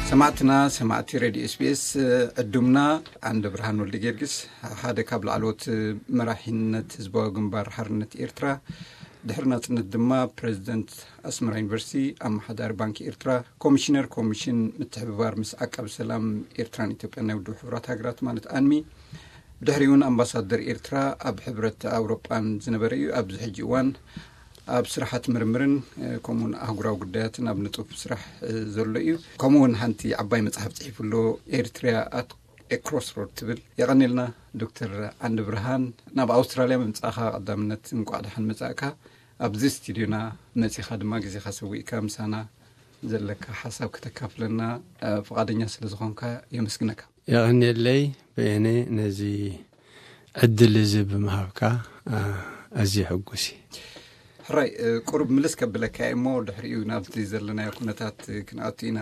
ሰማዕትና፣ ሰማዕቲ ሬድዮ ኤስቢኤስ፣ ዕዱምና ዓንደ ብርሃን ወልደ ጊዮርጊስ፣ ሓደ ካብ ላዕለዎት መራሒነት ህዝባዊ ግንባር ሓርነት ኤርትራ፣ ድሕሪ ናጽነት ድማ ፕሬዚደንት ኣስመራ ዩኒቨርሲቲ፣ ኣመሓዳሪ ባንኪ ኤርትራ፣ ኮሚሽነር ኮሚሽን ምትሕብባር ምስ ዓቃቢ ሰላም ኤርትራን ኢትዮጵያን ናይ ውድብ ሕቡራት ሃገራት፣ ማለት ኣንሚ፣ ብድሕሪኡ እውን ኣምባሳደር ኤርትራ ኣብ ሕብረት ኣውሮጳን ዝነበረ እዩ። ኣብዚ ሕጂ እዋን ኣብ ስራሓት ምርምርን፣ እ፣ ከምኡውን ኣህጉራዊ ጉዳያትን ኣብ ንጡፍ ስራሕ፣ እ፣ ዘሎ እዩ። ከምኡውን ሓንቲ ዓባይ መጽሓፍ ጽሒፉ ኣሎ፣ ኤርትሪያ ኣት ኤ ክሮስሮድ ትብል። የቐኔልና ዶክተር ዓንደ ብርሃን፣ ናብ ኣውስትራልያ ምምጻእካ ቀዳምነት እንቋዕ ደሓን መጻእካ። ኣብዚ ስቱድዮና መጺኻ ድማ ግዜኻ ሰዊእካ ምሳና ዘለካ ሓሳብ ከተካፍለና፣ እ፣ ፍቓደኛ ስለ ዝኾንካ የመስግነካ። የቐንየለይ በየነ፣ ነዚ ዕድል እዚ ብምሃብካ፣ አ፣ ኣዝየ ሕጉስ እየ። ሕራይ፣ እ፣ ቁሩብ ምልስ ከብለካ እየ እሞ፣ ድሕሪኡ ናብቲ ዘለናዮ ኩነታት፣ እ፣ ክንኣቱ ኢና።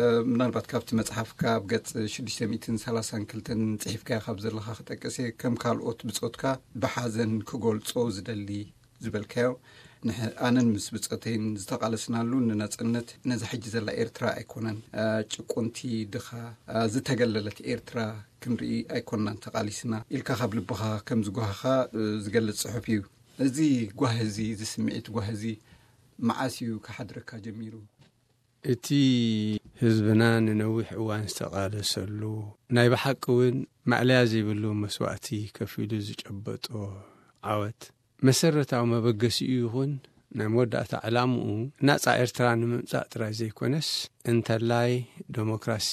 እ፣ ምናልባት ካብቲ መጽሓፍካ ኣብ ገጽ ሽዱሽተ ሚእትን ሰላሳን ክልተን ጽሒፍካዮ ካብ ዘለኻ ክጠቅስ እየ። ከም ካልኦት ብጾትካ ብሓዘን ክገልጾ ዝደሊ ዝበልካዮ፣ ንሕ-፣ ኣነን ምስ ብጸተይን ዝተቓለስናሉ ንናጽነት ነዛ ሕጂ ዘላ ኤርትራ ኣይኮነን፣ እ፣ ጭቁንቲ፣ ድኻ፣ እ፣ ዝተገለለት ኤርትራ ክንርኢ ኣይኮንናን ተቓሊስና ኢልካ ካብ ልብኻ ከም ዝጓሃኻ፣ እ፣ ዝገልጽ ጽሑፍ እዩ። እዚ ጓህ እዚ፣ እዚ ስምዒት ጓህ እዚ መዓስ እዩ ክሓድረካ ጀሚሩ? እቲ ህዝብና ንነዊሕ እዋን ዝተቓለሰሉ፣ ናይ ብሓቂ እውን ማእለያ ዘይብሉ መስዋእቲ ከፊሉ ዝጨበጦ ዓወት፣ መሰረታዊ መበገሲኡ ይኹን ናይ መወዳእታ ዕላምኡ ናጻ ኤርትራ ንምምጻእ ጥራይ ዘይኮነስ፣ እንተላይ ደሞክራሲ፣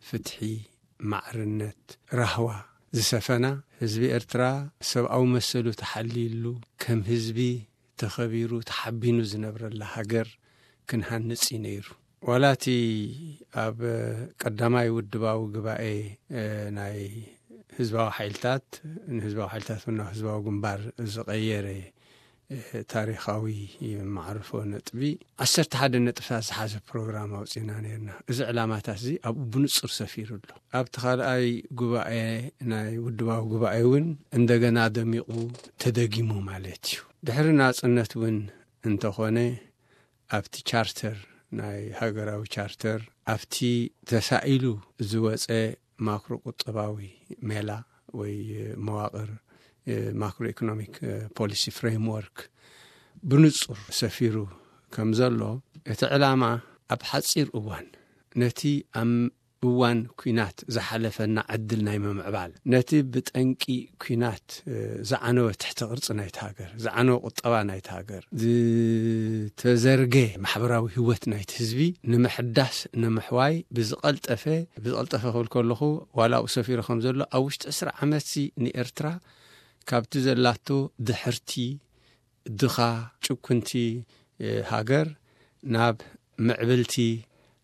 ፍትሒ፣ ማዕርነት፣ ራህዋ ዝሰፈና፣ ህዝቢ ኤርትራ ሰብኣዊ መሰሉ ተሓልይሉ፣ ከም ህዝቢ ተኸቢሩ ተሓቢኑ ዝነብረላ ሃገር ክንሃንጽ እዩ ነይሩ። ዋላ እቲ ኣብ ቀዳማይ ውድባዊ ጉባኤ፣ እ፣ ናይ ህዝባዊ ሓይልታት፣ ንህዝባዊ ሓይልታት እውን ናብ ህዝባዊ ግንባር ዝቐየረ፣ እ፣ ታሪኻዊ መዓርፎ ነጥቢ፣ ዓሰርተ ሓደ ነጥብታት ዝሓዘ ፕሮግራም ኣውጺና ነይርና። እዚ ዕላማታት እዚ ኣብኡ ብንጹር ሰፊሩ ኣሎ። ኣብቲ ካልኣይ ጉባኤ፣ ናይ ውድባዊ ጉባኤ እውን እንደገና ደሚቑ ተደጊሙ ማለት እዩ። ድሕሪ ናጽነት እውን እንተኾነ፣ ኣብቲ ቻርተር፣ ናይ ሃገራዊ ቻርተር፣ ኣብቲ ተሳኢሉ ዝወጸ ማክሮ ቁጠባዊ ሜላ ወይ መዋቕር፣ ማክሮ ኢኮኖሚክ ፖሊሲ ፍሬምወርክ ብንጹር ሰፊሩ ከም ዘሎ፣ እቲ ዕላማ ኣብ ሓጺር እዋን ነቲ ኣብ እዋን ኲናት ዝሓለፈና ዕድል ናይ ምምዕባል፣ ነቲ ብጠንቂ ኲናት፣ እ፣ ዝዓነወ ትሕቲ ቅርጺ ናይቲ ሃገር፣ ዝዓነወ ቁጠባ ናይቲ ሃገር፣ ዝተዘርገ ማሕበራዊ ህይወት ናይቲ ህዝቢ ንምሕዳስ፣ ንምሕዋይ ብዝቐልጠፈ፣ ብዝቐልጠፈ ክብል ከለኹ፣ ዋላ ኣብኡ ሰፊሩ ከም ዘሎ፣ ኣብ ውሽጢ ዕስራ ዓመትሲ ንኤርትራ ካብቲ ዘላቶ ድሕርቲ፣ ድኻ፣ ጭኩንቲ፣ እ፣ ሃገር ናብ ምዕብልቲ፣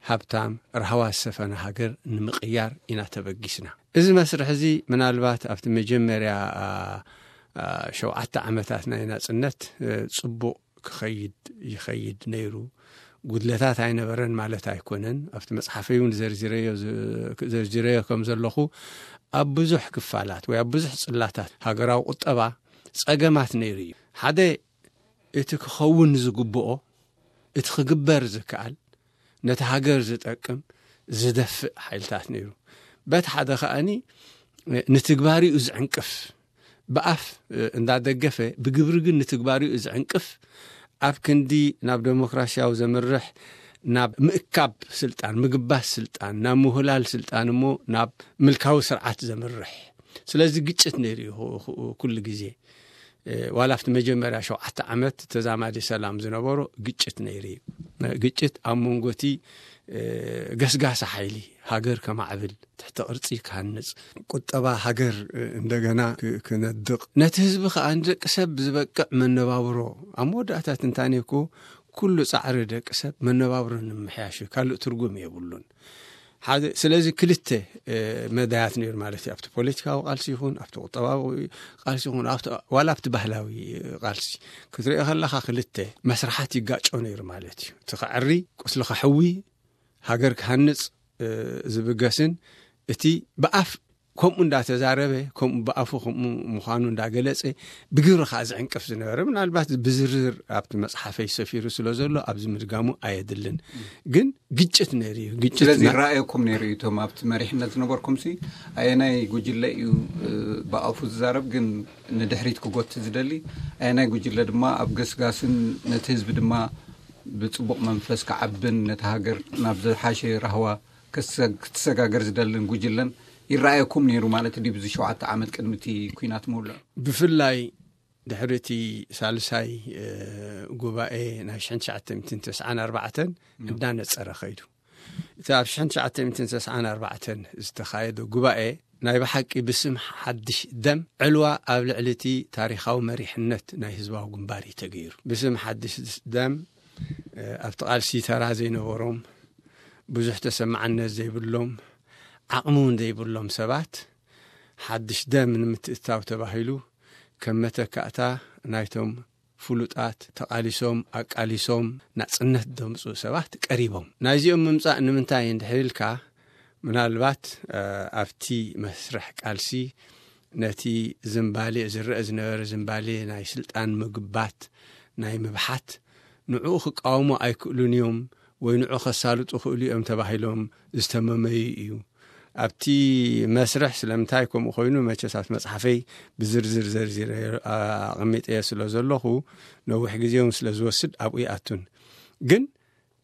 ሃብታም፣ ራህዋ ዝሰፈነ ሃገር ንምቕያር ኢና ተበጊስና። እዚ መስርሕ እዚ ምናልባት ኣብቲ መጀመርያ፣ አ፣ አ፣ ሸውዓተ ዓመታት ናይ ናጽነት፣ እ፣ ጽቡቕ ክኸይድ ይኸይድ ነይሩ። ጉድለታት ኣይነበረን ማለት ኣይኮነን። ኣብቲ መጽሓፈይ እውን ዘርዚረዮ ዝ-፣ ዘርዚረዮ ከም ዘለኹ፣ ኣብ ብዙሕ ክፋላት ወይ ኣብ ብዙሕ ጽላታት ሃገራዊ ቁጠባ ጸገማት ነይሩ እዩ። ሓደ፣ እቲ ክኸውን ዝግብኦ፣ እቲ ክግበር ዝከኣል፣ ነቲ ሃገር ዝጠቅም፣ ዝደፍእ ሓይልታት ነይሩ። በቲ ሓደ ከኣኒ፣ ንትግባሪኡ ዝዕንቅፍ፣ ብኣፍ እንዳደገፈ፣ ብግብሪ ግን ንትግባሪኡ ዝዕንቅፍ፣ ኣብ ክንዲ ናብ ደሞክራሲያዊ ዘምርሕ፣ ናብ ምእካብ ስልጣን፣ ምግባስ ስልጣን፣ ናብ ምሁላል ስልጣን እሞ ናብ ምልካዊ ስርዓት ዘምርሕ። ስለዚ ግጭት ነይሩ እዩ ኩ-፣ ኩ-፣ ኩሉ ግዜ። እ፣ ዋላ ኣብቲ መጀመርያ ሸውዓተ ዓመት ተዛማዲ ሰላም ዝነበሮ ግጭት ነይሩ እዩ። እ፣ ግጭት ኣብ መንጎ እቲ፣ እ፣ ገስጋሲ ሓይሊ ሃገር ከማዕብል፣ ትሕቲ ቅርጺ ክሃንጽ፣ ቁጠባ ሃገር፣ እ፣ እንደገና ክ-፣ ክነድቕ፣ ነቲ ህዝቢ ከኣ ንደቂ ሰብ ዝበቅዕ መነባብሮ፣ ኣብ መወዳእታ ትንታኔ እኮ ኩሉ ጻዕሪ ደቂ ሰብ መነባብሮ ንምምሕያሽ እዩ፣ ካልእ ትርጉም የብሉን። ሓደ፣ ስለዚ ክልተ፣ እ፣ መዳያት ነይሩ ማለት እዩ። ኣብቲ ፖለቲካዊ ቃልሲ ይኹን፣ ኣብቲ ቁጠባዊ ቃልሲ ይኹን፣ ኣብቲ፣ ዋላ ኣብቲ ባህላዊ ቃልሲ ክትሪኦ ከለኻ ክልተ መስርሓት ይጋጮ ነይሩ ማለት እዩ። እቲ ከዕሪ፣ ቁስሊ ከሕዊ፣ ሃገር ክሃንጽ፣ እ፣ ዝብገስን እቲ ብኣፍ ከምኡ እንዳተዛረበ፣ ከምኡ ብኣፉ ከምኡ ምዃኑ እንዳገለጸ፣ ብግብሪ ከዓ ዝዕንቅፍ ዝነበረ፣ ምናልባት ብዝርዝር ኣብቲ መጽሓፈይ ሰፊሩ ስለ ዘሎ ኣብዚ ምድጋሙ ኣየድልን። ግን ግጭት ነይሩ እዩ። ግጭት ስለዚ ና- ይረኣየኩም ነይሩ እዩ። እቶም ኣብቲ መሪሕነት ዝነበርኩም ሲ ኣየናይ ጉጅለ እዩ፣ እ፣ ብኣፉ ዝዛረብ ግን ንድሕሪት ክጎት ዝደሊ፣ ኣየናይ ጉጅለ ድማ ኣብ ገስጋስን ነቲ ህዝቢ ድማ ብጽቡቕ መንፈስ ክዓብን ነቲ ሃገር ናብ ዝሓሸ ራህዋ ክሰ-፣ ክትሰጋገር ዝደልን ጉጅለን ይረኣየኩም ነይሩ ማለት ድዩ? ብዚ ሸውዓተ ዓመት ቅድሚ እቲ ኲናት ምውላዕ? ብፍላይ ድሕሪ እቲ ሳልሳይ፣ እ፣ ጉባኤ ናይ ሽሕን ትሽዓተ ሚእትን ተስዓን ኣርባዕተን እንዳነጸረ ኸይዱ። እቲ ኣብ ሽሕን ትሽዓተ ሚእትን ተስዓን ኣርባዕተን ዝተኻየደ ጉባኤ ናይ ብሓቂ ብስም ሓድሽ ደም ዕልዋ ኣብ ልዕሊ እቲ ታሪኻዊ መሪሕነት ናይ ህዝባዊ ግንባር እዩ ተገይሩ። ብስም ሓድሽ ደም፣ እ፣ ኣብቲ ቃልሲ ተራ ዘይነበሮም፣ ብዙሕ ተሰማዕነት ዘይብሎም፣ ዓቕሚ እውን ዘይብሎም ሰባት ሓድሽ ደም ንምትእታው ተባሂሉ ከም መተካእታ ናይቶም ፍሉጣት ተቓሊሶም ኣቃሊሶም ናጽነት ዘምጽኡ ሰባት ቀሪቦም። ናይዚኦም ምምጻእ ንምንታይ እንድሕር ኢልካ፣ ምናልባት፣ እ፣ ኣብቲ መስርሕ ቃልሲ ነቲ ዝንባሌ፣ ዝረአ ዝነበረ ዝንባሌ ናይ ስልጣን ምግባት፣ ናይ ምብሓት፣ ንዕኡ ክቃወሙ ኣይክእሉን እዮም ወይ ንዑ ከሳልጡ ክእሉ እዮም ተባሂሎም ዝተመመዩ እዩ። ኣብቲ መስርሕ ስለምንታይ ከምኡ ኮይኑ መቸስ ኣብቲ መጽሓፈይ ብዝርዝር ዘርዚረ ኣቐሚጠዮ ስለ ዘለኹ ነዊሕ ግዜ እውን ስለ ዝወስድ ኣብኡ ይኣቱን። ግን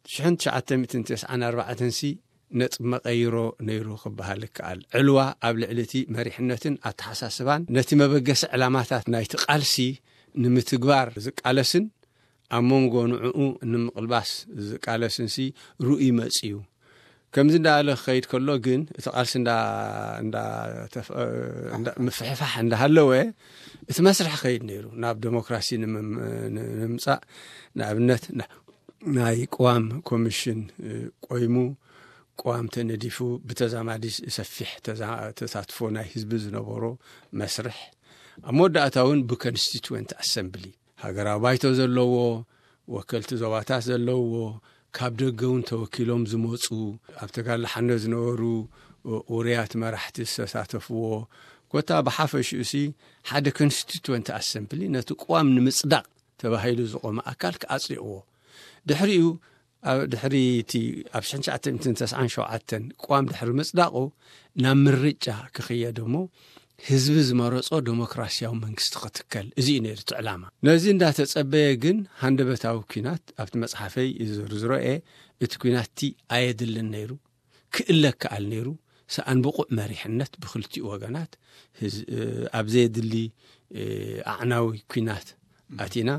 ሽሕን ትሽዓተ ሚእትን ተስዓን ኣርባዕተን ሲ ነጥቢ መቐይሮ ነይሩ ክበሃል ይከኣል። ዕልዋ ኣብ ልዕሊ እቲ መሪሕነትን ኣተሓሳስባን ነቲ መበገሲ ዕላማታት ናይቲ ቃልሲ ንምትግባር ዝቃለስን ኣብ መንጎ ንዕኡ ንምቕልባስ ዝቃለስን ሲ ርኡይ መጽዩ። ከምዚ እንዳበለ ክኸይድ ከሎ ግን እቲ ቃልሲ እንዳ-፣ እንዳ-፣ ተፍ-፣ እንዳ-፣ ምፍሕፋሕ እንዳሃለወ እቲ መስርሕ ክኸይድ ነይሩ ናብ ዴሞክራሲ ንምም-፣ ንምምጻእ። ንኣብነት ና-፣ ናይ ቅዋም ኮሚሽን፣ እ፣ ቆይሙ፣ ቅዋም ተነዲፉ፣ ብተዛማዲ ሰፊሕ ተዛ-፣ ተሳትፎ ናይ ህዝቢ ዝነበሮ መስርሕ፣ ኣብ መወዳእታ እውን ብኮንስቲትወንት ኣሰምብሊ ሃገራዊ ባይቶ ዘለዎ፣ ወከልቲ ዞባታት ዘለዎ፣ ካብ ደገ እውን ተወኪሎም ዝመጹ፣ ኣብ ተጋድሎ ሓነ ዝነበሩ፣ እ፣ ውሩያት መራሕቲ ዝተሳተፍዎ፣ ኮታ ብሓፈሽኡሲ ሓደ ኮንስቲትወንት ኣሰምብሊ ነቲ ቅዋም ንምጽዳቕ ተባሂሉ ዝቖመ ኣካል ክኣጽድቕዎ። ድሕሪኡ፣ ኣብ ድሕሪ እቲ ኣብ ሽሕን ትሽዓተ ሚእትን ተስዓን ሸውዓተን ቅዋም ድሕሪ ምጽዳቑ ናብ ምርጫ ክኽየድ እሞ ህዝቢ ዝመረጾ ዴሞክራሲያዊ መንግስቲ ክትከል፣ እዚ እዩ ነይሩ እቲ ዕላማ። ነዚ እንዳተጸበየ ግን ሃንደበታዊ ኲናት ኣብቲ መጽሓፈይ ዝዝርዝሮ እየ። እቲ ኲናት እቲ ኣየድልን ነይሩ፣ ክእለ ክኣል ነይሩ። ሰኣን ብቑዕ መሪሕነት ብክልቲኡ ወገናት ህዝ-፣ እ፣ ኣብ ዘየድሊ፣ እ፣ ኣዕናዊ ኲናት ኣቲና።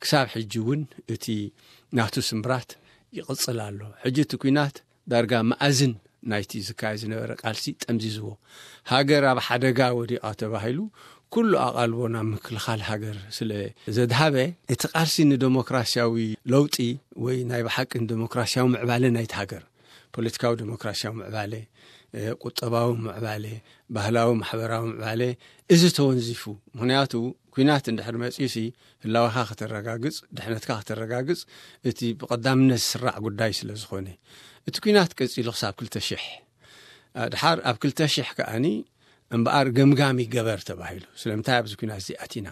ክሳብ ሕጂ እውን እቲ ናቱ ስምብራት ይቕጽል ኣሎ። ሕጂ እቲ ኲናት ዳርጋ መኣዝን ናይቲ ዝካየድ ዝነበረ ቃልሲ ጠምዚዝዎ። ሃገር ኣብ ሓደጋ ወዲቓ ተባሂሉ ኩሉ ኣቓልቦ ናብ ምክልኻል ሃገር ስለ ዘድሃበ፣ እቲ ቃልሲ ንደሞክራሲያዊ ለውጢ ወይ ናይ ብሓቂ ንደሞክራሲያዊ ምዕባለ ናይቲ ሃገር፣ ፖለቲካዊ ደሞክራሲያዊ ምዕባለ፣ እ፣ ቁጠባዊ ምዕባለ፣ ባህላዊ ማሕበራዊ ምዕባለ፣ እዚ ተወንዚፉ። ምኽንያቱ ኲናት እንድሕር መጺኡሲ ህላወኻ ከተረጋግጽ፣ ድሕነትካ ከተረጋግጽ እቲ ብቐዳምነት ዝስራዕ ጉዳይ ስለ ዝኾነ። እቲ ኲናት ቀጺሉ ክሳብ ክልተ ሽሕ፣ እ፣ ድሓር ኣብ ክልተ ሽሕ ከኣኒ እምበኣር ገምጋም ይገበር ተባሂሉ። ስለምንታይ ኣብዚ ኲናት እዚ ኣቲና?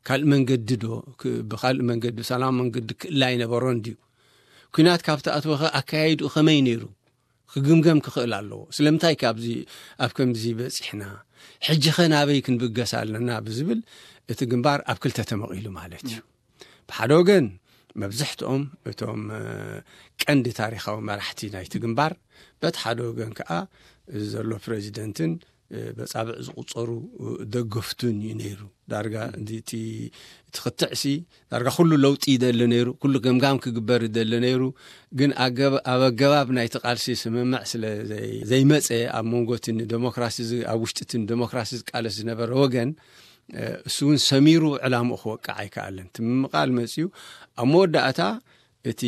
ካልእ መንገዲ ዶ፣ ክ-፣ ብኻልእ መንገዲ፣ ብሰላም መንገዲ ክእላ ኣይነበሮን ድዩ? ኲናት ካብ ተኣትወኸ ኣካያይድኡ ከመይ ነይሩ? ክግምገም ክኽእል ኣለዎ። ስለምንታይ ካብዚ፣ ኣብ ከምዚ በጺሕና? ሕጂኸ ናበይ ክንብገስ ኣለና? ብዝብል እቲ ግንባር ኣብ ክልተ ተመቒሉ ማለት እዩ። ብሓደ ወገን መብዝሕትኦም እቶም፣ እ፣ ቀንዲ ታሪኻዊ መራሕቲ ናይቲ ግንባር፣ በቲ ሓደ ወገን ከኣ እዚ ዘሎ ፕሬዚደንትን፣ እ፣ በጻብዕ ዝቑጸሩ፣ እ፣ ደገፍቱን እዩ ነይሩ። ዳርጋ ም። እንዲ እቲ፣ እቲ ክትዕሲ ዳርጋ ኩሉ ለውጢ ይደሊ ነይሩ፣ ኩሉ ገምጋም ክግበር ይደሊ ነይሩ። ግን ኣገብ-፣ ኣብ ኣገባብ ናይቲ ቃልሲ ስምምዕ ስለ ዘይ-፣ ዘይመጸ፣ ኣብ መንጎ እቲ ንደሞክራሲ ዝ-፣ ኣብ ውሽጢ እቲ ንደሞክራሲ ዝቃለስ ዝነበረ ወገን፣ እ፣ እሱ እውን ሰሚሩ ዕላምኡ ክወቅዕ ኣይከኣለን። እቲ ምምቓል መጺኡ ኣብ መወዳእታ እቲ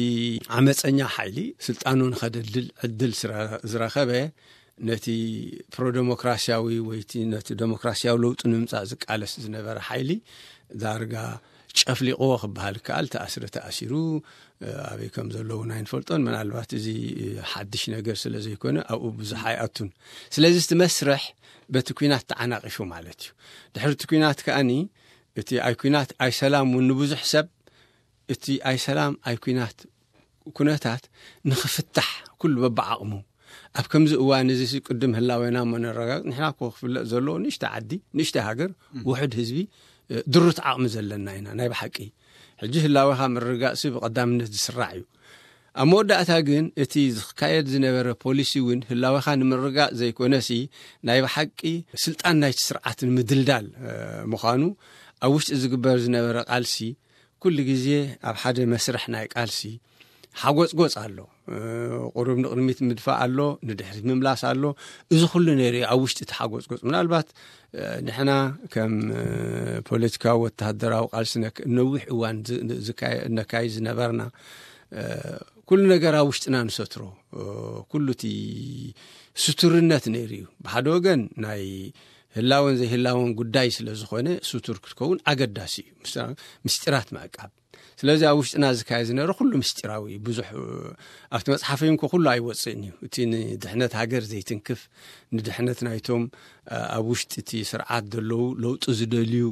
ዓመፀኛ ሓይሊ ስልጣኑ ንኸደልድል ዕድል ስረ-፣ ዝረኸበ ነቲ ፕሮደሞክራሲያዊ ወይ እቲ ነቲ ደሞክራሲያዊ ለውጢ ንምምፃእ ዝቃለስ ዝነበረ ሓይሊ ዳርጋ ጨፍሊቕዎ ክበሃል ይከኣል። ተኣስረ ተኣሲሩ፣ ኣበይ ከም ዘለዉ ኣይንፈልጦን። ምናልባት እዚ ሓድሽ ነገር ስለ ዘይኮነ ኣብኡ ብዙሕ ኣይኣቱን። ስለዚ እቲ መስርሕ በቲ ኲናት ተዓናቒፉ ማለት እዩ። ድሕሪ እቲ ኲናት ከኣኒ እቲ ኣይ ኲናት ኣይ ሰላም እውን ንብዙሕ ሰብ እቲ ኣይ ሰላም ኣይ ኲናት ኩነታት ንኽፍታሕ ኩሉ በብዓቕሙ ኣብ ከምዚ እዋን እዚ ቅድም ህላዌና እሞ ነረጋግጽ። ንሕና እኮ ክፍለጥ ዘለዎ ንእሽተ ዓዲ፣ ንእሽተ ሃገር፣ ውሕድ ህዝቢ፣ ድሩት ዓቕሚ ዘለና ኢና ናይ ብሓቂ። ሕጂ ህላዌኻ ምርጋጽ ብቐዳምነት ዝስራዕ እዩ። ኣብ መወዳእታ ግን እቲ ዝካየድ ዝነበረ ፖሊሲ እውን ህላዌኻ ንምርጋጽ ዘይኮነሲ ናይ ብሓቂ ስልጣን ናይቲ ስርዓት ንምድልዳል ምዃኑ ኣብ ውሽጢ ዝግበር ዝነበረ ቃልሲ ኩሉ ግዜ ኣብ ሓደ መስርሕ ናይ ቃልሲ ሓጎጽጎጽ ኣሎ። ቁሩብ ንቕድሚት ምድፋእ ኣሎ፣ ንድሕሪት ምምላስ ኣሎ። እዚ ኩሉ ነይሩ ኣብ ውሽጢ እቲ ሓጎጽጎጽ። ምናልባት ንሕና ከም ፖለቲካዊ ወተሃደራዊ ቃልሲ ነዊሕ እዋን ነካይ ዝነበርና ኩሉ ነገር ኣብ ውሽጥና ንሰትሮ ኩሉ እቲ ስቱርነት ነይሩ እዩ። ብሓደ ወገን ናይ ህላወን ዘይህላወን ጉዳይ ስለ ዝኾነ ስቱር ክትከውን ኣገዳሲ እዩ። ምስጢራት ምዕቃብ ስለዚ ኣብ ውሽጥና ዝካየ ዝነበረ ኩሉ ምስጢራዊ ብዙሕ ኣብቲ መጽሓፈይ እንኮ ኩሉ ኣይወፅእን እዩ። እቲ ንድሕነት ሃገር ዘይትንክፍ ንድሕነት ናይቶም ኣብ ውሽጢ እቲ ስርዓት ዘለዉ ለውጢ ዝደልዩ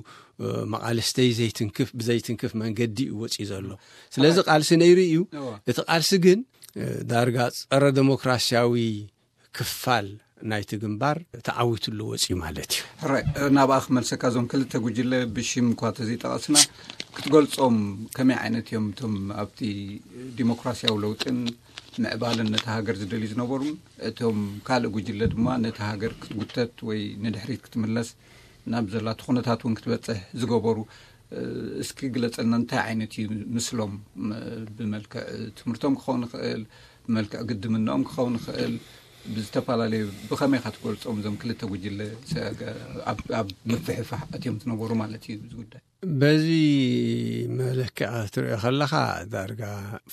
መቓልስተይ ዘይትንክፍ ብዘይትንክፍ መንገዲ እዩ ወፅዩ ዘሎ። ስለዚ ቃልሲ ነይሩ እዩ። እቲ ቃልሲ ግን ዳርጋ ፀረ ዴሞክራሲያዊ ክፋል ናይቲ ግንባር ተዓዊትሉ ወፅዩ ማለት እዩ። ሕራይ ናብኣ ክመልሰካ እዞም ክልተ ጉጅለ ብሽም እኳ ተዘይጠቐስና ክትገልጾም ከመይ ዓይነት እዮም እቶም ኣብቲ ዲሞክራሲያዊ ለውጥን ምዕባልን ነቲ ሃገር ዝደልዩ ዝነበሩን እቶም ካልእ ጉጅለ ድማ ነቲ ሃገር ክትጉተት ወይ ንድሕሪት ክትምለስ ናብ ዘላቱ ኩነታት እውን ክትበጽሕ ዝገበሩ እስኪ ግለጸልና እንታይ ዓይነት እዩ ምስሎም ብመልክዕ ትምህርቶም ክኸውን ይኽእል ብመልክዕ ግድምናኦም ክኸውን ይኽእል ብዝተፈላለዩ ብኸመይ ኢኻ ትገልጾም እዞም ክልተ ጉጅለ ኣብ ምፍሕፋሕ ኣትዮም ዝነበሩ ማለት እዩ እዚ ጉዳይ በዚ መለክዕ ክትሪኦ ከለኻ ዳርጋ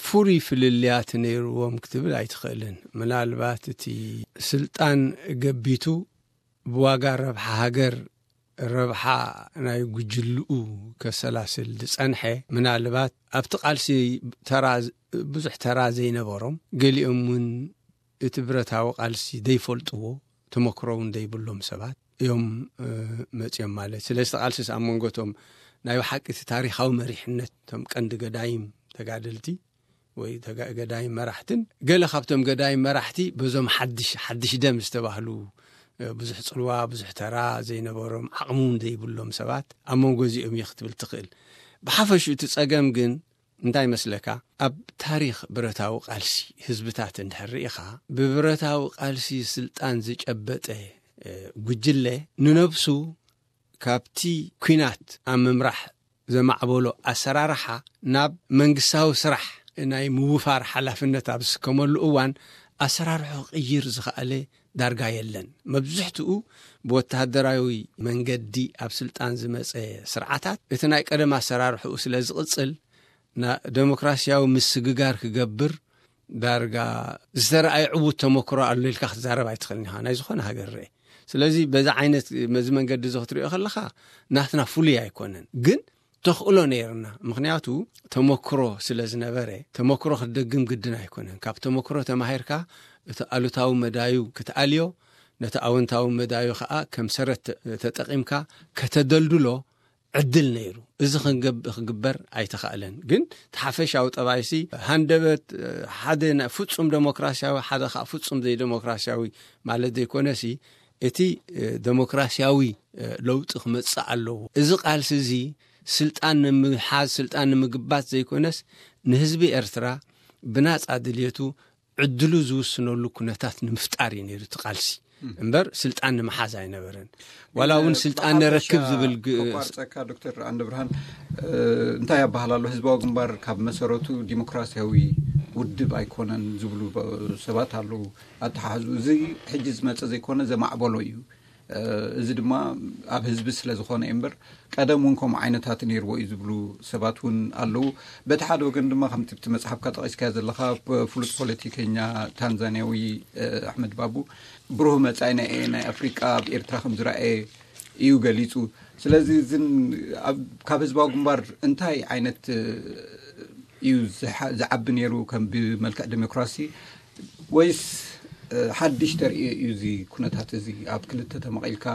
ፍሩይ ፍልልያት ነይርዎም ክትብል ኣይትኽእልን ምናልባት እቲ ስልጣን ገቢቱ ብዋጋ ረብሓ ሃገር ረብሓ ናይ ጉጅልኡ ከሰላስል ዝጸንሐ ምናልባት ኣብቲ ቃልሲ ተራ ብዙሕ ተራ ዘይነበሮም ገሊኦም እውን እቲ ብረታዊ ቃልሲ ዘይፈልጥዎ ተመክሮ እውን ዘይብሎም ሰባት እዮም መጽዮም ማለት ስለዚ ቃልሲስ ኣብ መንጎቶም ናይ ብሓቂ እቲ ታሪኻዊ መሪሕነት እቶም ቀንዲ ገዳይም ተጋደልቲ ወይ ገዳይ መራሕትን ገለ ካብቶም ገዳይ መራሕቲ በዞም ሓድሽ ሓድሽ ደም ዝተባህሉ ብዙሕ ጽልዋ ብዙሕ ተራ ዘይነበሮም ዓቕሚ እውን ዘይብሎም ሰባት ኣብ መንጎ እዚኦም እየ ክትብል ትኽእል። ብሓፈሽኡ እቲ ጸገም ግን እንታይ መስለካ ኣብ ታሪኽ ብረታዊ ቃልሲ ህዝብታት እንድሕር ርኢኻ ብብረታዊ ቃልሲ ስልጣን ዝጨበጠ ጉጅለ ንነብሱ ካብቲ ኲናት ኣብ ምምራሕ ዘማዕበሎ ኣሰራርሓ ናብ መንግስታዊ ስራሕ ናይ ምውፋር ሓላፍነት ኣብ ዝስከመሉ እዋን ኣሰራርሑ ክቕይር ዝኸኣለ ዳርጋ የለን። መብዝሕትኡ ብወተሃደራዊ መንገዲ ኣብ ስልጣን ዝመጸ ስርዓታት እቲ ናይ ቀደም ኣሰራርሕኡ ስለ ዝቕጽል ና- ደሞክራሲያዊ ምስግጋር ክገብር ዳርጋ ዝተረኣየ ዕዉት ተመክሮ ኣሎ ኢልካ ክትዛረብ ኣይትኽእልን ኢኻ ናይ ዝኾነ ሃገር ርኤ። ስለዚ በዚ ዓይነት መዚ መንገዲ እዚ ክትሪኦ ከለኻ ናትና ፍሉይ ኣይኮነን ግን ተኽእሎ ነይርና ምክንያቱ ተመክሮ ስለ ዝነበረ ተመክሮ ክትደግም ግድን ኣይኮነን ካብ ተመክሮ ተማሂርካ እቲ ኣሉታዊ መዳዩ ክትኣልዮ ነቲ ኣወንታዊ መዳዩ ከዓ ከም ሰረት ተጠቒምካ ከተደልድሎ ዕድል ነይሩ። እዚ ክግበር ኣይተኻእለን። ግን እቲ ሓፈሻዊ ጠባይሲ ሃንደበት ሓደ ፍጹም ደሞክራሲያዊ ሓደ ከዓ ፍጹም ዘይደሞክራሲያዊ ማለት ዘይኮነሲ እቲ ደሞክራሲያዊ ለውጢ ክመጽእ ኣለዎ። እዚ ቃልሲ እዚ ስልጣን ንምሓዝ ስልጣን ንምግባት ዘይኮነስ ንህዝቢ ኤርትራ ብናጻ ድልየቱ ዕድሉ ዝውስነሉ ኩነታት ንምፍጣር እዩ ነይሩ እቲ ቃልሲ እምበር ስልጣን ንምሓዝ ኣይነበረን። ዋላ እውን ስልጣን ንረክብ ዝብል ግ- ቋርፀካ ዶክተር ኣንደ ብርሃን እንታይ ያባሃል ኣሎ ህዝባዊ ግንባር ካብ መሰረቱ ዲሞክራሲያዊ ውድብ ኣይኮነን ዝብሉ ሰባት ኣለዉ። ኣተሓሕዙ እዚ ሕጂ ዝመፀ ዘይኮነ ዘማዕበሎ እዩ። እዚ ድማ ኣብ ህዝቢ ስለ ዝኾነ እዩ እምበር ቀደም እውን ከምኡ ዓይነታት ነይርዎ እዩ ዝብሉ ሰባት እውን ኣለዉ። በቲ ሓደ ወገን ድማ ከምቲ ብቲ መፅሓፍካ ጠቒስካዮ ዘለኻ ፍሉጥ ፖለቲከኛ ታንዛንያዊ ኣሕመድ ባቡ ብሩህ መፃኢ ናይ ናይ ኣፍሪቃ ኣብ ኤርትራ ከም ዝረኣየ እዩ ገሊፁ። ስለዚ እዝን ኣብ- ካብ ህዝባዊ ግንባር እንታይ ዓይነት እ፣ እዩ ዝሓ- ዝዓቢ ነይሩ ከም ብመልክዕ ዴሞክራሲ ወይስ እ፣ ሓድሽ ተርእዮ እዩ እዚ ኩነታት እዚ ኣብ ክልተ ተመቒልካ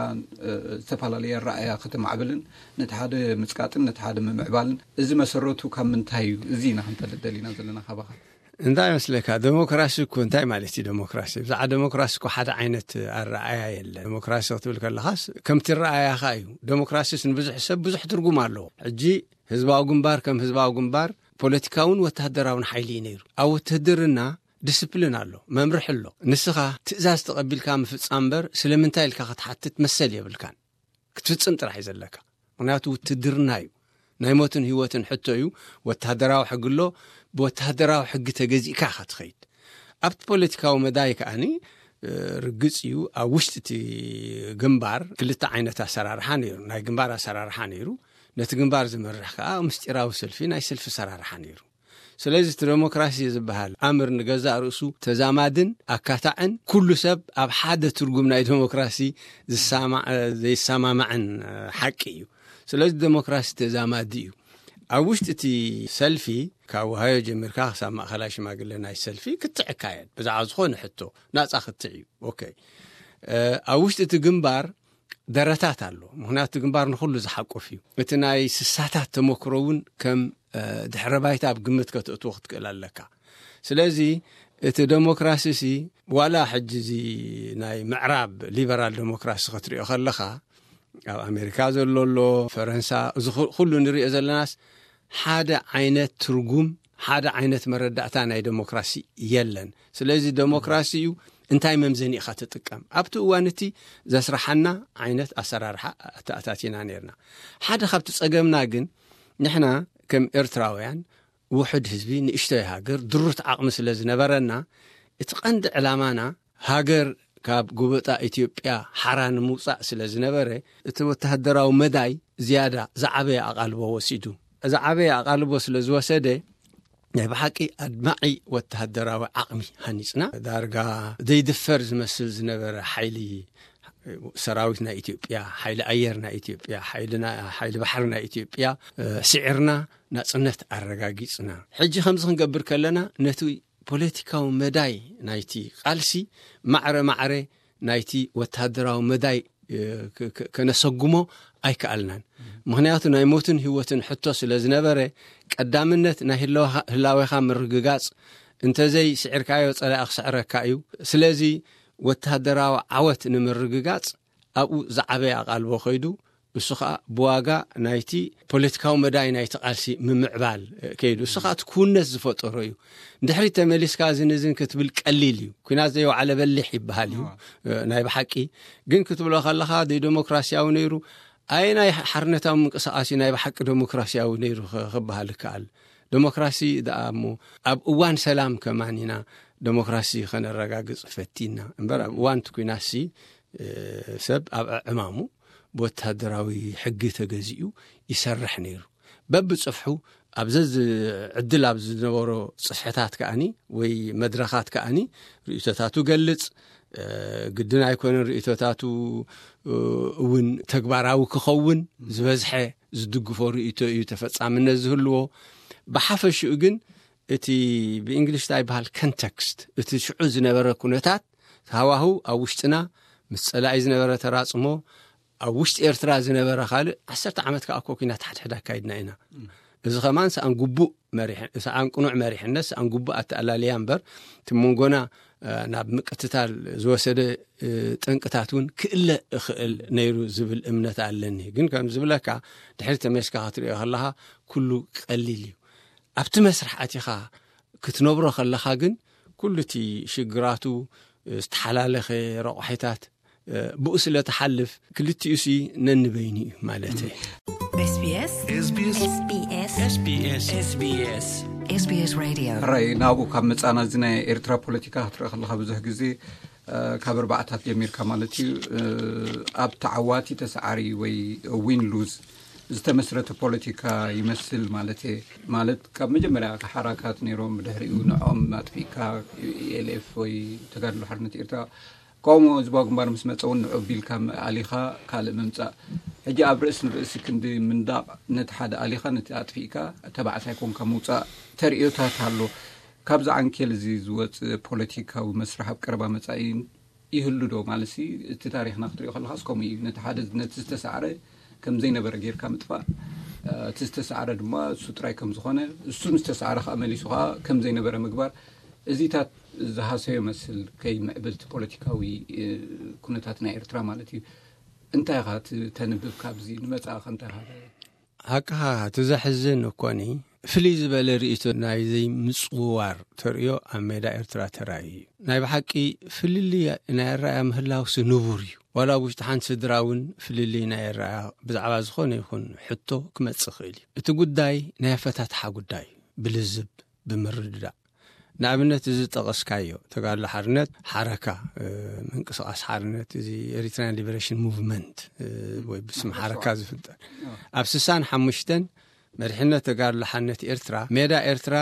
እ፣ ዝተፈላለየ ኣረኣያ ከተማዕብልን ነቲ ሓደ ምጽቃጥን ነቲ ሓደ ምምዕባልን እዚ መሰረቱ ካብ ምንታይ እዩ እዚ ኢና ክንፈልጥ ደሊና ዘለና ካባኻ? እንታይ መስለካ? ዴሞክራሲ እኮ እንታይ ማለት እዩ? ዴሞክራሲ ብዛዕባ ዴሞክራሲ እኮ ሓደ ዓይነት ኣረኣያ የለ። ዴሞክራሲ ክትብል ከለኻስ ከምቲ ረኣያኻ እዩ። ዴሞክራሲስ ንብዙሕ ሰብ ብዙሕ ትርጉም ኣለዎ። ሕጂ ህዝባዊ ግንባር ከም ህዝባዊ ግንባር ፖለቲካውን ወተሃደራውን ሓይሊ እዩ ነይሩ። ኣብ ውትህድርና ዲስፕሊን ኣሎ፣ መምርሒ ኣሎ። ንስኻ ትእዛዝ ተቐቢልካ ምፍጻም እምበር ስለምንታይ ኢልካ ክትሓትት መሰል የብልካን። ክትፍጽም ጥራሕ እዩ ዘለካ። ምክንያቱ ውትድርና እዩ። ናይ ሞትን ህይወትን ሕቶ እዩ። ወተሃደራዊ ሕጊ ኣሎ። ብወተሃደራዊ ሕጊ ተገዚእካ ኢኻ ትኸይድ። ኣብቲ ፖለቲካዊ መዳይ ከኣኒ እ፣ ርግጽ እዩ። ኣብ ውሽጢ እቲ ግንባር ክልተ ዓይነት ኣሰራርሓ ነይሩ። ናይ ግንባር ኣሰራርሓ ነይሩ። ነቲ ግንባር ዝመርሕ ከኣ ምስጢራዊ ሰልፊ፣ ናይ ሰልፊ ኣሰራርሓ ነይሩ። ስለዚ እቲ ዴሞክራሲ ዝበሃል ኣምር ንገዛእ ርእሱ ተዛማድን ኣካታዕን ኩሉ ሰብ ኣብ ሓደ ትርጉም ናይ ዴሞክራሲ ዝሳማ- ዘይሰማማዕን ሓቂ እዩ። ስለዚ ዴሞክራሲ ተዛማዲ እዩ። ኣብ ውሽጢ እቲ ሰልፊ ካብ ውሃዮ ጀሚርካ ክሳብ ማእኸላይ ሽማግለ ናይ ሰልፊ ክትዕ ይካየድ ብዛዕባ ዝኾነ ሕቶ ናፃ ክትዕ እዩ። ኦኬ ኣብ ውሽጢ እቲ ግንባር ደረታት ኣሎ። ምክንያቱ ግንባር ንኩሉ ዝሓቁፍ እዩ። እቲ ናይ ስሳታት ተመክሮ እውን ከም ድሕረ ባይታ ኣብ ግምት ከተእትዎ ክትክእል ኣለካ። ስለዚ እቲ ዴሞክራሲ ሲ ዋላ ሕጂ እዚ ናይ ምዕራብ ሊበራል ዴሞክራሲ ክትሪኦ ከለካ ኣብ ኣሜሪካ ዘሎ ኣሎ፣ ፈረንሳ፣ እዚ ኩሉ ንሪኦ ዘለናስ ሓደ ዓይነት ትርጉም፣ ሓደ ዓይነት መረዳእታ ናይ ዴሞክራሲ የለን። ስለዚ ዴሞክራሲ እዩ እንታይ መምዘኒ ኢኻ ትጥቀም። ኣብቲ እዋን እቲ ዘስራሓና ዓይነት ኣሰራርሓ ኣተኣታቲና ነርና። ሓደ ካብቲ ጸገምና ግን ንሕና ከም ኤርትራውያን ውሑድ ህዝቢ፣ ንእሽቶይ ሃገር፣ ድሩት ዓቕሚ ስለ ዝነበረና እቲ ቀንዲ ዕላማና ሃገር ካብ ጉበጣ ኢትዮጵያ ሓራ ንምውጻእ ስለ ዝነበረ እቲ ወተሃደራዊ መዳይ ዝያዳ ዝዓበየ ኣቓልቦ ወሲዱ። ዝዓበየ ኣቓልቦ ስለ ዝወሰደ ናይ ብሓቂ ኣድማዒ ወተሃደራዊ ዓቕሚ ሃኒጽና። ዳርጋ ዘይድፈር ዝመስል ዝነበረ ሓይሊ ሰራዊት ናይ ኢትዮጵያ፣ ሓይሊ ኣየር ናይ ኢትዮጵያ፣ ሓይሊ ባሕሪ ናይ ኢትዮጵያ ስዒርና ናጽነት ኣረጋጊጽና። ሕጂ ከምዚ ክንገብር ከለና ነቲ ፖለቲካዊ መዳይ ናይቲ ቃልሲ ማዕረ ማዕረ ናይቲ ወተሃደራዊ መዳይ ከነሰጉሞ ኣይከኣልናን። ምክንያቱ ናይ ሞትን ህይወትን ሕቶ ስለ ዝነበረ ቀዳምነት ናይ ህላዌኻ ምርግጋጽ፣ እንተዘይ ስዒርካዮ ጸላኢ ክስዕረካ እዩ። ስለዚ ወተሃደራዊ ዓወት ንምርግጋጽ ኣብኡ ዝዓበየ ኣቓልቦ ከይዱ፣ እሱ ከዓ ብዋጋ ናይቲ ፖለቲካዊ መዳይ ናይቲ ቃልሲ ምምዕባል ከይዱ። እሱ ከዓ እቲ ክውነት ዝፈጠሮ እዩ። ድሕሪት ተመሊስካ እዝን እዝን ክትብል ቀሊል እዩ። ኩናት ዘይወዓለ በሊሕ ይበሃል እዩ ናይ ብሓቂ። ግን ክትብሎ ከለኻ ደይ ዴሞክራሲያዊ ነይሩ፣ ኣየናይ ሓርነታዊ ምንቅስቃስ እዩ ናይ ብሓቂ ዴሞክራሲያዊ ነይሩ ክበሃል ይከኣል? ዴሞክራሲ ደኣ እሞ ኣብ እዋን ሰላም ከማን ኢና ዴሞክራሲ ከነረጋግጽ ፈቲና እምበር ኣብ እዋን እቲ ኩናትሲ ሰብ ኣብ ዕማሙ ብወተሃደራዊ ሕጊ ተገዚኡ ይሰርሕ ነይሩ። በብጽፍሑ ኣብ ዘዝ ዕድል ኣብ ዝነበሮ ጽፍሕታት ከኣኒ ወይ መድረኻት ከኣኒ ርእይቶታቱ ገልጽ፣ ግድን ኣይኮነን ርእይቶታቱ እውን ተግባራዊ ክኸውን ዝበዝሐ ዝድግፎ ርእይቶ እዩ ተፈጻምነት ዝህልዎ። ብሓፈሽኡ ግን እቲ ብእንግሊሽ እንታይ ይበሃል ኮንተክስት፣ እቲ ሽዑ ዝነበረ ኩነታት ሃዋህው ኣብ ውሽጥና ምስ ጸላኢ ዝነበረ ተራጽሞ ኣብ ውሽጢ ኤርትራ ዝነበረ ካልእ ዓሰርተ ዓመት ከዓ እኮ ኩናት ሓድሕድ ኣካይድና ኢና። እዚ ከማን ሰኣን ግቡእ መሪሕ- ሰኣን ቅኑዕ መሪሕነት ሰኣን ግቡእ ኣተኣላልያ እምበር እቲ መንጎና ናብ ምቅትታል ዝወሰደ ጠንቅታት እውን ክእለ እኽእል ነይሩ ዝብል እምነት ኣለኒ። ግን ከም ዝብለካ ድሕሪ ተመልስካ ክትሪኦ ከለካ ኩሉ ቀሊል እዩ። ኣብቲ መስርሕ ኣቲኻ ክትነብሮ ከለኻ ግን ኩሉ እቲ ሽግራቱ ዝተሓላለኸ ረቋሒታት ብኡ ስለ ትሓልፍ ክልቲኡ ሲ ነንበይኑ እዩ ማለት እዩ። SBS SBS SBS SBS SBS Radio. ሕራይ ናብኡ ካብ መጻና እዚ ናይ ኤርትራ ፖለቲካ ክትርኢ ከለኻ ብዙሕ ግዜ ካብ ኣርባዕታት ጀሚርካ ማለት እዩ ኣብ ተዓዋቲ ተሰዓሪ ወይ ዊን ሉዝ ዝተመስረተ ፖለቲካ ይመስል ማለት እየ። ማለት ካብ መጀመርያ ሓራካት ነይሮም ብድሕሪኡ ንዖም ኣጥፊእካ ኢኤልኤፍ ወይ ተጋድሎ ሓርነት ኤርትራ ተቃውሞ ህዝባዊ ግንባር ምስ መፀ እውን ንዑ ቢልካ ኣሊኻ ካልእ ምምፃእ። ሕጂ ኣብ ርእሲ ንርእሲ ክንዲ ምንዳቕ፣ ነቲ ሓደ ኣሊኻ ነቲ ኣጥፊእካ ተባዕታይ ኮንካ ምውፃእ ተርእዮታት ኣሎ። ካብዚ ዓንኬል እዚ ዝወፅእ ፖለቲካዊ መስርሕ ኣብ ቀረባ መፃኢ ይህሉ ዶ? ማለት እቲ ታሪኽና ክትሪኦ ከለኻስ ከምኡ እዩ። ነቲ ሓደ ነቲ ዝተሳዕረ ከም ዘይነበረ ጌርካ ምጥፋእ፣ እቲ ዝተሳዕረ ድማ እሱ ጥራይ ከም ዝኾነ፣ እሱ ዝተሳዕረ ከዓ መሊሱ ከዓ ከም ዘይነበረ ምግባር፣ እዚታት ዝሃሰዮ መስል ከይምዕብል እቲ ፖለቲካዊ ኩነታት ናይ ኤርትራ ማለት እዩ። እንታይ ኢኻ ተንብብ ካብዚ ንመጻእኻ እንታይ ኢኻ? ሓቅኻ፣ እቲ ዘሕዝን እኮኒ ፍልይ ዝበለ ርእይቶ ናይ ዘይምጽውዋር ተርእዮ ኣብ ሜዳ ኤርትራ ተራእዩ እዩ። ናይ ብሓቂ ፍልልይ ናይ ኣረኣያ ምህላውሲ ንቡር እዩ። ዋላ ኣብ ውሽጢ ሓንቲ ስድራ እውን ፍልልይ ናይ ኣረኣያ ብዛዕባ ዝኾነ ይኹን ሕቶ ክመጽእ ይኽእል እዩ። እቲ ጉዳይ ናይ ኣፈታትሓ ጉዳይ እዩ። ብልዝብ፣ ብምርድዳእ። ንኣብነት እዚ ጠቐስካዮ ተጋድሎ ሓርነት ሓረካ፣ ምንቅስቃስ ሓርነት እዚ ኤሪትራያን ሊበሬሽን ሙቭመንት ወይ ብስም ሓረካ ዝፍጠር፣ ኣብ ስሳን ሓሙሽተን መሪሕነት ተጋድሎ ሓርነት ኤርትራ ሜዳ ኤርትራ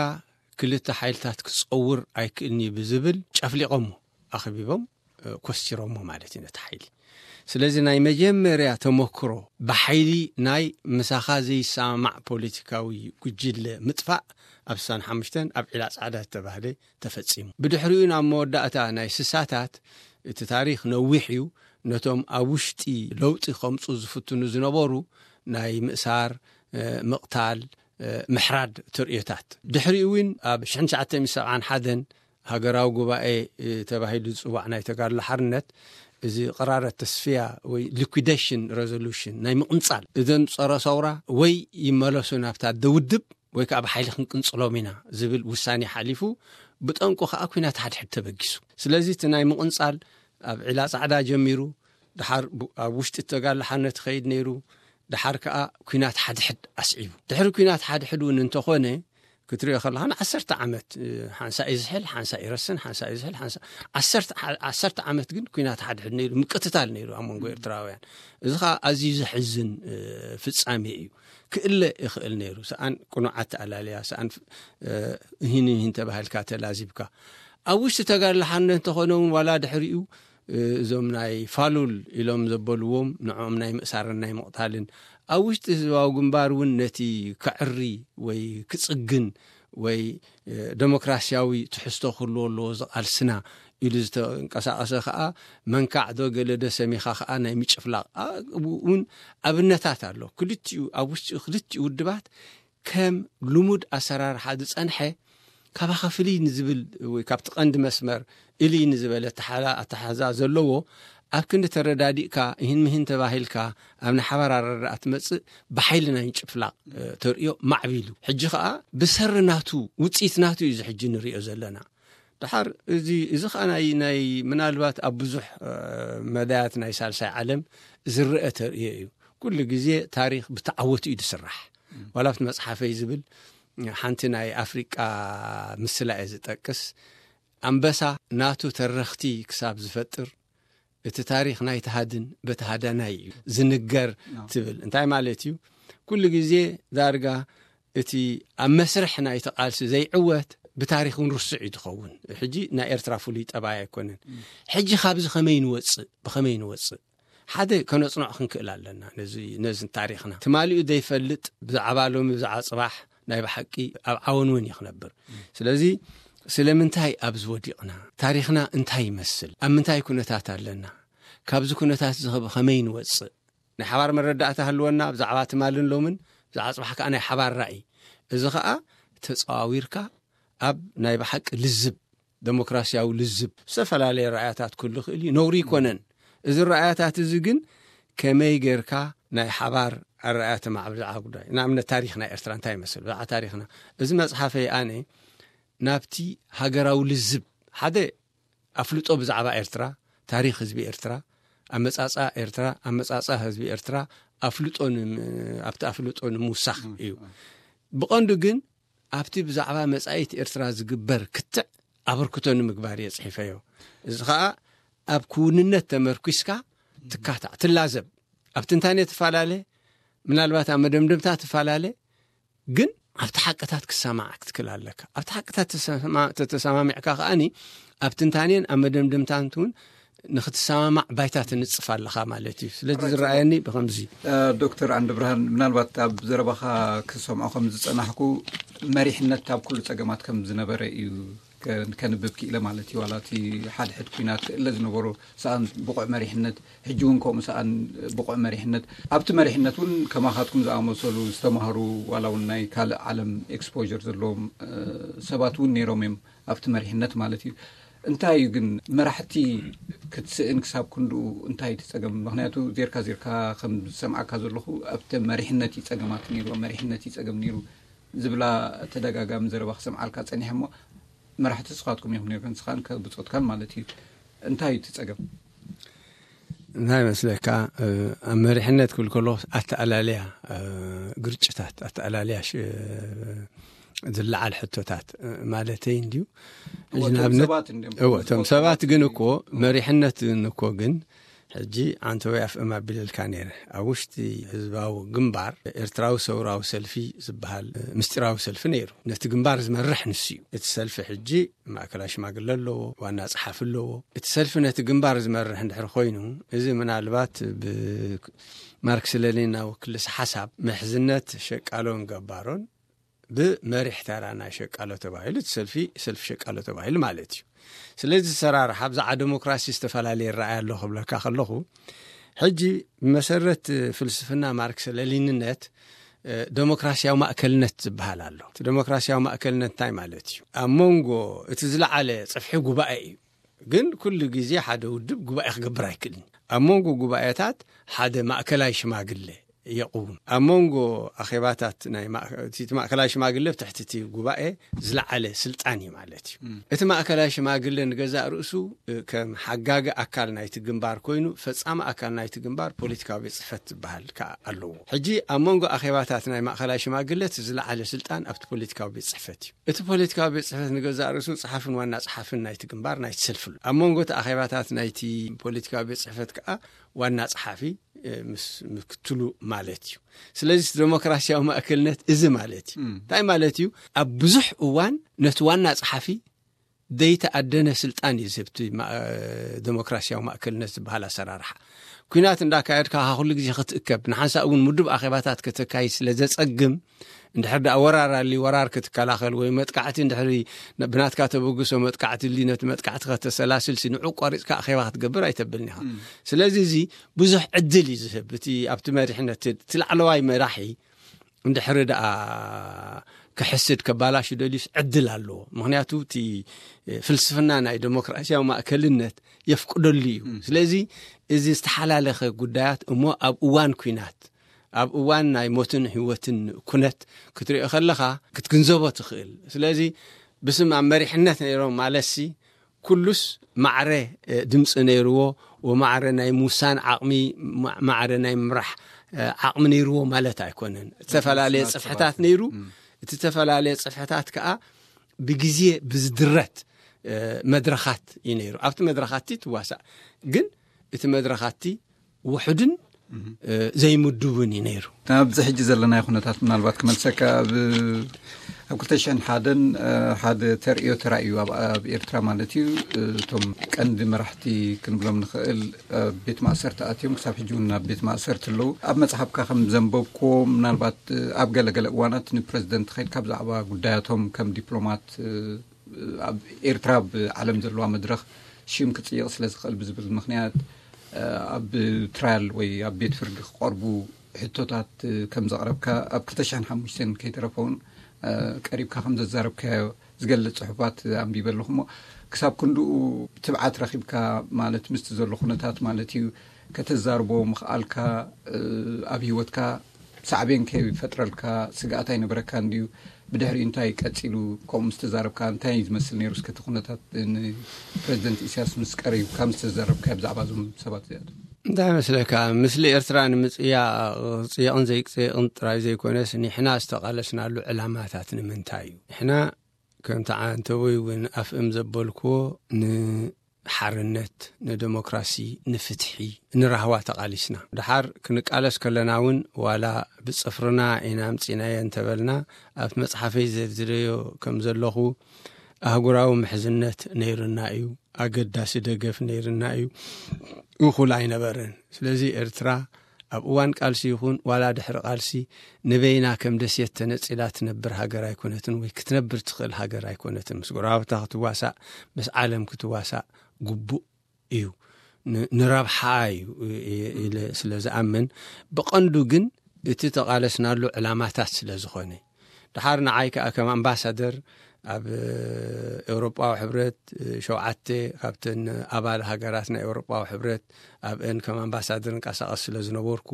ክልተ ሓይልታት ክጸውር ኣይክእልኒ ብዝብል ጨፍሊቆሞ፣ ኣኽቢቦም ኮስቲሮሞ ማለት እዩ ነቲ ሓይሊ። ስለዚ ናይ መጀመርያ ተመክሮ ብሓይሊ ናይ ምሳኻ ዘይሰማማዕ ፖለቲካዊ ጉጅለ ምጥፋእ ኣብ ስሳን ሓሙሽተን ኣብ ዒላ ጻዕዳ ዝተባህለ ተፈጺሙ። ብድሕሪኡ ናብ መወዳእታ ናይ ስሳታት እቲ ታሪኽ ነዊሕ እዩ። ነቶም ኣብ ውሽጢ ለውጢ ከምጹ ዝፍትኑ ዝነበሩ ናይ ምእሳር፣ ምቕታል፣ ምሕራድ ተርእዮታት። ድሕሪኡ እውን ኣብ ሽሕን ትሽዓተ ሚእትን ሰብዓን ሓደን ሃገራዊ ጉባኤ ተባሂሉ ዝጽዋዕ ናይ ተጋድሎ ሓርነት፣ እዚ ቅራረት ተስፍያ ወይ ሊኩዴሽን ሬዞሉሽን ናይ ምቕንጻል እዘን ጸረ ሰውራ ወይ ይመለሱ ናብታ ደውድብ ወይ ከዓ ብሓይሊ ክንቅንጽሎም ኢና ዝብል ውሳኔ ሓሊፉ፣ ብጠንቁ ከዓ ኩናት ሓድሕድ ተበጊሱ። ስለዚ እቲ ናይ ምቕንጻል ኣብ ዒላ ጻዕዳ ጀሚሩ፣ ድሓር ኣብ ውሽጢ ተጋድሎ ሓርነት ይኸይድ ነይሩ። ድሓር ከዓ ኩናት ሓድሕድ ኣስዒቡ። ድሕሪ ኩናት ሓድሕድ እውን እንተኾነ ክትሪኦ ከለኻ ንዓሰርተ ዓመት ሓንሳ እዩ ዝሕል፣ ሓንሳ ይረስን፣ ሓንሳ እዩ ዝሕል፣ ሓንሳ ዓሰርተ ዓመት ግን ኩናት ሓድሕድ ነይሩ፣ ምቅትታል ነይሩ ኣብ መንጎ ኤርትራውያን። እዚ ከዓ ኣዝዩ ዘሕዝን ፍጻሜ እዩ። ክእለ ይኽእል ነይሩ። ሰኣን ቅኑዓት ተኣላልያ፣ ሰኣን ህን ህን ተባሂልካ ተላዚብካ። ኣብ ውሽጢ ተጋድሎ ሓርነት እንተኾነ እውን ዋላ ድሕሪኡ እዞም ናይ ፋሉል ኢሎም ዘበልዎም ንዕኦም ናይ ምእሳርን ናይ ምቕታልን ኣብ ውሽጢ ህዝባዊ ግንባር እውን ነቲ ከዕሪ ወይ ክጽግን ወይ ደሞክራሲያዊ ትሕዝቶ ክህልዎ ኣለዎ ዝቓልስና ኢሉ ዝተንቀሳቐሰ ከዓ መንካዕ ዶ ገለ ዶ ሰሚኻ ከዓ ናይ ምጭፍላቕ እውን ኣብነታት ኣሎ። ክልቲኡ ኣብ ውሽጢ ክልቲኡ ውድባት ከም ልሙድ ኣሰራርሓ ዝጸንሐ ካባኻ ፍልይ ንዝብል ወይ ካብቲ ቀንዲ መስመር እልይ ንዝበለ ኣተሓሕዛ ዘለዎ ኣብ ክንዲ ተረዳዲእካ ይህን ምሂን ተባሂልካ ኣብ ናይ ሓባር ኣረዳኣ ትመጽእ ብሓይሊ ናይ ምጭፍላቕ ተርእዮ ማዕቢሉ ሕጂ ከኣ ብሰሪ ናቱ ውጽኢት ናቱ እዩ እዚ ሕጂ ንርእዮ ዘለና። ድሓር እዚ እዚ ከኣ ናይ ናይ ምናልባት ኣብ ብዙሕ መዳያት ናይ ሳልሳይ ዓለም ዝረአ ተርእዮ እዩ። ኩሉ ግዜ ታሪኽ ብተዓወቱ እዩ ዝስራሕ። ዋላ ኣብቲ መጽሓፈይ ዝብል ሓንቲ ናይ ኣፍሪቃ ምስላ እየ ዝጠቅስ። ኣንበሳ ናቱ ተረኽቲ ክሳብ ዝፈጥር እቲ ታሪኽ ናይ ተሃድን በተሃዳናይ እዩ ዝንገር ትብል። እንታይ ማለት እዩ? ኩሉ ግዜ ዳርጋ እቲ ኣብ መስርሕ ናይቲ ቃልሲ ዘይዕወት ብታሪኽ እውን ርሱዕ እዩ ዝኸውን። ሕጂ ናይ ኤርትራ ፍሉይ ጠባይ ኣይኮነን። ሕጂ ካብዚ ከመይ ንወፅእ? ብኸመይ ንወፅእ? ሓደ ከነፅንዖ ክንክእል ኣለና ነዚ ነዚ ታሪኽና። ትማሊኡ ዘይፈልጥ ብዛዕባ ሎሚ ብዛዕባ ፅባሕ ናይ ብሓቂ ኣብ ዓወንወን እዩ ክነብር። ስለዚ ስለምንታይ ኣብዚ ወዲቕና? ታሪኽና እንታይ ይመስል? ኣብ ምንታይ ኩነታት ኣለና? ካብዚ ኩነታት እዚ ከመይ ንወፅእ? ናይ ሓባር መረዳእታ ህልወና ብዛዕባ ትማልን ሎምን ብዛዕባ ፅባሕ ከዓ ናይ ሓባር ራእይ። እዚ ከዓ ተፀዋዊርካ ኣብ ናይ ብሓቂ ልዝብ ደሞክራሲያዊ ልዝብ ዝተፈላለየ ረኣያታት ክህሉ ይኽእል እዩ። ነውሪ ይኮነን። እዚ ረኣያታት እዚ ግን ከመይ ጌርካ ናይ ሓባር ኣረኣያ ተማዕብል ብዛዕባ ጉዳይ ንኣብነት ታሪኽ ናይ ኤርትራ እንታይ ይመስል ብዛዕባ ታሪኽና እዚ መፅሓፈይ ኣነ ናብቲ ሃገራዊ ልዝብ ሓደ ኣፍልጦ ብዛዕባ ኤርትራ ታሪኽ ህዝቢ ኤርትራ ኣመፃፃ ኤርትራ ኣመፃፃ ህዝቢ ኤርትራ ኣፍልጦ ኣብቲ ኣፍልጦ ንምውሳኽ እዩ። ብቐንዱ ግን ኣብቲ ብዛዕባ መጻኢት ኤርትራ ዝግበር ክትዕ ኣበርክቶ ንምግባር እየ ጽሒፈዮ። እዚ ኸኣ ኣብ ክውንነት ተመርኲስካ ትካታዕ ትላዘብ ኣብ ትንታኔ ትፈላለ ምናልባት ኣብ መደምደምታ ትፈላለ ግን ኣብቲ ሓቅታት ክሰማዕ ክትክል ኣለካ። ኣብቲ ሓቅታት ተተሰማሚዕካ ከኣኒ ኣብ ትንታኔን ኣብ መደምደምታን እውን ንኽትሰማማዕ ባይታ ትንጽፍ ኣለኻ ማለት እዩ። ስለዚ ዝረኣየኒ ብኸምዚ። ዶክተር ዓንዲ ብርሃን፣ ምናልባት ኣብ ዘረባኻ ክሰምዖ ከም ዝጸናሕኩ፣ መሪሕነት ኣብ ኩሉ ጸገማት ከም ዝነበረ እዩ ከንብብ ክኢለ ማለት እዩ። ዋላ እቲ ሓድሕድ ኩናት ክእለ ዝነበሮ ሰኣን ብቑዕ መሪሕነት፣ ሕጂ እውን ከምኡ ሰኣን ብቑዕ መሪሕነት፣ ኣብቲ መሪሕነት እውን ከማኻትኩም ዝኣመሰሉ ዝተማህሩ፣ ዋላ እውን ናይ ካልእ ዓለም ኤክስፖር ዘለዎም ሰባት እውን ነይሮም እዮም ኣብቲ መሪሕነት ማለት እዩ። እንታይ እዩ ግን መራሕቲ ክትስእን ክሳብ ክንድኡ እንታይ እቲ ጸገም? ምኽንያቱ ዜርካ ዜርካ ከም ዝሰምዓካ ዘለኹ ኣብቲ መሪሕነት እዩ ጸገማት ነይሩ፣ መሪሕነት እዩ ጸገም ነይሩ ዝብላ ተደጋጋሚ ዘረባ ክሰምዓልካ ጸኒሐ እሞ፣ መራሕቲ ስኻትኩም ኢኹም ነይርክን ስኻን ብጾትካን ማለት እዩ። እንታይ እዩ እቲ ጸገም? እንታይ መስለካ? ኣብ መሪሕነት ክብል ከሎ ኣተኣላለያ ግርጭታት፣ ኣተኣላለያ ዝለዓል ሕቶታት ማለተይ እንድዩ። እቶም ሰባት ግን እኮ መሪሕነት እኮ ግን ሕጂ ኣንተ ወይ ኣፍእም ኣቢለልካ ነይረ። ኣብ ውሽጢ ህዝባዊ ግንባር ኤርትራዊ ሰውራዊ ሰልፊ ዝበሃል ምስጢራዊ ሰልፊ ነይሩ። ነቲ ግንባር ዝመርሕ ንሱ እዩ። እቲ ሰልፊ ሕጂ ማእከላይ ሽማግለ ኣለዎ፣ ዋና ጸሓፊ ኣለዎ። እቲ ሰልፊ ነቲ ግንባር ዝመርሕ እንድሕር ኮይኑ፣ እዚ ምናልባት ብማርክስ ለኒናዊ ክልስ ሓሳብ ምሕዝነት ሸቃሎን ገባሮን ብመሪሕ ተራ ናይ ሸቃሎ ተባሂሉ፣ እቲ ሰልፊ ሰልፊ ሸቃሎ ተባሂሉ ማለት እዩ። ስለዚ ሰራርሓ ብዛዕባ ዴሞክራሲ ዝተፈላለየ ረኣይ ኣሎ ክብለካ ከለኹ፣ ሕጂ ብመሰረት ፍልስፍና ማርክስ ለኒንነት ዴሞክራሲያዊ ማእከልነት ዝበሃል ኣሎ። እቲ ዴሞክራሲያዊ ማእከልነት እንታይ ማለት እዩ? ኣብ መንጎ እቲ ዝለዓለ ጽፍሒ ጉባኤ እዩ። ግን ኩሉ ግዜ ሓደ ውድብ ጉባኤ ክገብር ኣይክእልን። ኣብ መንጎ ጉባኤታት ሓደ ማእከላይ ሽማግለ የቕውም። ኣብ መንጎ ኣኼባታት ናይ ማእከ-፣ እቲ ማእከላይ ሽማግለ ብትሕቲ እቲ ጉባኤ ዝለዓለ ስልጣን እዩ ማለት እዩ። እቲ ማእከላይ ሽማግለ ንገዛእ ርእሱ ከም ሓጋጊ ኣካል ናይቲ ግንባር ኮይኑ፣ ፈጻሚ ኣካል ናይቲ ግንባር ፖለቲካዊ ቤት ጽሕፈት ዝበሃል ከኣ ኣለዎ። ሕጂ ኣብ መንጎ ኣኼባታት ናይ ማእከላይ ሽማግለ እቲ ዝለዓለ ስልጣን ኣብቲ ፖለቲካዊ ቤት ጽሕፈት እዩ። እቲ ፖለቲካዊ ቤት ጽሕፈት ንገዛእ ርእሱ ጸሓፍን ዋና ጸሓፍን ናይቲ ግንባር ናይቲ ሰልፊ ኣሎ። ኣብ መንጎ እቲ ኣኼባታት ናይቲ ፖለቲካዊ ቤት ጽሕፈት ከኣ ዋና ጸሓፊ ምስ ምክትሉ ማለት እዩ። ስለዚ ዴሞክራሲያዊ ማእከልነት እዚ ማለት እዩ። እንታይ ማለት እዩ? ኣብ ብዙሕ እዋን ነቲ ዋና ጸሓፊ ዘይተኣደነ ስልጣን እዩ ዝህብ እቲ ዴሞክራሲያዊ ማእከልነት ዝበሃል ኣሰራርሓ። ኩናት እንዳካየድካ ኩሉ ግዜ ክትእከብ፣ ንሓንሳእ እውን ምዱብ ኣኼባታት ከተካይድ ስለ ዘጸግም፣ እንድሕር ደኣ ወራር ኣልዩ ወራር ክትከላኸል ወይ መጥቃዕቲ እንድሕሪ ብናትካ ተበግሶ መጥቃዕቲ ኣልዩ ነቲ መጥቃዕቲ ከተሰላስል ሲ ንዑ ቆሪጽካ ኣኼባ ክትገብር ኣይተብልን ኢኻ። ስለዚ እዚ ብዙሕ ዕድል እዩ ዝህብ። እቲ ኣብቲ መሪሕነት እቲ ላዕለዋይ መራሒ እንድሕሪ ደኣ ክሕስድ ከባላሹ ደልዩስ ዕድል ኣለዎ። ምኽንያቱ እቲ ፍልስፍና ናይ ዴሞክራሲያዊ ማእከልነት የፍቅደሉ እዩ። ስለዚ እዚ ዝተሓላለኸ ጉዳያት እሞ ኣብ እዋን ኲናት፣ ኣብ እዋን ናይ ሞትን ህይወትን ኩነት ክትሪኦ ከለኻ ክትግንዘቦ ትኽእል። ስለዚ ብስም ኣብ መሪሕነት ነይሮም ማለትሲ ኩሉስ ማዕረ ድምፂ ነይርዎ፣ ወማዕረ ናይ ምውሳን ዓቕሚ፣ ማዕረ ናይ ምራሕ ዓቕሚ ነይርዎ ማለት ኣይኮነን። ዝተፈላለየ ጽፍሕታት ነይሩ። እቲ ዝተፈላለየ ጽፍሕታት ከዓ ብግዜ ብዝድረት መድረኻት እዩ ነይሩ። ኣብቲ መድረኻት ትዋሳእ፣ ግን እቲ መድረኻት ውሑድን ዘይምዱብን እዩ ነይሩ። ኣብዚ ሕጂ ዘለናዮ ኩነታት ምናልባት ክመልሰካ፣ ኣብ ኣብ ክልተ ሽሕን ሓደን ሓደ ተርእዮ ተራእዩ ኣብ ኣብ ኤርትራ ማለት እዩ። እቶም ቀንዲ መራሕቲ ክንብሎም ንኽእል ኣብ ቤት ማእሰርቲ ኣትዮም፣ ክሳብ ሕጂ እውን ኣብ ቤት ማእሰርቲ ኣለዉ። ኣብ መጽሓፍካ ከም ዘንበብክዎ፣ ምናልባት ኣብ ገለገለ እዋናት ንፕረዚደንት ከይድካ ብዛዕባ ጉዳያቶም ከም ዲፕሎማት ኣብ ኤርትራ ኣብ ዓለም ዘለዋ መድረኽ ሽም ክጽይቕ ስለ ዝኽእል ብዝብል ምኽንያት ኣብ ትራያል ወይ ኣብ ቤት ፍርዲ ክቐርቡ ሕቶታት ከም ዘቕረብካ፣ ኣብ ክልተ ሽሕን ሓሙሽተን ከይተረፈ እውን ቀሪብካ ከም ዘዛረብካዮ ዝገልጽ ጽሑፋት ኣንቢበ ኣለኹ። እሞ ክሳብ ክንድኡ ትብዓት ረኺብካ ማለት ምስቲ ዘሎ ኩነታት ማለት እዩ ከተዛርቦ ምኽኣልካ ኣብ ህይወትካ ሳዕቤን ከይፈጥረልካ ስግኣት ኣይነበረካ እንድዩ? ብድሕሪኡ እንታይ ቀጺሉ? ከምኡ ምስ ተዛረብካ እንታይ እዩ ዝመስል ነይሩ? እስከ እቲ ኩነታት ንፕረዚደንት ኢሳያስ ምስ ቀሪብካ ምስ ተዛረብካዮ ብዛዕባ እዞም ሰባት እዚኣቶም? እንታይ መስለካ፣ ምስሊ ኤርትራ ንምጽያቕ፣ ክጽየቕን ዘይክጽየቕን ጥራይ ዘይኮነስ፣ ንሕና ዝተቓለስናሉ ዕላማታት ንምንታይ እዩ? ንሕና ከምቲ ዓንተቦይ እውን ኣፍእም ዘበልክዎ፣ ንሓርነት፣ ንደሞክራሲ፣ ንፍትሒ፣ ንራህዋ ተቓሊስና። ደሓር ክንቃለስ ከለና እውን ዋላ ብጽፍርና ኢና ኣምጺእናዮ እንተበልና፣ ኣብቲ መጽሓፈይ ዘርዝረዮ ከም ዘለኹ፣ ኣህጉራዊ ምሕዝነት ነይርና እዩ። ኣገዳሲ ደገፍ ነይርና እዩ። እኹል ኣይነበረን። ስለዚ ኤርትራ ኣብ እዋን ቃልሲ ይኹን ዋላ ድሕሪ ቃልሲ ንበይና ከም ደሴት ተነጺላ ትነብር ሃገር ኣይኮነትን፣ ወይ ክትነብር ትኽእል ሃገር ኣይኮነትን። ምስ ጎረባብታ ክትዋሳእ፣ ምስ ዓለም ክትዋሳእ ግቡእ እዩ። ን-፣ ንረብሓ እዩ ኢ-፣ ኢለ ስለ ዝኣምን፣ ብቐንዱ ግን እቲ ተቓለስናሉ ዕላማታት ስለ ዝኾነ። ድሓር ንዓይ ከኣ ከም ኣምባሳደር ኣብ ኤውሮጳዊ ሕብረት፣ ሸውዓተ ካብተን ኣባል ሃገራት ናይ ኤውሮጳዊ ሕብረት ኣብአን ከም ኣምባሳደር እንቀሳቐስ ስለ ዝነበርኩ፣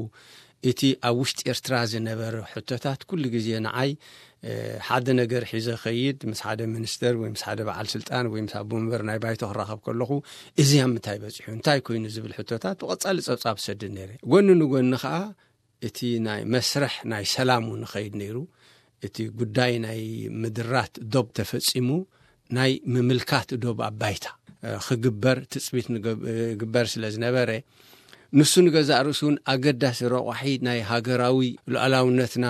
እቲ ኣብ ውሽጢ ኤርትራ ዝነበረ ሕቶታት ኩሉ ግዜ ንዓይ፣ እ፣ ሓደ ነገር ሒዘ ኸይድ፣ ምስ ሓደ ሚኒስተር ወይ ምስ ሓደ በዓል ስልጣን ወይ ምስ ኣቦ መንበር ናይ ባይቶ ክራኸብ ከለኹ፣ እዚ ኣብ ምንታይ በጺሑ፣ እንታይ ኮይኑ ዝብል ሕቶታት ብቐጻሊ ጸብጻብ ሰድድ ነይረ። ጎኒ ንጎኒ ኸኣ እቲ ናይ መስርሕ ናይ ሰላም እውን ኸይድ ነይሩ። እቲ ጉዳይ ናይ ምድራት ዶብ ተፈጺሙ፣ ናይ ምምልካት ዶብ ኣብ ባይታ፣ እ፣ ክግበር ትጽቢት ንገብ-፣ ግበር ስለ ዝነበረ፣ ንሱ ንገዛእ ርእሱ እውን ኣገዳሲ ረቋሒ ናይ ሃገራዊ ሉዓላውነትና፣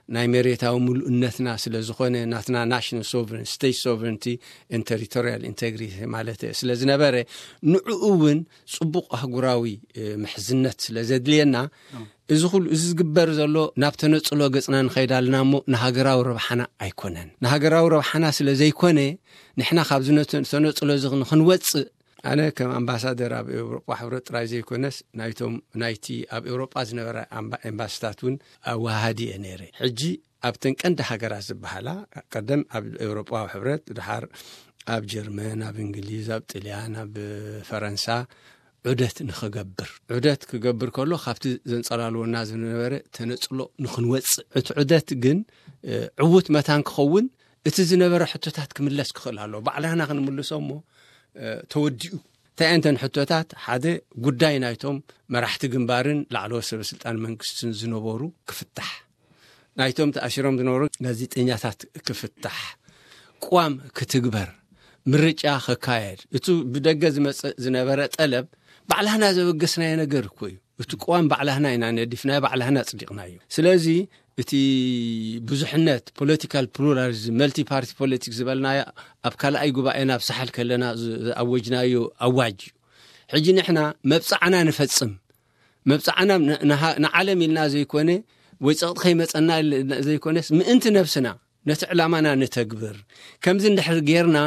ናይ መሬታዊ ምሉእነትና ስለ ዝኾነ፣ ናትና ናሽናል ሶቨረን፣ ስቴት ሶቨረንቲ ኤንድ ቴሪቶሪያል ኢንቴግሪቲ ማለት ስለ ዝነበረ፣ ንዕኡ እውን ጽቡቕ ኣህጉራዊ፣ እ፣ ምሕዝነት ስለ ዘድልየና፣ እዚ ኩሉ እዚ ዝግበር ዘሎ ናብ ተነጽሎ ገጽና ንኸይድ ኣለና እሞ ንሃገራዊ ረብሓና ኣይኮነን። ንሃገራዊ ረብሓና ስለ ዘይኮነ፣ ንሕና ካብዚ ነተ-፣ ተነጽሎ እዚ ንኽንወጽእ፣ ኣነ ከም ኣምባሳደር ኣብ ኤውሮጳ ሕብረት ጥራይ ዘይኮነስ፣ ናይቶም፣ ናይቲ ኣብ ኤውሮጳ ዝነበረ ኣምባ-፣ ኤምባሲታት እውን ኣወሃሃዲ እየ ነይረ። ሕጂ ኣብተን ቀንዲ ሃገራት ዝበሃላ፣ ቀደም ኣብ ኤውሮጳዊ ሕብረት፣ ድሓር ኣብ ጀርመን፣ ኣብ እንግሊዝ፣ ኣብ ጥልያን፣ ኣብ ፈረንሳ ዑደት ንኽገብር፣ ዑደት ክገብር ከሎ ካብቲ ዘንጸላልወና ዝነበረ ተነጽሎ ንኽንወጽእ፣ እቲ ዑደት ግን፣ እ፣ ዕዉት መታን ክኸውን፣ እቲ ዝነበረ ሕቶታት ክምለስ ክኽእል ኣለዎ። ባዕላና ክንምልሶ እሞ፣ እ፣ ተወዲኡ። እንታይ እየን እተን ሕቶታት? ሓደ፣ ጉዳይ ናይቶም መራሕቲ ግንባርን ላዕለዎት ሰበ ስልጣን መንግስትን ዝነበሩ ክፍታሕ። ናይቶም ተኣሲሮም ዝነበሩ ጋዜጠኛታት ክፍታሕ። ቅዋም ክትግበር። ምርጫ ክካየድ። እቱ ብደገ ዝመጽእ ዝነበረ ጠለብ ባዕላህና ዘበገስናዮ ነገር እኮ እዩ። እቲ ቅዋም ባዕላህና ኢና ነዲፍናዮ፣ ባዕላህና ኣጽዲቕናዮ። ስለዚ እቲ ብዙሕነት፣ ፖለቲካል ፕሉራሊዝም፣ መልቲ ፓርቲ ፖለቲክስ ዝበልናዮ ኣብ ካልኣይ ጉባኤና ኣብ ሳሕል ከለና ዝ-፣ ዝኣወጅናዮ ኣዋጅ እዩ። ሕጂ ንሕና መብጻዕና ንፈጽም። መብጻዕና ን-፣ ንሃ-፣ ንዓለም ኢልና ዘይኮነ፣ ወይ ጸቕጢ ከይመጸና ኢልና ዘይኮነስ፣ ምእንቲ ነብስና፣ ነቲ ዕላማና ንተግብር። ከምዚ እንድሕር ጌርና፣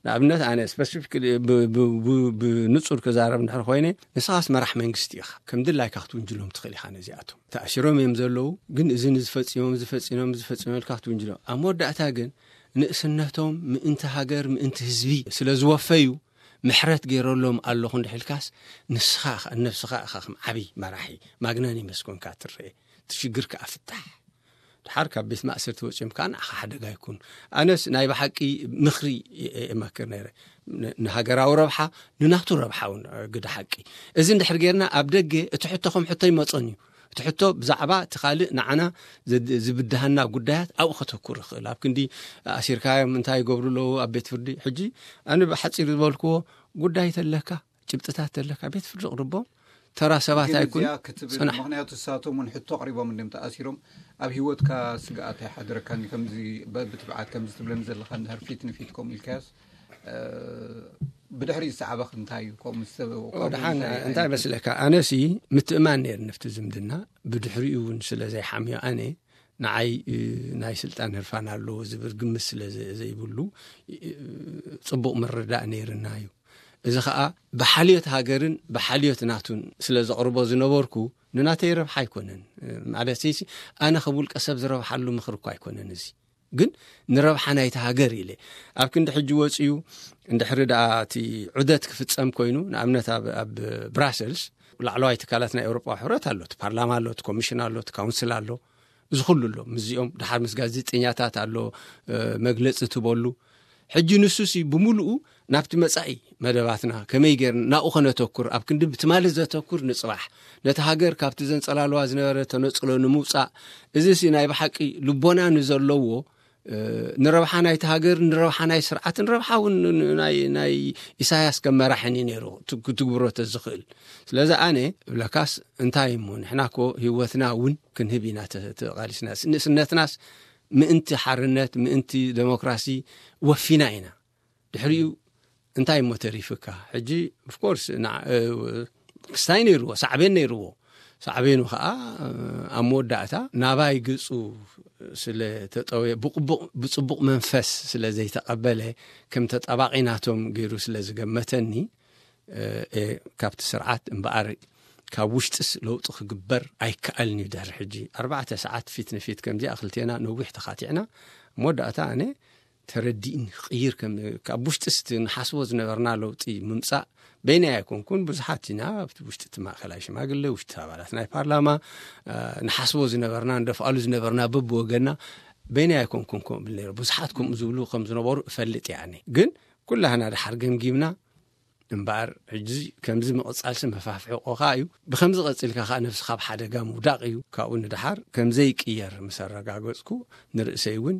ንኣብነት ኣነ ስፐሲፊክ ብ-፣ ብ-፣ ብ-፣ ብንጹር ክዛረብ እንድሕር ኮይነ፣ ንስኻስ መራሕ መንግስቲ ኢኻ። ከም ድላይካ ክትውንጅሎም ትኽእል ኢኻ ነዚኣቶም። ተኣሲሮም እዮም ዘለዉ፣ ግን እዚ ንዝፈጺሞም፣ ዝፈጺሞም፣ ዝፈጺሞም ኢልካ ክትውንጅሎም። ኣብ መወዳእታ ግን ንእስነቶም ምእንቲ ሃገር፣ ምእንቲ ህዝቢ ስለ ዝወፈዩ፣ ምሕረት ገይረሎም ኣለኹ እንድሕር ኢልካስ፣ ንስኻ ኢኻ፣ ነብስኻ ኢኻ ከም ዓቢ መራሒ፣ ማግናኒመስ ኮንካ ትረአ። እቲ ሽግር ከኣ ፍታሕ። ድሓር ካብ ቤት ማእሰርቲ ወጺኦም ከኣ ንዓኻ ሓደጋ ይኩን። ኣነስ ናይ ብሓቂ ምኽሪ እየ እመክር ነይረ። ን-፣ ንሃገራዊ ረብሓ፣ ንናቱ ረብሓ እውን፣ እ፣ ግደ ሓቂ። እዚ እንድሕር ጌርና፣ ኣብ ደገ እቲ ሕቶ ከም ሕቶ ይመጾን እዩ። እቲ ሕቶ ብዛዕባ እቲ ካልእ ንዓና ዘድ-፣ ዝብድሃና ጉዳያት ኣብኡ ከተኩር ይኽእል። ኣብ ክንዲ ኣሲርካዮም እንታይ ይገብሩ ኣለዉ ኣብ ቤት ፍርዲ? ሕጂ ኣነ ብሓጺር ዝበልክዎ፣ ጉዳይ ተለካ፣ ጭብጥታት ተለካ፣ ቤት ፍርዲ ኣቕርቦም። ተራ ሰባት ግን ኣይኩን፣ እዚኣ ክትብል፣ ጽናሕ። ምኽንያቱ ንሳቶም እውን ሕቶ ኣቕሪቦም እንድዮም ተኣሲሮም። ኣብ ህይወትካ ስግኣት ኣይሓደረካን እዩ። ከምዚ በ-፣ ብትብዓት ከምዚ ትብለኒ ዘለኻ እንድሕር ፊት ንፊት ከምኡ ኢልካዮስ፣ እ፣ ብድሕሪ ዝሰዓበኽ እንታይ እዩ? ከምኡ ምስ-፣ ከምኡ ድሓን እንታይ እንታይ ዓይነት መስለካ? ኣነሲ ምትእማን ነይርኒ ኣብቲ ዝምድና። ብድሕሪኡ እውን ስለ ዘይሓምዮ ኣነ፣ ንዓይ፣ እ፣ ናይ ስልጣን ህርፋን ኣለዎ ዝብል ግምት ስለ ዘ-፣ ዘይብሉ፣ እ፣ ጽቡቕ ምርዳእ ነይርና እዩ። እዚ ኸኣ ብሓልዮት ሃገርን ብሓልዮት ናቱን ስለ ዘቕርቦ ዝነበርኩ፣ ንናተይ ረብሓ ኣይኮነን። ማለት ሲ፣ ኣነ ከም ውልቀ ሰብ ዝረብሓሉ ምኽሪ እኳ ኣይኮነን እዚ። ግን ንረብሓ ናይቲ ሃገር ኢለ። ኣብ ክንዲ ሕጂ ወጺኡ፣ እንድሕሪ ደኣ እቲ ዑደት ክፍጸም ኮይኑ፣ ንኣብነት ኣብ፣ ኣብ ብራሰልስ፣ ላዕለዋይ ትካላት ናይ ኤውሮጳዊ ሕብረት ኣሎ፣ እቲ ፓርላማ ኣሎ፣ እቲ ኮሚሽን ኣሎ፣ እቲ ካውንስል ኣሎ፣ እዚ ኩሉ ኣሎ። ምስዚኦም ድሓር ምስ ጋዜጠኛታት ኣሎ፣ እ፣ መግለጺ ትበሉ። ሕጂ ንሱሲ ብምሉኡ ናብቲ መጻኢ መደባትና ከመይ ጌርና ናብኡ ከነተኩር፣ ኣብ ክንዲ ብትማሊ ዘተኩር ንጽባሕ፣ ነቲ ሃገር ካብቲ ዘንጸላልዋ ዝነበረ ተነጽሎ ንምውጻእ፣ እዚሲ ናይ ብሓቂ ልቦና ንዘለዎ፣ እ፣ ንረብሓ ናይቲ ሃገር፣ ንረብሓ ናይ ስርዓት፣ ንረብሓ እውን ን-፣ ን-፣ ናይ፣ ናይ ኢሳያስ ከም መራሕን እዩ ነይሩ፣ ት-፣ ክትግብሮ ተዝኽእል። ስለዚ ኣነ እብለካስ፣ እንታይ እሞ፣ ንሕና እኮ ህይወትና እውን ክንህብ ኢና ተ-፣ ተቓሊስና። ንእስነትናስ ምእንቲ ሓርነት፣ ምእንቲ ደሞክራሲ ወፊና ኢና። ድሕሪኡ እንታይ እሞ ተሪፍካ? ሕጂ ኦፍኮርስ ክስታይ ነይርዎ፣ ሳዕቤን ነይርዎ። ሳዕቤኑ ከዓ ኣብ መወዳእታ ናባይ ገፁ ስለ ተጠወየ፣ ብፅቡቕ መንፈስ ስለ ዘይተቐበለ፣ ከም ተጣባቒ ናቶም ገይሩ ስለ ዝገመተኒ፣ ካብቲ ስርዓት እምበኣር ካብ ውሽጥስ ለውጢ ክግበር ኣይከኣልን እዩ። ድሕሪ ሕጂ ኣርባዕተ ሰዓት ፊት ንፊት ከምዚኣ ክልቴና ነዊሕ ተኻቲዕና፣ መወዳእታ ኣነ ተረዲእኒ ክቕይር፣ ካብ ውሽጥስ እቲ ንሓስቦ ዝነበርና ለውጢ ምምፃእ በይናይ ኣይኮንኩን፣ ብዙሓት ኢና ኣብቲ ውሽጢ እቲ ማእከላይ ሽማግለ፣ ውሽጢ ኣባላት ናይ ፓርላማ፣ ንሓስቦ ዝነበርና፣ ንደፍኣሉ ዝነበርና በብወገና በይናይ ኣይኮንኩን ከምኡ ብል ነይረ። ብዙሓት ከምኡ ዝብሉ ከም ዝነበሩ እፈልጥ እየ። ኣነ ግን ኩላህና ድሓር ገምጊምና እምበኣር፣ ሕጂ ከምዚ ምቕጻልሲ መፋፍሒ ቆኻ እዩ። ብከምዚ ቀጺልካ ከኣ ነብስኻ ኣብ ሓደጋ ምውዳቕ እዩ። ካብኡ ንደሓር ከምዘይቅየር ምስ ኣረጋገጽኩ፣ ንርእሰይ እውን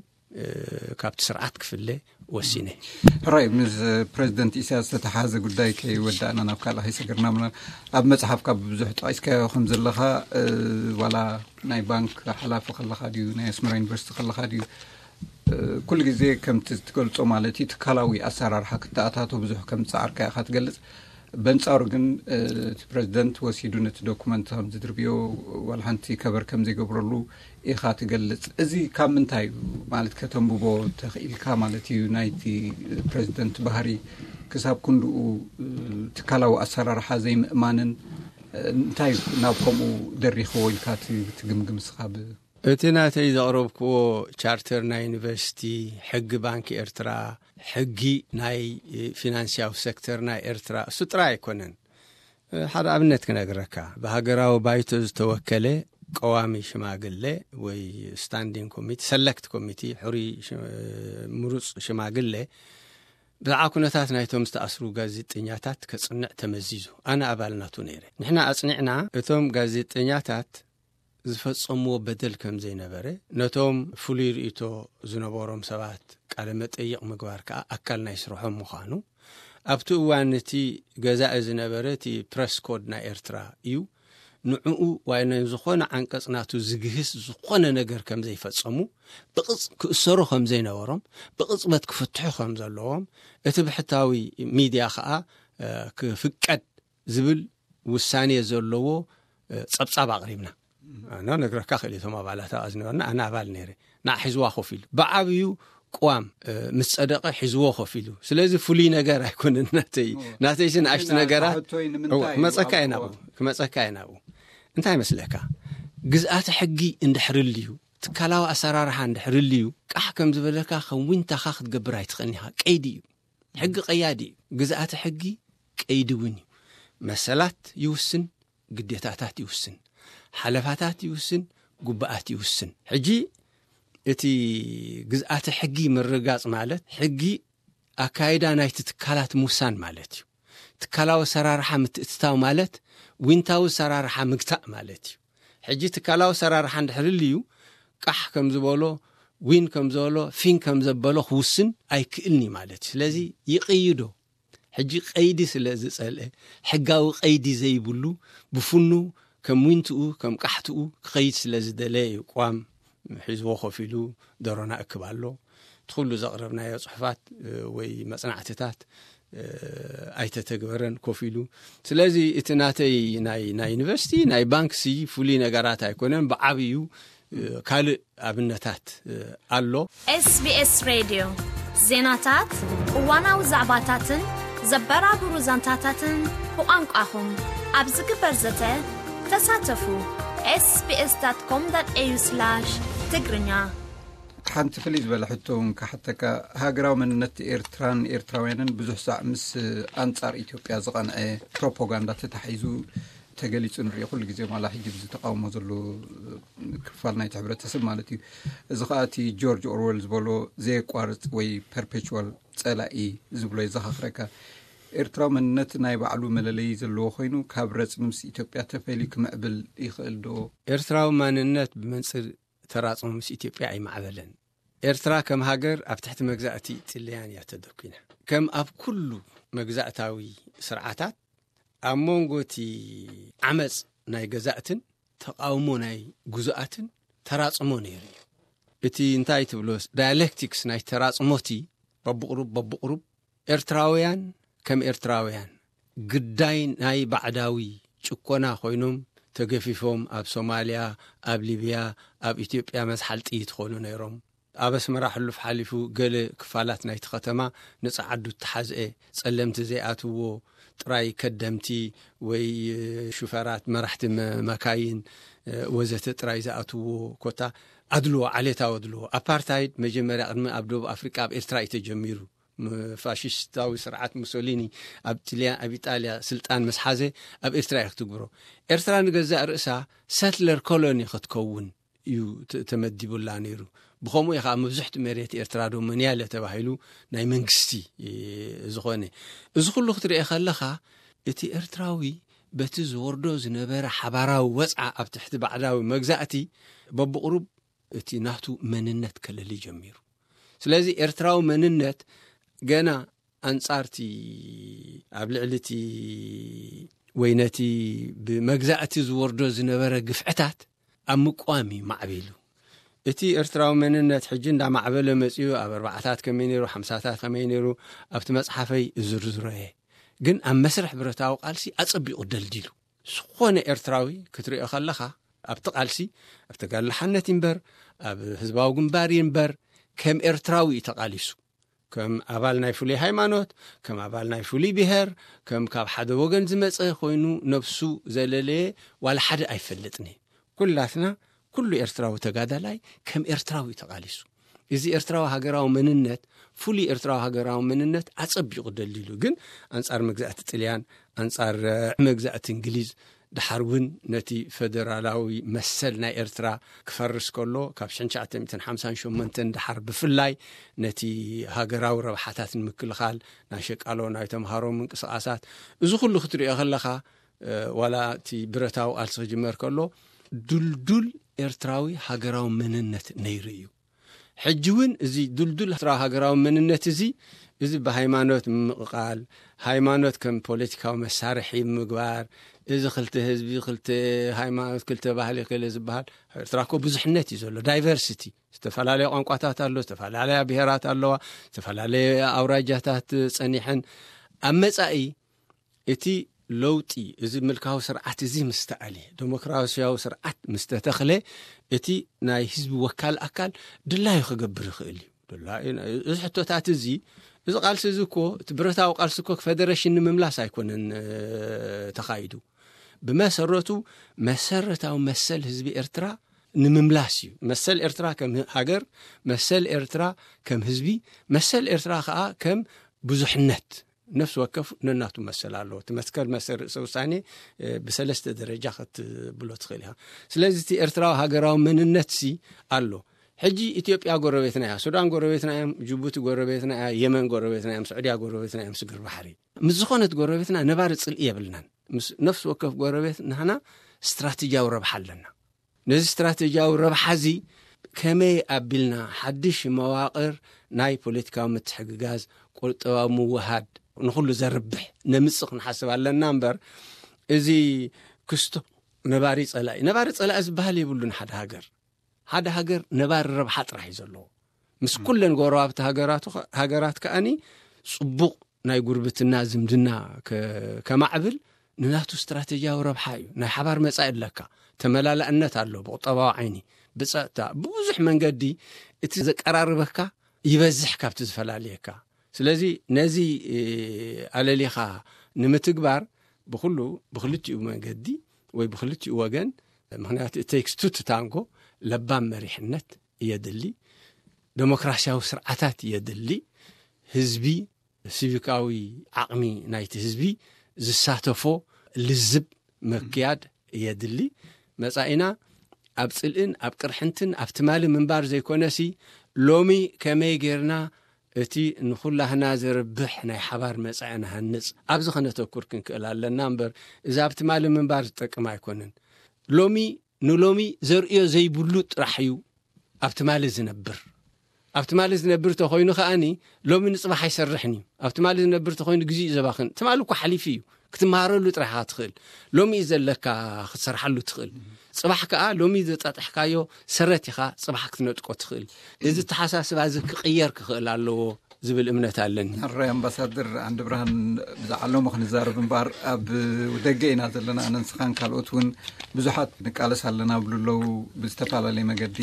ካብቲ ስርዓት ክፍለ ወሲነ። ሕራይ፣ ምስ ፕረዚደንት ኢሳያስ ዝተተሓዘ ጉዳይ ከይወዳእና ናብ ካልእ ከይሰገርና፣ ኣብ መጽሓፍካ ብዙሕ ጠቒስካዮ ከም ዘለኻ፣ ዋላ ናይ ባንክ ሓላፊ ከለኻ ድዩ፣ ናይ ኣስመራ ዩኒቨርሲቲ ከለኻ ድዩ፣ ኩሉ ግዜ ከምቲ ትገልጾ ማለት እዩ፣ ትካላዊ ኣሰራርሓ ክተኣታቶ ብዙሕ ከም ዝጸዓርካ ኢኻ ትገልጽ። በንጻሩ ግን እቲ ፕረዚደንት ወሲዱ ነቲ ዶኩመንት ከም ዝድርብዮ፣ ዋላ ሓንቲ ከበር ከም ዘይገብረሉ ኢኻ ትገልጽ። እዚ ካብ ምንታይ እዩ ማለት ከተንብቦ ተኽኢልካ ማለት እዩ፣ ናይቲ ፕረዚደንት ባህሪ ክሳብ ክንድኡ ትካላዊ ኣሰራርሓ ዘይምእማንን እንታይ ናብ ከምኡ ደሪኽዎ ኢልካ ትግምግም እስኻ? ብ- እቲ ናተይ ዘቕረብክዎ ቻርተር ናይ ዩኒቨርሲቲ፣ ሕጊ ባንክ ኤርትራ፣ ሕጊ ናይ ፊናንስያዊ ሴክተር ናይ ኤርትራ፣ እሱ ጥራይ ኣይኮነን። ሓደ ኣብነት ክነግረካ። ብሃገራዊ ባይቶ ዝተወከለ ቀዋሚ ሽማግለ ወይ ስታንዲንግ ኮሚቲ፣ ሰለክት ኮሚቲ፣ ሕሩይ ሽ-፣ ምሩጽ ሽማግለ፣ ብዛዕባ ኩነታት ናይቶም ዝተኣስሩ ጋዜጠኛታት ከጽንዕ ተመዚዙ። ኣነ ኣባል ናቱ ነይረ። ንሕና ኣጽኒዕና፣ እቶም ጋዜጠኛታት ዝፈጸምዎ በደል ከም ዘይነበረ፣ ነቶም ፍሉይ ርእይቶ ዝነበሮም ሰባት ቃለ መጠይቕ ምግባር ከኣ ኣካል ናይ ስርሖም ምዃኑ፣ ኣብቲ እዋን እቲ ገዛኢ ዝነበረ እቲ ፕረስ ኮድ ናይ ኤርትራ እዩ። ንዕኡ ወይ ንዝኾነ ዓንቀጽ ናቱ ዝግህስ ዝኾነ ነገር ከም ዘይፈጸሙ፣ ብቕጽ-፣ ክእሰሩ ከም ዘይነበሮም፣ ብቕጽበት ክፍትሑ ከም ዘለዎም፣ እቲ ብሕታዊ ሚድያ ከኣ፣ እ፣ ክፍቀድ ዝብል ውሳኔ ዘለዎ፣ እ፣ ጸብጻብ ኣቕሪብና። ኣነ ነግረካ ክእል እቶም ኣባላት ኣብኣ ዝነበርና፣ ኣነ ኣባል ነይረ። ንዓ ሒዝዋ ኮፍ ኢሉ። ብዓብዩ ቅዋም፣ እ፣ ምስ ጸደቐ ሒዝዎ ኮፍ ኢሉ። ስለዚ ፍሉይ ነገር ኣይኮነን ናተይ። እዎ። ናተይሲ ንኣሽቱ ግን ነገራት፣ ሕቶይ ንምንታይ እዎ፣ እዩ ክመጸካ ኣብ እየ ናብኡ፣ ቅዋም? ክመጸካ እየ ናብኡ። እንታይ መስለካ? ግዝኣተ ሕጊ እንድሕር ልዩ፣ ትካላዊ ኣሰራርሓ እንድሕር ልዩ፣ ቃሕ ከም ዝበለካ ከም ዊንታኻ ክትገብር ኣይትኽእልን ኢኻ። ቀይዲ እዩ። ሕጊ ቀያዲ እዩ። ግዝኣተ ሕጊ ቀይዲ እውን እዩ። መሰላት ይውስን፣ ግዴታታት ይውስን፣ ሓለፋታት ይውስን፣ ጉባኣት ይውስን። ሕጂ እቲ ግዝኣተ ሕጊ ምርጋጽ ማለት፣ ሕጊ ኣካይዳ ናይቲ ትካላት ምውሳን ማለት እዩ። ትካላዊ ኣሰራርሓ ምትእትታው ማለት፣ ዊንታዊ ኣሰራርሓ ምግታእ ማለት እዩ። ሕጂ ትካላዊ ኣሰራርሓ እንድሕር ልዩ፣ ቃሕ ከም ዝበሎ፣ ዊን ከም ዝበሎ፣ ፊን ከም ዘበሎ ክውስን ኣይክእልን እዩ ማለት እዩ። ስለዚ ይቕይዶ። ሕጂ ቀይዲ ስለ ዝጸልአ፣ ሕጋዊ ቀይዲ ዘይብሉ፣ ብፍኑ ከም ዊንትኡ፣ ከም ቃሕትኡ ክኸይድ ስለ ዝደለየ እዩ ቅዋም ሒዝዎ ኮፍ ኢሉ ደሮና እክብ ኣሎ። እቲ ኩሉ ዘቕረብናዮ ጽሑፋት፣ እ፣ ወይ መጽናዕትታት፣ እ፣ ኣይተተግበረን ኮፍ ኢሉ። ስለዚ እቲ ናተይ ናይ፣ ናይ ዩኒቨርሲቲ፣ ናይ ባንክሲ ፍሉይ ነገራት ኣይኮነን። ብዓብዩ፣ እ፣ ካልእ ኣብነታት፣ እ፣ ኣሎ። ኤስ ቢ ኤስ ሬድዮ ዜናታት፣ እዋናዊ ዛዕባታትን ዘበራብሩ ዛንታታትን ብቋንቋኹም ኣብ ዝግበር ዘተ ተሳተፉ። ኤስ ቢ ኤስ ዳት ኮም ዳት ኤ ዩ ስላሽ ትግርኛ። ሓንቲ ፍልይ ዝበለ ሕቶ እውን ክሓተካ። ሃገራዊ መንነት ኤርትራን ኤርትራውያንን ብዙሕ ሳዕ ምስ ኣንጻር ኢትዮጵያ ዝቐንዐ ፕሮፓጋንዳ ተታሒዙ ተገሊጹ ንሪኦ ኩሉ ግዜ፣ ማላ ሕጂ ብዚ ተቃውሞ ዘሎ ክፋል ናይቲ ሕብረተሰብ ማለት እዩ። እዚ ኸኣ እቲ ጆርጅ ኦርዌል ዝበሎ ዘየቋርጽ ወይ ፐርፔቹዋል ጸላኢ ዝብሎ የዘኻኽረካ። ኤርትራዊ መንነት ናይ ባዕሉ መለለዪ ዘለዎ ኮይኑ፣ ካብ ረጽሚ ምስ ኢትዮጵያ ተፈልዩ ክምዕብል ይኽእል ዶ? ኤርትራዊ ማንነት ብመንጽር ተራጽሞ ምስ ኢትዮጵያ ኣይማዕበለን። ኤርትራ ከም ሃገር ኣብ ትሕቲ መግዛእቲ ጥልያን እያ ተደኲና። ከም ኣብ ኩሉ መግዛእታዊ ስርዓታት፣ ኣብ መንጎ እቲ ዓመጽ ናይ ገዛእትን ተቓውሞ ናይ ግዙኣትን ተራጽሞ ነይሩ እዩ። እቲ እንታይ ትብሎ ዳያሌክቲክስ ናይ ተራጽሞ እቲ በብቕሩብ በብቕሩብ ኤርትራውያን ከም ኤርትራውያን ግዳይ ናይ ባዕዳዊ ጭኮና ኮይኖም ተገፊፎም ኣብ ሶማልያ፣ ኣብ ሊብያ፣ ኣብ ኢትዮጵያ መዝሓል ጥይት ክኾኑ ነይሮም። ኣብ ኣስመራ ሕሉፍ ሓሊፉ ገለ ክፋላት ናይቲ ከተማ ንጸዓዱ እተሓዝአ፣ ጸለምቲ ዘይኣትዎ ጥራይ ከደምቲ ወይ ሹፈራት፣ መራሕቲ መ-፣ መካይን ወዘተ ጥራይ ዝኣትዎ ኮታ ኣድልዎ፣ ዓሌታዊ ኣድልዎ። ኣፓርታይድ መጀመርያ ቅድሚ ኣብ ደቡብ ኣፍሪቃ ኣብ ኤርትራ እዩ ተጀሚሩ። ፋሽስታዊ ስርዓት ሙሶሊኒ ኣብ ጥልያን ኣብ ኢጣልያ ስልጣን ምስ ሓዘ ኣብ ኤርትራ እዩ ክትግብሮ። ኤርትራ ንገዛእ ርእሳ ሰትለር ኮሎኒ ክትከውን እዩ ተመዲቡላ ነይሩ። ብኸምኡ እዩ ከዓ መብዝሕቲ መሬት ኤርትራ ዶ መንያለ ተባሂሉ ናይ መንግስቲ ዝኾነ። እዚ ኩሉ ክትሪኦ ከለኻ እቲ ኤርትራዊ በቲ ዝወርዶ ዝነበረ ሓባራዊ ወፅዓ ኣብ ትሕቲ ባዕዳዊ መግዛእቲ በብቕሩብ እቲ ናቱ መንነት ከለሊ ጀሚሩ። ስለዚ ኤርትራዊ መንነት ገና ኣንጻርቲ ኣብ ልዕሊ እቲ ወይ ነቲ ብመግዛእቲ ዝወርዶ ዝነበረ ግፍዕታት ኣብ ምቋም እዩ ማዕቢሉ። እቲ ኤርትራዊ መንነት ሕጂ እንዳማዕበለ መጺኡ ኣብ ኣርባዓታት ከመይ ነይሩ፣ ሓምሳታት ከመይ ነይሩ ኣብቲ መጽሓፈይ እዝርዝሮ እየ። ግን ኣብ መስርሕ ብረታዊ ቃልሲ ኣጸቢቑ ደልዲሉ። ዝኾነ ኤርትራዊ ክትሪኦ ከለኻ ኣብቲ ቃልሲ ኣብ ተጋድሎ ሓነት ይንበር ኣብ ህዝባዊ ግንባር ይንበር ከም ኤርትራዊ እዩ ተቓሊሱ። ከም ኣባል ናይ ፍሉይ ሃይማኖት፣ ከም ኣባል ናይ ፍሉይ ብሄር፣ ከም ካብ ሓደ ወገን ዝመጸ ኮይኑ ነብሱ ዘለለየ ዋላ ሓደ ኣይፈልጥን። ኩላትና ኩሉ ኤርትራዊ ተጋዳላይ ከም ኤርትራዊ ተቓሊሱ። እዚ ኤርትራዊ ሃገራዊ መንነት፣ ፍሉይ ኤርትራዊ ሃገራዊ መንነት ኣጸቢቑ ደልዲሉ። ግን ኣንጻር መግዛእቲ ጥልያን፣ ኣንጻር መግዛእቲ እንግሊዝ፣ ድሓር እውን ነቲ ፈደራላዊ መሰል ናይ ኤርትራ ክፈርስ ከሎ ካብ ሽሕን ትሽዓተ ሚእትን ሓምሳን ሸሞንተን ድሓር ብፍላይ ነቲ ሃገራዊ ረብሓታት ንምክልኻል ናይ ሸቃሎ ናይ ተምሃሮ ምንቅስቓሳት፣ እዚ ኩሉ ክትሪኦ ከለኻ ዋላ እቲ ብረታዊ ቃልሲ ክጅመር ከሎ ድልዱል ኤርትራዊ ሃገራዊ መንነት ነይሩ እዩ። ሕጂ እውን እዚ ድልዱል ኤርትራዊ ሃገራዊ መንነት እዚ እዚ ብሃይማኖት ምምቕቓል፣ ሃይማኖት ከም ፖለቲካዊ መሳርሒ ምግባር፣ እዚ ክልተ ህዝቢ ክልተ ሃይማኖት ክልተ ባህሊ ክለ ዝበሃል። ኤርትራ እኮ ብዙሕነት እዩ ዘሎ፣ ዳይቨርሲቲ። ዝተፈላለያ ቋንቋታት ኣሎ፣ ዝተፈላለያ ብሄራት ኣለዋ፣ ዝተፈላለየ ኣውራጃታት ጸኒሐን። ኣብ መጻኢ እቲ ለውጢ እዚ ምልካዊ ስርዓት እዚ ምስ ተኣልየ፣ ዴሞክራሲያዊ ስርዓት ምስ ተተኽለ፣ እቲ ናይ ህዝቢ ወካል ኣካል ድላዩ ክገብር ይኽእል እዩ። ድላዩ እዚ ሕቶታት እዚ፣ እዚ ቃልሲ እዚ እኮ እቲ ብረታዊ ቃልሲ እኮ ፈደረሽን ንምምላስ ኣይኮነን ተኻይዱ። ብመሰረቱ መሰረታዊ መሰል ህዝቢ ኤርትራ ንምምላስ እዩ። መሰል ኤርትራ ከም ሃገር፣ መሰል ኤርትራ ከም ህዝቢ፣ መሰል ኤርትራ ከዓ ከም ብዙሕነት። ነፍሲ ወከፍ ነናቱ መሰል ኣለዎ። እቲ መትከል መሰል ርእሰ ውሳኔ ብሰለስተ ደረጃ ክትብሎ ትኽእል ኢኻ። ስለዚ እቲ ኤርትራዊ ሃገራዊ መንነት ሲ ኣሎ። ሕጂ ኢትዮጵያ ጎረቤትና እያ፣ ሱዳን ጎረቤትና እዮም፣ ጅቡቲ ጎረቤትና እያ፣ የመን ጎረቤትና እዮም፣ ስዑድያ ጎረቤትና እዮም፣ ስግር ባሕሪ። ምስ ዝኾነት ጎረቤትና ነባሪ ጽልኢ የብልናን። ምስ ነፍሲ ወከፍ ጎረቤት ንሕና ስትራቴጂያዊ ረብሓ ኣለና። ነዚ ስትራቴጂያዊ ረብሓ እዚ ከመይ ኣቢልና ሓድሽ መዋቕር ናይ ፖለቲካዊ ምትሕግጋዝ፣ ቁጠባዊ ምውሃድ ንኹሉ ዘርብሕ ነምጽእ ክንሓስብ ኣለና እምበር፣ እዚ ክስቶ ነባሪ ጸላኢ፣ ነባሪ ጸላኢ ዝበሃል የብሉን። ሓደ ሃገር፣ ሓደ ሃገር ነባሪ ረብሓ ጥራሕ እዩ ዘለዎ። ምስ ኩለን ጎረባብቲ ሃገራቱ፣ ሃገራት ከኣኒ ጽቡቕ ናይ ጉርብትና ዝምድና ከ-፣ ከማዕብል ንናቱ ስትራቴጂያዊ ረብሓ እዩ። ናይ ሓባር መጻኢ ኣለካ። ተመላላእነት ኣሎ፣ ብቁጠባዊ ዓይኒ፣ ብጸጥታ፣ ብብዙሕ መንገዲ እቲ ዘቀራርበካ ይበዝሕ ካብቲ ዝፈላልየካ። ስለዚ ነዚ፣ እ፣ ኣለሊኻ ንምትግባር ብኹሉ፣ ብክልቲኡ መንገዲ ወይ ብክልቲኡ ወገን፣ ምኽንያቱ it takes two to tango፣ ለባም መሪሕነት የድሊ፣ ዴሞክራሲያዊ ስርዓታት የድሊ፣ ህዝቢ፣ ሲቪካዊ ዓቕሚ ናይቲ ህዝቢ ዝሳተፎ ልዝብ ምክያድ የድሊ። መጻኢና ኣብ ጽልእን ኣብ ቅርሕንትን ኣብ ትማሊ ምንባር ዘይኮነሲ፣ ሎሚ ከመይ ጌርና እቲ ንኹላህና ዘርብሕ ናይ ሓባር መጻኢ ንሃንጽ፣ ኣብዚ ከነተኩር ክንክእል ኣለና እምበር፣ እዚ ኣብ ትማሊ ምንባር ዝጠቅም ኣይኮነን። ሎሚ ንሎሚ ዘርእዮ ዘይብሉ ጥራሕ እዩ ኣብ ትማሊ ዝነብር። ኣብ ትማሊ ዝነብር ተኾይኑ ከኣኒ ሎሚ ንጽባሕ ኣይሰርሕን እዩ። ኣብ ትማሊ ዝነብር ተኾይኑ ግዜ እዩ ዘባኽን። ትማሊ እኮ ሓሊፉ እዩ። ክትመሃረሉ ጥራሕ ኢኻ ትኽእል። ሎሚ እዩ ዘለካ ክትሰርሓሉ ትኽእል። ጽባሕ ከኣ ሎሚ ዘጣጥሕካዮ ሰረት ኢኻ ጽባሕ ክትነጥቆ ትኽእል። እዚ ተሓሳስባ እዚ ክቕየር ክኽእል ኣለዎ ዝብል እምነት ኣለኒ። ኣራይ ኣምባሳደር ዓንዲ ብርሃን፣ ብዛዕባ ሎሚ ክንዛረብ እምበር ኣብ ደገ ኢና ዘለና። ኣነ ንስኻን ካልኦት እውን ብዙሓት ንቃለስ ኣለና ብሉ ኣለዉ። ብዝተፈላለየ መገዲ፣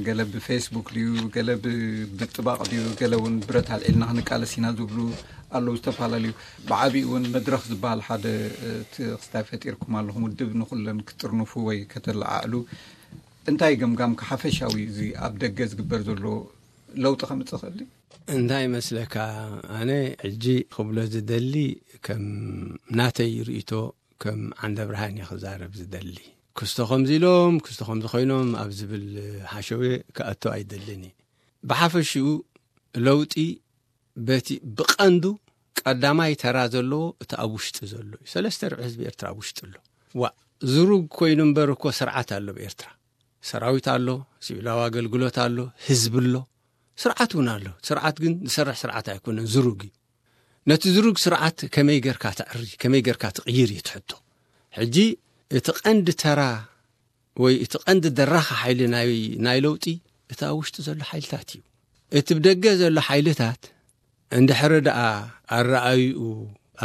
ገለ ብፌስቡክ ድዩ፣ ገለ ብጥባቕ ድዩ፣ ገለ እውን ብረት ኣልዒልና ክንቃለስ ኢና ዝብሉ ኣለዉ። ዝተፈላለዩ ብዓቢኡ እውን መድረኽ ዝበሃል ሓደ እቲ ክስታይ ፈጢርኩም ኣለኹም፣ ውድብ ንኩለን ክትጥርንፉ ወይ ከተለዓዕሉ። እንታይ ገምጋም ሓፈሻዊ እዚ ኣብ ደገ ዝግበር ዘሎ ለውጢ ከምፅእ ክእል? እንታይ መስለካ? ኣነ ሕጂ ክብሎ ዝደሊ፣ ከም ናተይ ርእቶ፣ ከም ዓንደ ብርሃን እየ ክዛረብ ዝደሊ። ክስቶ ከምዚ ኢሎም፣ ክስቶ ከምዚ ኮይኖም ኣብ ዝብል ሓሸውየ ክኣቶ ኣይደልን እየ። ብሓፈሽኡ ለውጢ በቲ ብቐንዱ ቀዳማይ ተራ ዘለዎ እቲ ኣብ ውሽጢ ዘሎ እዩ። ሰለስተ ርብዒ ህዝቢ ኤርትራ ኣብ ውሽጢ ኣሎ። ዋ፣ ዝሩግ ኮይኑ እምበር እኮ ስርዓት ኣሎ ኣብ ኤርትራ። ሰራዊት ኣሎ፣ ሲቪላዊ ኣገልግሎት ኣሎ፣ ህዝቢ ኣሎ፣ ስርዓት እውን ኣሎ። ስርዓት ግን ዝሰርሕ ስርዓት ኣይኮነን፣ ዝሩግ እዩ። ነቲ ዝሩግ ስርዓት ከመይ ጌርካ ተዕሪ፣ ከመይ ጌርካ ትቕይር እዩ እቲ ሕቶ። ሕጂ እቲ ቀንዲ ተራ ወይ እቲ ቀንዲ ደራኺ ሓይሊ ናይ፣ ናይ ለውጢ እቲ ኣብ ውሽጢ ዘሎ ሓይልታት እዩ። እቲ ብደገ ዘሎ ሓይልታት እንድሕሪ ደኣ ኣረኣይኡ፣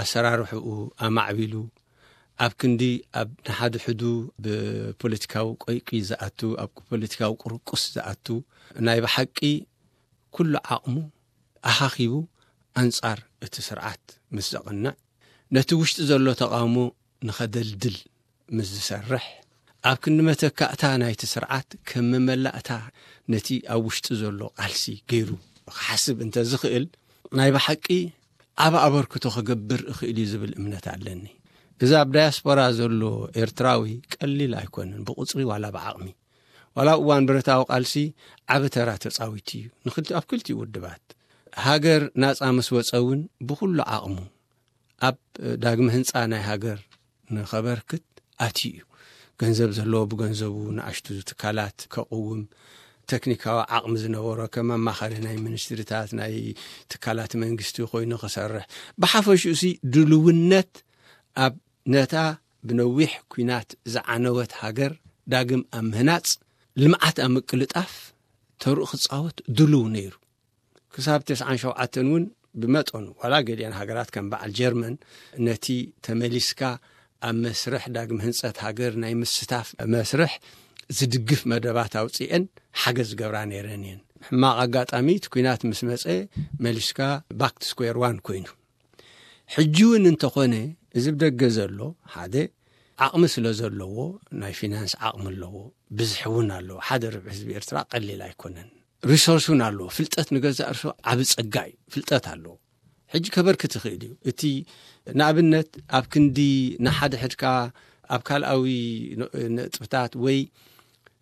ኣሰራርሕኡ ኣማዕቢሉ፣ ኣብ ክንዲ ኣብ ንሓድሕዱ ብፖለቲካዊ ቆይቂ ዝኣቱ፣ ኣብ ፖለቲካዊ ቁርቁስ ዝኣቱ፣ ናይ ብሓቂ ኩሉ ዓቕሙ ኣኻኺቡ ኣንጻር እቲ ስርዓት ምስ ዘቕንዕ፣ ነቲ ውሽጢ ዘሎ ተቓውሞ ንኸደልድል ምስ ዝሰርሕ፣ ኣብ ክንዲ መተካእታ ናይቲ ስርዓት ከም መመላእታ ነቲ ኣብ ውሽጢ ዘሎ ቃልሲ ገይሩ ክሓስብ እንተ ዝኽእል፣ ናይ ብሓቂ ዓቢ ኣበርክቶ ክገብር እኽእል እዩ ዝብል እምነት ኣለኒ። እዚ ኣብ ዳያስፖራ ዘሎ ኤርትራዊ ቀሊል ኣይኮነን፣ ብቁጽሪ ዋላ ብዓቕሚ። ዋላ እዋን ብረታዊ ቃልሲ ዓቢ ተራ ተጻዊቱ እዩ፣ ንክልቲ-፣ ኣብ ክልቲኡ ውድባት። ሃገር ናጻ ምስ ወጸ እውን ብኹሉ ዓቕሙ ኣብ ዳግመ ህንጻ ናይ ሃገር ንኸበርክት ኣትዩ እዩ። ገንዘብ ዘለዎ ብገንዘቡ፣ ንኣሽቱ ትካላት ከቕውም፣ ቴክኒካዊ ዓቕሚ ዝነበሮ ከም ኣማኻሪ ናይ ሚኒስትሪታት፣ ናይ ትካላት መንግስቲ ኮይኑ ክሰርሕ፣ ብሓፈሽኡ ሲ ድልውነት ኣብ ነታ ብነዊሕ ኲናት ዝዓነወት ሃገር ዳግም ኣብ ምህናጽ፣ ልምዓት ኣብ ምቅልጣፍ ተርኡ ክጻወት ድሉው ነይሩ። ክሳብ ተስዓን ሸውዓተን እውን ብመጠኑ፣ ዋላ ገሊአን ሃገራት ከም በዓል ጀርመን ነቲ ተመሊስካ ኣብ መስርሕ ዳግም ህንጸት ሃገር ናይ ምስታፍ መስርሕ ዝድግፍ መደባት ኣውጺኤን ሓገዝ ዝገብራ ነይረን እየን። ሕማቕ ኣጋጣሚ እቲ ኲናት ምስ መጸ መሊስካ ባክ ቱ ስኩዌር ዋን ኮይኑ። ሕጂ እውን እንተኾነ እዚ ብደገ ዘሎ ሓደ ዓቕሚ ስለ ዘለዎ ናይ ፊናንስ ዓቕሚ ኣለዎ፣ ብዝሒ እውን ኣለዎ። ሓደ ርብዒ ህዝቢ ኤርትራ ቀሊል ኣይኮነን። ሪሶርስ እውን ኣለዎ። ፍልጠት ንገዛእ ርሶ ዓቢ ጸጋ እዩ። ፍልጠት ኣለዎ። ሕጂ ከበርክት ይኽእል እዩ። እቲ ንኣብነት ኣብ ክንዲ ንሓድሕድካ ኣብ ካልኣዊ ነ-፣ ነጥብታት ወይ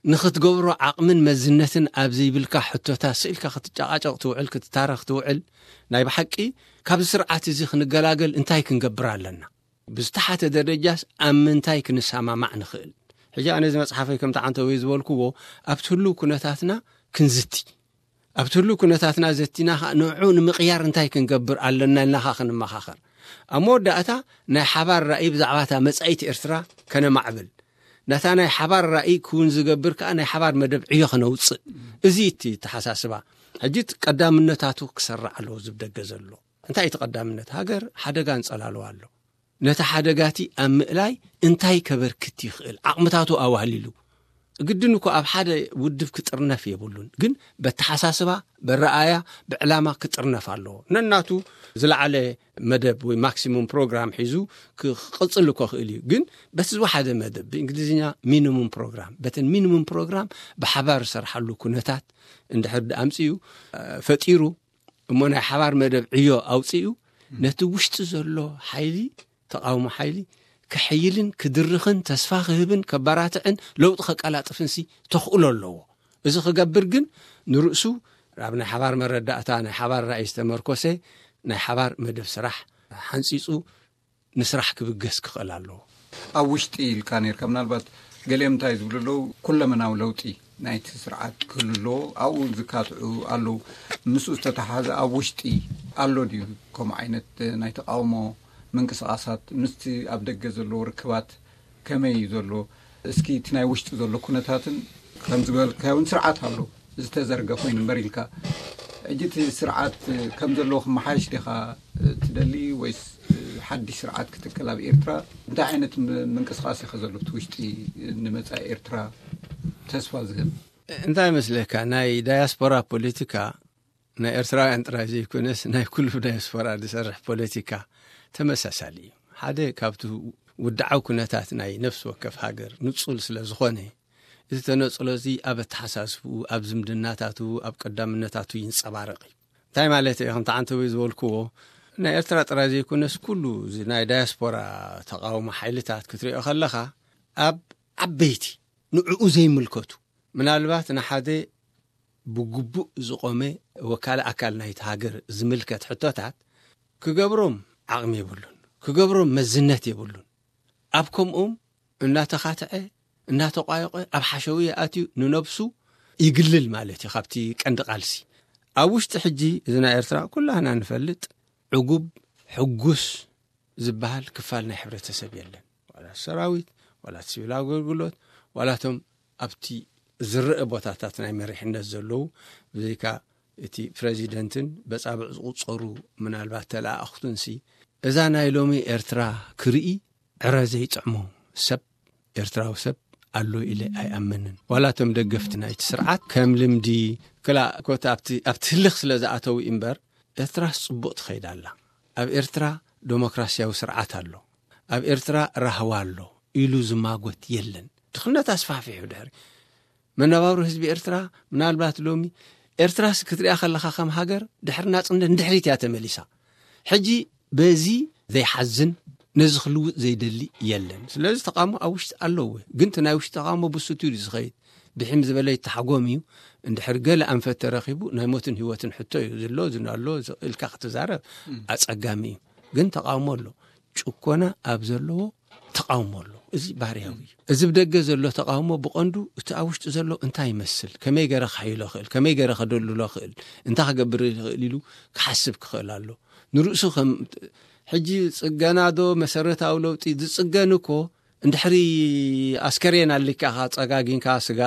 ንኽትገብሮ ዓቕምን መዝነትን ኣብ ዘይብልካ ሕቶታት ስኢልካ ክትጨቃጨቕ ትውዕል፣ ክትታረኽ ትውዕል። ናይ ብሓቂ ካብዚ ስርዓት እዚ ክንገላገል እንታይ ክንገብር ኣለና? ብዝተሓተ ደረጃስ ኣብ ምንታይ ክንሰማማዕ ንኽእል? ሕጂ ኣነ እዚ መጽሓፈይ ከምቲ ዓንተወይ ዝበልክዎ ኣብቲ ህሉው ኩነታትና ክንዝቲ። ኣብቲ ህሉው ኩነታትና ዘቲና ኸኣ ንዕኡ ንምቕያር እንታይ ክንገብር ኣለና ኢልና ኸኣ ክንመኻኸር። ኣብ መወዳእታ ናይ ሓባር ራእይ ብዛዕባ እታ መጻኢት ኤርትራ ከነማዕብል። ነታ ናይ ሓባር ራእይ ክውን ዝገብር ከኣ ናይ ሓባር መደብ ዕዮ ከነውጽእ። እዚ እቲ ተሓሳስባ። ሕጂ እቲ ቀዳምነታቱ ክሰርዕ ኣለዎ እዚ ብደገ ዘሎ። እንታይ እቲ ቀዳምነት? ሃገር ሓደጋ ኣንጸላልዋ ኣሎ። ነቲ ሓደጋቲ ኣብ ምእላይ እንታይ ከበርክት ይኽእል? ዓቕምታቱ ኣዋህሊሉ። ግድን እኮ ኣብ ሓደ ውድብ ክጥርነፍ የብሉን። ግን በተሓሳስባ፣ በረኣያ፣ ብዕላማ ክጥርነፍ ኣለዎ። ነናቱ ዝለዓለ መደብ ወይ ማክሲሙም ፕሮግራም ሒዙ ክቕጽል እኮ ክእል እዩ። ግን በቲ ዝወሓደ መደብ፣ ብእንግሊዝኛ ሚኒሙም ፕሮግራም፣ በተን ሚኒሙም ፕሮግራም ብሓባር ዝሰርሓሉ ኩነታት እንድሕር ኣምጺኡ፣ እ፣ ፈጢሩ፣ እሞ ናይ ሓባር መደብ ዕዮ ኣውጺኡ፣ ነቲ ውሽጢ ዘሎ ሓይሊ፣ ተቓውሞ ሓይሊ ክሕይልን ክድርኽን፣ ተስፋ ክህብን ከበራትዕን ለውጢ ከቀላጥፍንሲ ተኽእሎ ኣለዎ። እዚ ክገብር ግን ንርእሱ ኣብ ናይ ሓባር መረዳእታ፣ ናይ ሓባር ራእይ ዝተመርኮሰ ናይ ሓባር መደብ ስራሕ ሓንጺጹ ንስራሕ ክብገስ ክኽእል ኣለዎ። ኣብ ውሽጢ ኢልካ ነርካ፣ ምናልባት ገሊኦም እንታይ ዝብሉ ኣለዉ፣ ኩለመናዊ ለውጢ ናይቲ ስርዓት ክህሉ ኣለዎ፣ ኣብኡ ዝካትዑ ኣለዉ። ምስኡ ዝተተሓሓዘ ኣብ ውሽጢ ኣሎ ድዩ ከምኡ ዓይነት ናይ ተቃውሞ ምንቅስቃሳት ምስቲ ኣብ ደገ ዘለዎ ርክባት ከመይ እዩ ዘሎ? እስኪ እቲ ናይ ውሽጢ ዘሎ ኩነታትን ከም ዝበልካዮ እውን ስርዓት ኣሎ ዝተዘርገ ኮይኑ እምበር ኢልካ ሕጂ እቲ ስርዓት ከም ዘለዎ ክመሓየሽ ዲኻ ትደሊ፣ ወይስ ሓድሽ ስርዓት ክትከል ኣብ ኤርትራ? እንታይ ዓይነት ም- ምንቅስቃስ ኢኸ ዘሎ እቲ ውሽጢ ንመጻኢ ኤርትራ ተስፋ ዝህብ? እንታይ መስለካ፣ ናይ ዳያስፖራ ፖለቲካ ናይ ኤርትራውያን ጥራይ ዘይኮነስ ናይ ኩሉ ዳያስፖራ ዝሰርሕ ፖለቲካ ተመሳሳሊ እዩ። ሓደ ካብቲ ውድዓዊ ኩነታት ናይ ነፍሲ ወከፍ ሃገር ንጹል ስለ ዝኾነ፣ እዚ ተነጽሎ እዚ ኣብ ኣተሓሳስብኡ፣ ኣብ ዝምድናታቱ፣ ኣብ ቀዳምነታቱ ይንጸባረቕ እዩ። እንታይ ማለት እዩ? ከምቲ ዓንተቦይ ዝበልክዎ፣ ናይ ኤርትራ ጥራይ ዘይኮነስ ኩሉ እዚ ናይ ዳያስፖራ ተቃውሞ ሓይልታት ክትሪኦ ከለኻ፣ ኣብ ዓበይቲ ንዕኡ ዘይምልከቱ፣ ምናልባት ንሓደ ብግቡእ ዝቆመ ወካሊ ኣካል ናይቲ ሃገር ዝምልከት ሕቶታት ክገብሮም ዓቕሚ የብሉን፣ ክገብሮም መዝነት የብሉን። ኣብ ከምኡም እናተኻትዐ እናተቋየቐ ኣብ ሓሸዊ ኣትዩ ንነብሱ ይግልል ማለት እዩ። ካብቲ ቀንዲ ቃልሲ ኣብ ውሽጢ ሕጂ እዚ ናይ ኤርትራ ኩላህና ንፈልጥ ዕጉብ ሕጉስ ዝበሃል ክፋል ናይ ሕብረተሰብ የለን። ዋላ ሰራዊት፣ ዋላ ሲቪል ኣገልግሎት፣ ዋላቶም ኣብቲ ዝረአ ቦታታት ናይ መሪሕነት ዘለዉ፣ ብዘይካ እቲ ፕረዚደንትን በጻብዕ ዝቁጸሩ ምናልባት ተለኣእኽቱንሲ፣ እዛ ናይ ሎሚ ኤርትራ ክርኢ ዕረ ዘይጥዕሞ ሰብ፣ ኤርትራዊ ሰብ ኣሎ ኢለ ኣይኣምንን። ዋላ እቶም ደገፍቲ ናይቲ ስርዓት ከም ልምዲ ክላ ኮታ ኣብቲ ኣብቲ ህልኽ ስለ ዝኣተው እምበር፣ ኤርትራስ ጽቡቕ ትኸይድ ኣላ። ኣብ ኤርትራ ዴሞክራሲያዊ ስርዓት ኣሎ፣ ኣብ ኤርትራ ራህዋ ኣሎ ኢሉ ዝማጎት የለን። ድኽነት ኣስፋሕፊሑ ድሕሪ መነባብሮ ህዝቢ ኤርትራ፣ ምናልባት ሎሚ ኤርትራስ ክትሪኣ ከለኻ ከም ሃገር ድሕሪ ናጽነት ንድሕሪት እያ ተመሊሳ። ሕጂ በዚ ዘይሓዝን ነዚ ክልውጥ ዘይደሊ የለን። ስለዚ ተቃውሞ ኣብ ውሽጢ ኣለዎ፣ ግን እቲ ናይ ውሽጢ ተቃውሞ ብስቱር እዩ ዝኸይድ። ብሒም ዝበለ ይተሓጎም እዩ። እንድሕር ገለ ኣንፈት ተረኺቡ ናይ ሞትን ህይወትን ሕቶ እዩ ዝሎ ዝናሎ ኢልካ ክትዛረብ ኣጸጋሚ እዩ። ግን ተቃውሞ ኣሎ። ጭኮና ኣብ ዘለዎ ተቃውሞ ኣሎ። እዚ ባህርያዊ እዩ። እዚ ብደገ ዘሎ ተቃውሞ ብቐንዱ እቲ ኣብ ውሽጢ ዘሎ እንታይ ይመስል፣ ከመይ ገረ ክሕይሎ ክእል፣ ከመይ ገረ ከደልሎ ክእል፣ እንታይ ክገብር ይኽእል ኢሉ ክሓስብ ክኽእል ኣሎ። ንርእሱ ከም ሕጂ ጽገና ዶ መሰረታዊ ለውጢ ዝጽገን እኮ እንድሕሪ ኣስከሬን ኣሊካ ጸጋጊንካ ስጋ፣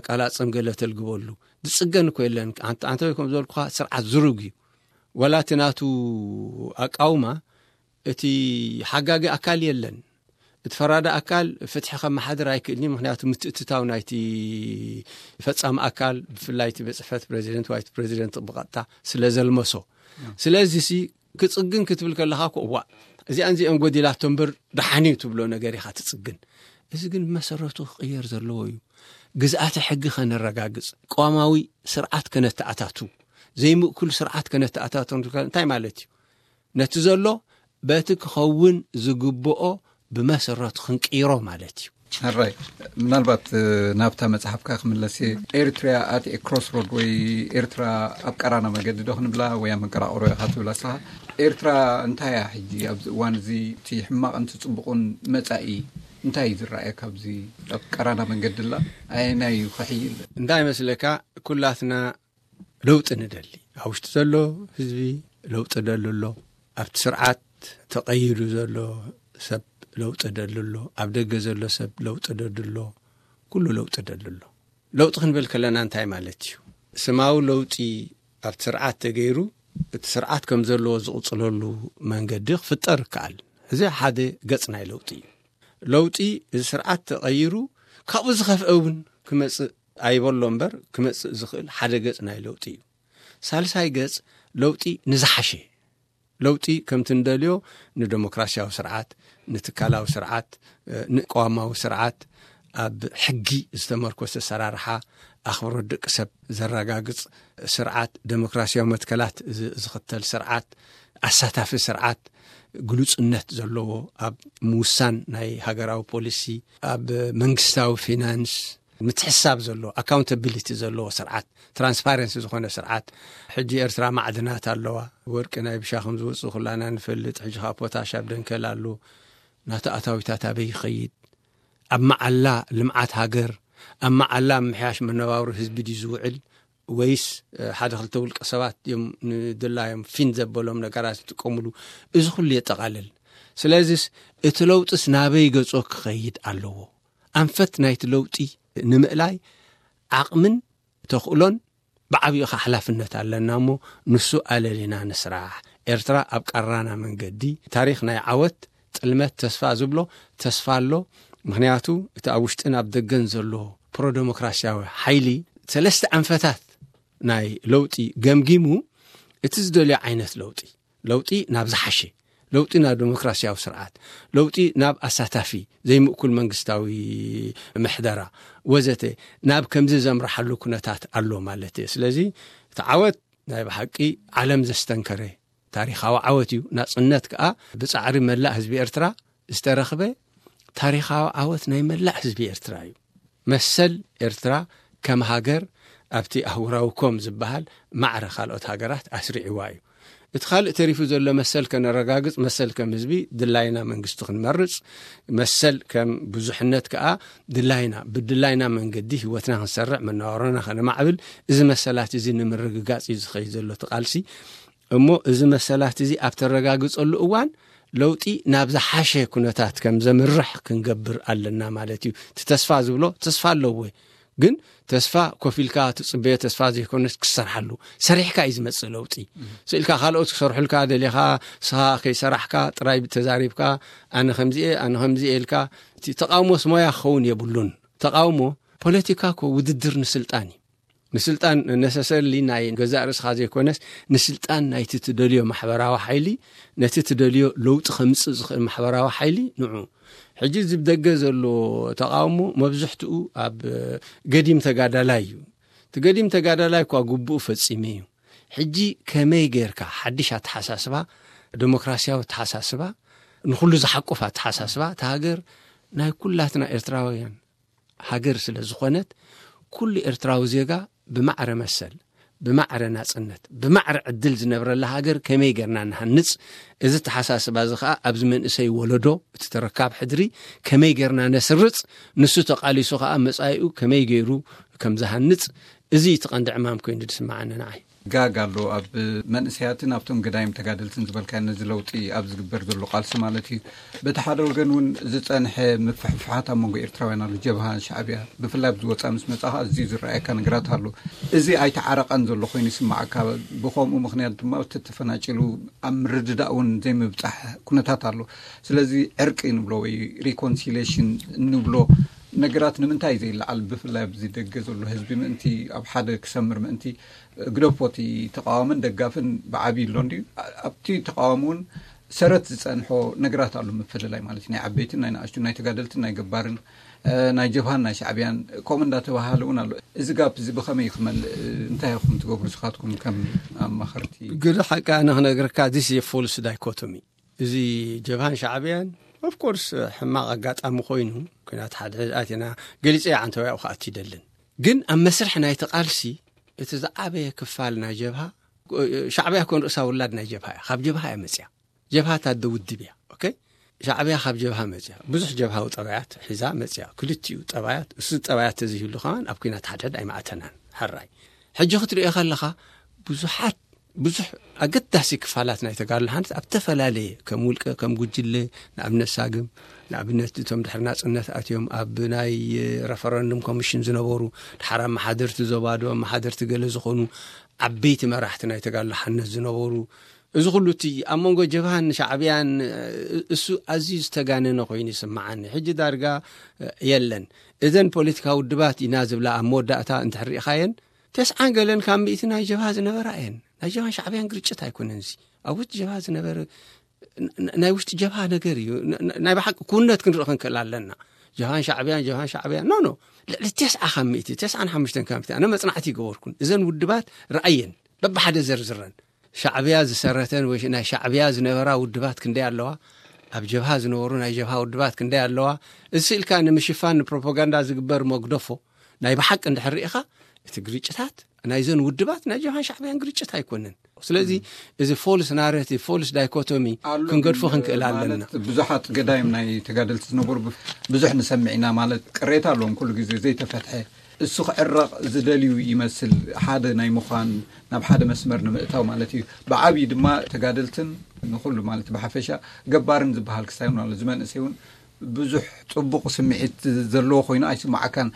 ቃላጽም ገለ ተልግበሉ ዝጽገን እኮ የለን። ኣንተ ከም ዝበልኩኻ ስርዓት ዝሩግ እዩ። ወላ እቲ ናቱ ኣቃውማ እቲ ሓጋጊ ኣካል የለን። እቲ ፈራዲ ኣካል ፍትሒ ከመሓድር ኣይክእልን እዩ። ምክንያቱ ምትእትታው ናይቲ ፈጻሚ ኣካል፣ ብፍላይ እቲ ቤት ጽሕፈት ፕረዚደንት ወይ እቲ ፕረዚደንት ብቐጥታ ስለ ዘልመሶ። ስለዚ ሲ ክጽግን ክትብል ከለኻ እኮ፣ እዋ፣ እዚኣን እዚአን ጎዲላቶ እምበር ደሓን እዩ ትብሎ ነገር ኢኻ ትጽግን። እዚ ግን ብመሰረቱ ክቕየር ዘለዎ እዩ። ግዝኣተ ሕጊ ከነረጋግጽ፣ ቅዋማዊ ስርዓት ከነተኣታቱ፣ ዘይምእኩል ስርዓት ከነተኣታቱ እንታይ ማለት እዩ? ነቲ ዘሎ በቲ ክኸውን ዝግብኦ ብመሰረቱ ክንቅይሮ ማለት እዩ። ሕራይ፣ ምናልባት ናብታ መጽሓፍካ ክምለስ እየ። ኤርትራ ኣት ኤ ክሮስ ሮድ ወይ ኤርትራ ኣብ ቀራና መገዲ ዶ ክንብላ ወይ ኣብ መንቀራቕሮ ኢኻ ትብላ ንስኻ? ኤርትራ እንታይ እያ ሕጂ ኣብዚ እዋን እዚ? እቲ ሕማቕን እቲ ጽቡቕን መጻኢ እንታይ እዩ ዝረኣየካ ኣብዚ ኣብ ቀራና መንገዲ ኣላ? ኣየናይ እዩ ክሕይል? እንታይ መስለካ? ኩላትና ለውጢ ንደሊ። ኣብ ውሽጢ ዘሎ ህዝቢ ለውጢ ደሊ ኣሎ። ኣብቲ ስርዓት ተቐይዱ ዘሎ ሰብ ለውጢ ደሊ ኣሎ። ኣብ ደገ ዘሎ ሰብ ለውጢ ደሊ ኣሎ። ኩሉ ለውጢ ደሊ ኣሎ። ለውጢ ክንብል ከለና እንታይ ማለት እዩ? ስማዊ ለውጢ ኣብቲ ስርዓት ተገይሩ እቲ ስርዓት ከም ዘለዎ ዝቕጽለሉ መንገዲ ክፍጠር ይከኣል። እዚ ሓደ ገጽ ናይ ለውጢ እዩ። ለውጢ እዚ ስርዓት ተቐይሩ ካብኡ ዝኸፍአ እውን ክመጽእ ኣይበሎ እምበር ክመጽእ ዝኽእል ሓደ ገጽ ናይ ለውጢ እዩ። ሳልሳይ ገጽ ለውጢ ንዝሓሸ ለውጢ ከምቲ ንደልዮ ንደሞክራሲያዊ ስርዓት፣ ንትካላዊ ስርዓት፣ ንቅዋማዊ ስርዓት፣ ኣብ ሕጊ ዝተመርኮሰ ኣሰራርሓ፣ ኣኽብሮት ደቂ ሰብ ዘረጋግጽ ስርዓት፣ ደሞክራሲያዊ መትከላት ዝ- ዝኽተል ስርዓት፣ ኣሳታፊ ስርዓት፣ ግሉጽነት ዘለዎ ኣብ ምውሳን ናይ ሃገራዊ ፖሊሲ፣ ኣብ መንግስታዊ ፊናንስ ምትሕሳብ ዘለዎ፣ ኣካውንታቢሊቲ ዘለዎ ስርዓት፣ ትራንስፓረንሲ ዝኾነ ስርዓት። ሕጂ ኤርትራ ማዕድናት ኣለዋ። ወርቂ ናይ ብሻ ከም ዝወጽእ ኩላና ንፈልጥ። ሕጂ ከዓ ፖታሽ ኣብ ደንከል ኣሎ። ናቱ ኣታዊታት ኣበይ ይኸይድ? ኣብ መዓላ ልምዓት ሃገር፣ ኣብ መዓላ ምሕያሽ መነባብሮ ህዝቢ ድዩ ዝውዕል? ወይስ እ፣ ሓደ ክልተ ውልቀ ሰባት እዮም ንድላዮም ፊን ዘበሎም ነገራት ዝጥቀሙሉ? እዚ ኩሉ የጠቓልል። ስለዚስ እቲ ለውጥስ ናበይ ገጾ ክኸይድ ኣለዎ? ኣንፈት ናይቲ ለውጢ ንምእላይ ዓቕምን ተኽእሎን ብዓብዩ ኸዓ ሓላፍነት ኣለና እሞ፣ ንሱ ኣለሊና ንስራሕ። ኤርትራ ኣብ ቀራና መንገዲ፣ ታሪኽ ናይ ዓወት፣ ጥልመት፣ ተስፋ ዝብሎ ተስፋ ኣሎ። ምኽንያቱ እቲ ኣብ ውሽጥን ኣብ ደገን ዘሎ ፕሮደሞክራሲያዊ ሓይሊ ሰለስተ ኣንፈታት ናይ ለውጢ ገምጊሙ፣ እቲ ዝደልዮ ዓይነት ለውጢ፣ ለውጢ ናብ ዝሓሸ፣ ለውጢ ናብ ዴሞክራሲያዊ ስርዓት፣ ለውጢ ናብ ኣሳታፊ ዘይምእኩል መንግስታዊ ምሕደራ ወዘተ፣ ናብ ከምዚ ዘምርሓሉ ኩነታት ኣሎ ማለት እየ። ስለዚ እቲ ዓወት ናይ ብሓቂ ዓለም ዘስተንከረ ታሪኻዊ ዓወት እዩ። ናጽነት ከኣ ብጻዕሪ መላእ ህዝቢ ኤርትራ ዝተረኽበ ታሪኻዊ ዓወት ናይ መላእ ህዝቢ ኤርትራ እዩ። መሰል ኤርትራ ከም ሃገር ኣብቲ ኣህጉራዊ ኮም ዝበሃል ማዕረ ካልኦት ሃገራት ኣስሪዕዋ እዩ። እቲ ካልእ ተሪፉ ዘሎ መሰል ከነረጋግጽ፣ መሰል ከም ህዝቢ ድላይና መንግስቲ ክንመርጽ፣ መሰል ከም ብዙሕነት ከኣ ድላይና፣ ብድላይና መንገዲ ህይወትና ክንሰርዕ፣ መነባብሮና ከነማዕብል፣ እዚ መሰላት እዚ ንምርግጋጽ እዩ ዝኸይድ ዘሎ እቲ ቃልሲ። እሞ እዚ መሰላት እዚ ኣብ ተረጋግጸሉ እዋን ለውጢ ናብ ዝሓሸ ኩነታት ከም ዘምርሕ ክንገብር ኣለና ማለት እዩ። እቲ ተስፋ ዝብሎ ተስፋ ኣለዎ፣ ግን ተስፋ ኮፍ ኢልካ ትጽበዮ ተስፋ ዘይኮነስ ክሰርሓሉ፣ ሰሪሕካ እዩ ዝመጽእ ለውጢ። ስኢልካ ካልኦት ክሰርሑልካ ደሊኻ፣ ስኻ ከይሰራሕካ ጥራይ ተዛሪብካ፣ ኣነ ከምዚ እየ፣ ኣነ ከምዚ እየ ኢልካ፣ እቲ ተቃውሞስ ሞያ ክኸውን የብሉን። ተቃውሞ ፖለቲካ እኮ ውድድር ንስልጣን እዩ። ንስልጣን ነሰሰርሊ ናይ ገዛእ ርእስኻ ዘይኮነስ፣ ንስልጣን ናይቲ ትደልዮ ማሕበራዊ ሓይሊ፣ ነቲ ትደልዮ ለውጢ ከምጽእ ዝኽእል ማሕበራዊ ሓይሊ ንዑ። ሕጂ እዚ ብደገ ዘሎ ተቃውሞ መብዝሕትኡ ኣብ ገዲም ተጋዳላይ እዩ። እቲ ገዲም ተጋዳላይ እኳ ግቡኡ ፈጺመ እዩ። ሕጂ ከመይ ጌርካ ሓድሽ ኣተሓሳስባ፣ ዴሞክራሲያዊ ኣተሓሳስባ፣ ንኹሉ ዝሓቁፍ ኣተሓሳስባ፣ እታ ሃገር ናይ ኩላትና ኤርትራውያን ሃገር ስለ ዝኾነት፣ ኩሉ ኤርትራዊ ዜጋ ብማዕረ መሰል፣ ብማዕረ ናጽነት፣ ብማዕረ ዕድል ዝነብረላ ሃገር ከመይ ጌርና ንሃንጽ? እዚ ተሓሳስባ እዚ ኸኣ ኣብዚ መንእሰይ ወለዶ፣ እቲ ተረካብ ሕድሪ ከመይ ጌርና ነስርጽ? ንሱ ተቓሊሱ ኸኣ መጻኢኡ ከመይ ገይሩ ከም ዝሃንጽ፣ እዚ እቲ ቀንዲ ዕማም ኮይኑ ዝስምዓኒ ንዓይ። ጋግ ኣሎ ኣብ መንእሰያትን ኣብቶም ገዳይም ተጋደልትን ዝበልካዮ ነዚ ለውጢ ኣብ ዝግበር ዘሎ ቃልሲ ማለት እዩ። በቲ ሓደ ወገን እውን ዝጸንሐ ምፍሕፍሓት ኣብ መንጎ ኤርትራውያን ኣሎ። ጀብሃ፣ ሻዕብያ ብፍላይ ኣብዚ ወጻኢ ምስ መጻኻ ኣዝዩ ዝረኣየካ ነገራት ኣሎ። እዚ ኣይተዓረቐን ዘሎ ኮይኑ ይስምዓካ። ብኸምኡ ምኽንያት ድማ እቲ ተፈናጭሉ ኣብ ምርድዳእ እውን ዘይምብጻሕ ኩነታት ኣሎ። ስለዚ ዕርቂ ንብሎ ወይ ሪኮንሲሌሽን ንብሎ ነገራት ንምንታይ ዘይለዓል? ብፍላይ ኣብዚ ደገ ዘሎ ህዝቢ ምእንቲ ኣብ ሓደ ክሰምር ምእንቲ ግደፎ እቲ ተቃዋምን ደጋፍን ብዓብዪ ኣሎ እንድዩ። ኣብቲ ተቃዋሚ እውን ሰረት ዝጸንሖ ነገራት ኣሎ፣ ምፍልላይ ማለት ናይ ዓበይትን ናይ ንኣሽቱን ናይ ተጋደልትን ናይ ገባርን ናይ ጀብሃን ናይ ሻዕብያን ከምኡ እንዳተባሃለ እውን ኣሎ። እዚ ጋፕ እዚ ብኸመይ ክመልእ እንታይ ኢኹም ትገብሩ ንስኻትኩም ከም ኣማኸርቲ? ግደ ሓቂ ኣነ ክነግረካ፣ this is a false dichotomy። እዚ ጀብሃን ሻዕብያን ኦፍኮርስ ሕማቕ ኣጋጣሚ ኮይኑ፣ ኩናት ሓድሕድ ኣቲና፣ ገሊፀ ዓንተውያኡ ክኣቲ ይደልን። ግን ኣብ መስርሕ ናይቲ ቃልሲ እቲ ዝዓበየ ክፋል ናይ ጀብሃ፣ ሻዕብያ ኮን ርእሳ ውላድ ናይ ጀብሃ እያ። ካብ ጀብሃ እያ መፅያ። ጀብሃ ታደ ውድብ እያ። ኦኬ፣ ሻዕብያ ካብ ጀብሃ መፅያ፣ ብዙሕ ጀብሃዊ ጠባያት ሒዛ መፅያ። ክልቲኡ ጠባያት፣ እሱ ጠባያት ተዘይህሉ ከማን ኣብ ኩናት ሓድሕድ ኣይማእተናን። ሕራይ፣ ሕጂ ክትሪኦ ከለኻ ብዙሓት ብዙሕ ኣገዳሲ ክፋላት ናይ ተጋድሎ ሓንት ኣብ ተፈላለየ፣ ከም ውልቀ፣ ከም ጉጅለ፣ ንኣብነት ሳግም፣ ንኣብነት እቶም ድሕሪ ናጽነት ኣትዮም ኣብ ናይ ረፈረንዱም ኮሚሽን ዝነበሩ፣ ድሓር ኣመሓደርቲ ዞባ ዶ ኣመሓደርቲ ገለ ዝኾኑ ዓበይቲ መራሕቲ ናይ ተጋድሎ ሓነት ዝነበሩ፣ እዚ ኩሉ እቲ ኣብ መንጎ ጀብሃን ሻዕብያን እሱ ኣዝዩ ዝተጋነነ ኮይኑ ይስምዓኒ። ሕጂ ዳርጋ የለን። እዘን ፖለቲካዊ ውድባት ኢና ዝብላ ኣብ መወዳእታ እንድሕር ርኢኻየን፣ ተስዓን ገለን ካብ ሚእቲ ናይ ጀብሃ ዝነበራ እየን። ናይ ጀብሃን ሻዕብያን ግርጭት ኣይኮነን እዚ። ኣብ ውሽጢ ጀብሃ ዝነበረ ን-፣ ን-፣ ናይ ውሽጢ ጀብሃ ነገር እዩ። ን-፣ ን-፣ ናይ ብሓቂ ክውነት ክንርኢ ክንክእል ኣለና። ጀብሃን ሻዕብያን፣ ጀብሃን ሻዕብያን፣ ኖ፣ ኖ። ልዕሊ ተስዓ ካብ ሚእቲ፣ ተስዓን ሓሙሽተን ካብ ሚእቲ። ኣነ መጽናዕቲ ይገበርኩን። እዘን ውድባት ረኣየን። በብሓደ ዘርዝረን። ሻዕብያ ዝሰረተን ወይ ናይ ሻዕብያ ዝነበራ ውድባት ክንደይ ኣለዋ? ኣብ ጀብሃ ዝነበሩ ናይ ጀብሃ ውድባት ክንደይ ኣለዋ? እዚ ስኢልካ ንምሽፋን ንፕሮፓጋንዳ ዝግበር መግደፎ ናይ ብሓቂ እንድሕር ርኢኻ፣ እቲ ግርጭታት ናይዘን ውድባት ናይ ጀብሃን ሻዕብያን ግርጭት ኣይኮነን። ስለዚ እዚ ፎልስ ናሬቲቭ፣ ፎልስ ዳይኮቶሚ ኣሎ ክንገድፎ ግን ክንክእል ኣለና። ማለት ብዙሓት ገዳይም ናይ ተጋደልቲ ዝነበሩ ብ-፣ ብዙሕ ንሰምዕ ኢና። ማለት ቅሬታ ኣለዎም ኩሉ ግዜ ዘይተፈትሐ። እሱ ክዕረቕ ዝደልዩ ይመስል፣ ሓደ ናይ ምዃን፣ ናብ ሓደ መስመር ንምእታው ማለት እዩ። ብዓብዪ ድማ ተጋደልትን ንኹሉ ማለት ብሓፈሻ ገባርን ዝበሃል ክሳይ እውን ኣሎ። እዚ መንእሰይ እውን ብዙሕ ጽቡቕ ስምዒት ዘለዎ ኮይኑ ኣይስማዓካን።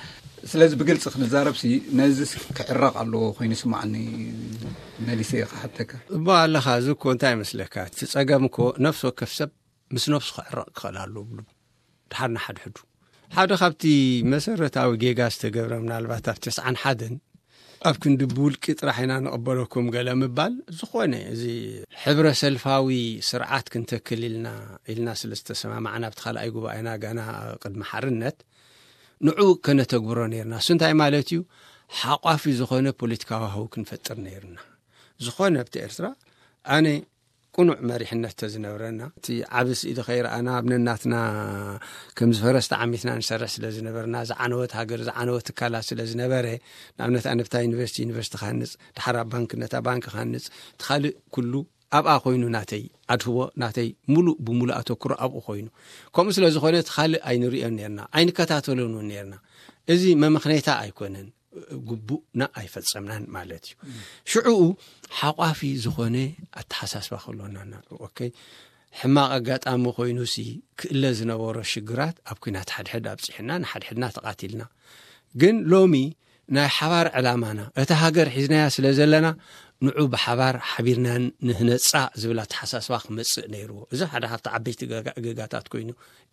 ስለዚ ብግልጺ ክንዛረብ ሲ ነዚ ክዕረቕ ኣለዎ ኮይኑ ይስማዓኒ። መሊሰ ክሓተካ። እሞ ኣለኻ፣ እዚ እኮ እንታይ ይመስለካ? እቲ ጸገም እኮ ነፍሲ ወከፍ ሰብ ምስ ነፍሱ ክዕረቕ ክኽእል ኣለዎ ብሉ። ድሓር ንሓድሕዱ ሓደ ካብቲ መሰረታዊ ጌጋ ዝተገብረ፣ ምናልባት ኣብ ተስዓን ሓደን ኣብ ክንዲ ብውልቂ ጥራሕ ኢና ንቕበለኩም ገለ ምባል፣ ዝኾነ እዚ ሕብረ ሰልፋዊ ስርዓት ክንተክል ኢልና ኢልና ስለ ዝተሰማማዕና ኣብቲ ካልኣይ ጉባኤና ገና ቅድሚ ሓርነት ንዑ ከነተግብሮ ነይርና። እሱ እንታይ ማለት እዩ? ሓቋፊ ዝኾነ ፖለቲካዊ ሃው ክንፈጥር ነይርና። ዝኾነ ኣብቲ ኤርትራ ኣነ ቅኑዕ መሪሕነት ተዝነብረና፣ እቲ ዓቢ ስኢሊ ከይረኣና ኣብ ነናትና ከም ዝፈረስ ተዓሚትና ንሰርሕ ስለ ዝነበርና፣ ዝዓነወት ሃገር ዝዓነወት ትካላት ስለ ዝነበረ፣ ንኣብነት ኣነ ብታ ዩኒቨርሲቲ ዩኒቨርሲቲ ክሃንጽ፣ ድሓር ኣብ ባንክ ነታ ባንክ ክሃንጽ፣ እቲ ካልእ ኩሉ ኣብኣ ኮይኑ ናተይ ኣድህቦ፣ ናተይ ሙሉእ ብሙሉእ ኣተኩሮ ኣብኡ ኮይኑ፣ ከምኡ ስለ ዝኾነ እቲ ካልእ ኣይንሪኦን ነርና፣ ኣይንከታተሎን እውን ነርና። እዚ መመኽነይታ ኣይኮነን፣ ግቡእና ኣይፈጸምናን ማለት እዩ። ሽዑኡ ሓቋፊ ዝኾነ ኣተሓሳስባ ክህልወና እና ኦኬ፣ ሕማቕ ኣጋጣሚ ኮይኑ ሲ ክእለ ዝነበሮ ሽግራት ኣብ ኩናት ሓድሕድ ኣብጺሕና ንሓድሕድና ተቓቲልና። ግን ሎሚ ናይ ሓባር ዕላማና እታ ሃገር ሒዝናያ ስለ ዘለና ንዑ ብሓባር ሓቢርና ንህነጻ ዝብል ኣተሓሳስባ ክመጽእ ነይርዎ። እዚ ሓደ ካብቲ ዓበይቲ ገጋ- ገጋታት ኮይኑ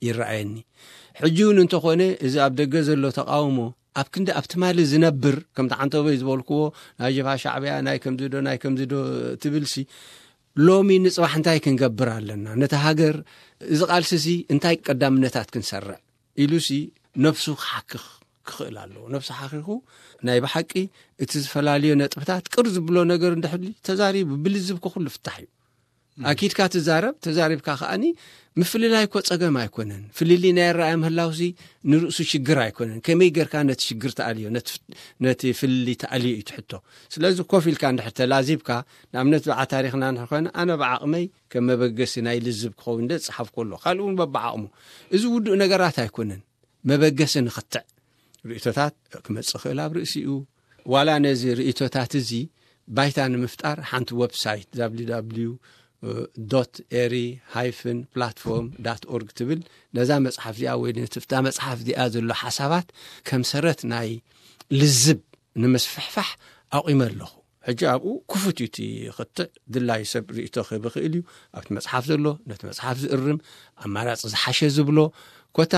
ይረኣየኒ። ሕጂ እውን እንተኾነ እዚ ኣብ ደገ ዘሎ ተቃውሞ ኣብ ክንዲ ኣብ ትማሊ ዝነብር፣ ከምቲ ዓንተቦይ ዝበልክዎ ናይ ጀብሃ ሻዕብያ ናይ ከምዚ ዶ ናይ ከምዚ ዶ ትብልሲ፣ ሎሚ ንጽባሕ እንታይ ክንገብር ኣለና፣ ነቲ ሃገር እዚ ቃልሲሲ እንታይ ቀዳምነታት ክንሰርዕ ኢሉሲ ነፍሱ ክሓክኽ ክኽእል ኣለዎ። ነፍሱ ሓኺኹ ናይ ብሓቂ እቲ ዝፈላለዮ ነጥብታት ቅር ዝብሎ ነገር እንድሕሊ ተዛሪቡ ብልዝብ ክኹሉ ፍታሕ እዩ። ኣኪድካ ትዛረብ፣ ተዛሪብካ ከኣኒ ምፍልላይ እኮ ጸገም ኣይኮነን። ፍልልይ ናይ ኣረኣእያ ምህላውሲ ንርእሱ ሽግር ኣይኮነን። ከመይ ጌርካ ነቲ ሽግር ተኣልዮ፣ ነቲ ፍ- ነቲ ፍልልይ ተኣልዮ እዩ ትሕቶ። ስለዚ ኮፍ ኢልካ እንድሕር ተላዚብካ፣ ንኣብነት ብዓ ታሪኽና እንድሕር ኮይነ፣ ኣነ ብዓቕመይ ከም መበገሲ ናይ ልዝብ ክኸውን እንደ ዝጸሓፍኩ ኣሎ። ካልእ እውን በብዓቕሙ። እዚ ውዱእ ነገራት ኣይኮነን። መበገሲ ንኽትዕ ርእቶታት ክመጽእ ክእል ኣብ ርእሲኡ። ዋላ ነዚ ርእቶታት እዚ ባይታ ንምፍጣር ሓንቲ ዌብሳይት www ኤሪ ሃይፍን ፕላትፎርም ዳት ኦርግ ትብል፣ ነዛ መጽሓፍ እዚኣ ወይ ነቲ ኣብታ መጽሓፍ እዚኣ ዘሎ ሓሳባት ከም ሰረት ናይ ልዝብ ንምስፍሕፋሕ ኣቑመ ኣለኹ። ሕጂ ኣብኡ ክፉት እዩ እቲ ክትዕ፣ ድላዩ ሰብ ርእቶ ክህብ ይኽእል እዩ። ኣብቲ መጽሓፍ ዘሎ ነቲ መጽሓፍ ዝእርም፣ ኣማራጺ ዝሓሸ ዝብሎ፣ ኮታ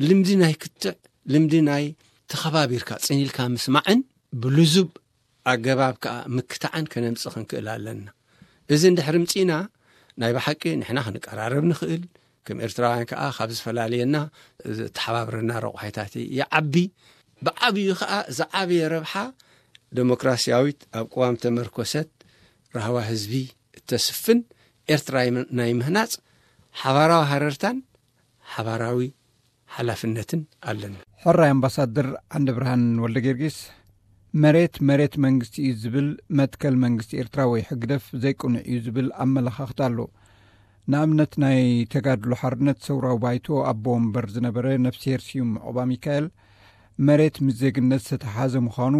ልምዲ ናይ ክትዕ፣ ልምዲ ናይ ተኸባቢርካ ጽን ኢልካ ምስማዕን ብልዙብ ኣገባብ ከኣ ምክታዕን ከነምጽእ ክንክእል ኣለና። እዚ እንድሕር ምጺና ናይ ብሓቂ ንሕና ክንቀራረብ ንኽእል፣ ከም ኤርትራውያን ከኣ ካብ ዝፈላለየና ዝተሓባብረና ረቑሒታት ይዓቢ። ብዓብዩ ከኣ ዝዓበየ ረብሓ ደሞክራስያዊት ኣብ ቅዋም ተመርኮሰት ራህዋ ህዝቢ እተስፍን ኤርትራ ናይ ምህናጽ ሓባራዊ ሃረርታን ሓባራዊ ሓላፍነትን ኣለና። ሕራይ ኣምባሳደር ዓንደ ብርሃን ወልደ ጊዮርጊስ፣ መሬት መሬት መንግስቲ እዩ ዝብል መትከል መንግስቲ ኤርትራ ወይ ሕግደፍ ዘይቅኑዕ እዩ ዝብል ኣመለኻኽታ ኣሎ። ንኣብነት ናይ ተጋድሎ ሓርነት ሰውራዊ ባይቶ ኣቦ ወንበር ዝነበረ ነፍስሄር ስዩም ዑቕባ ሚካኤል፣ መሬት ምስ ዜግነት ዝተተሓሓዘ ምዃኑ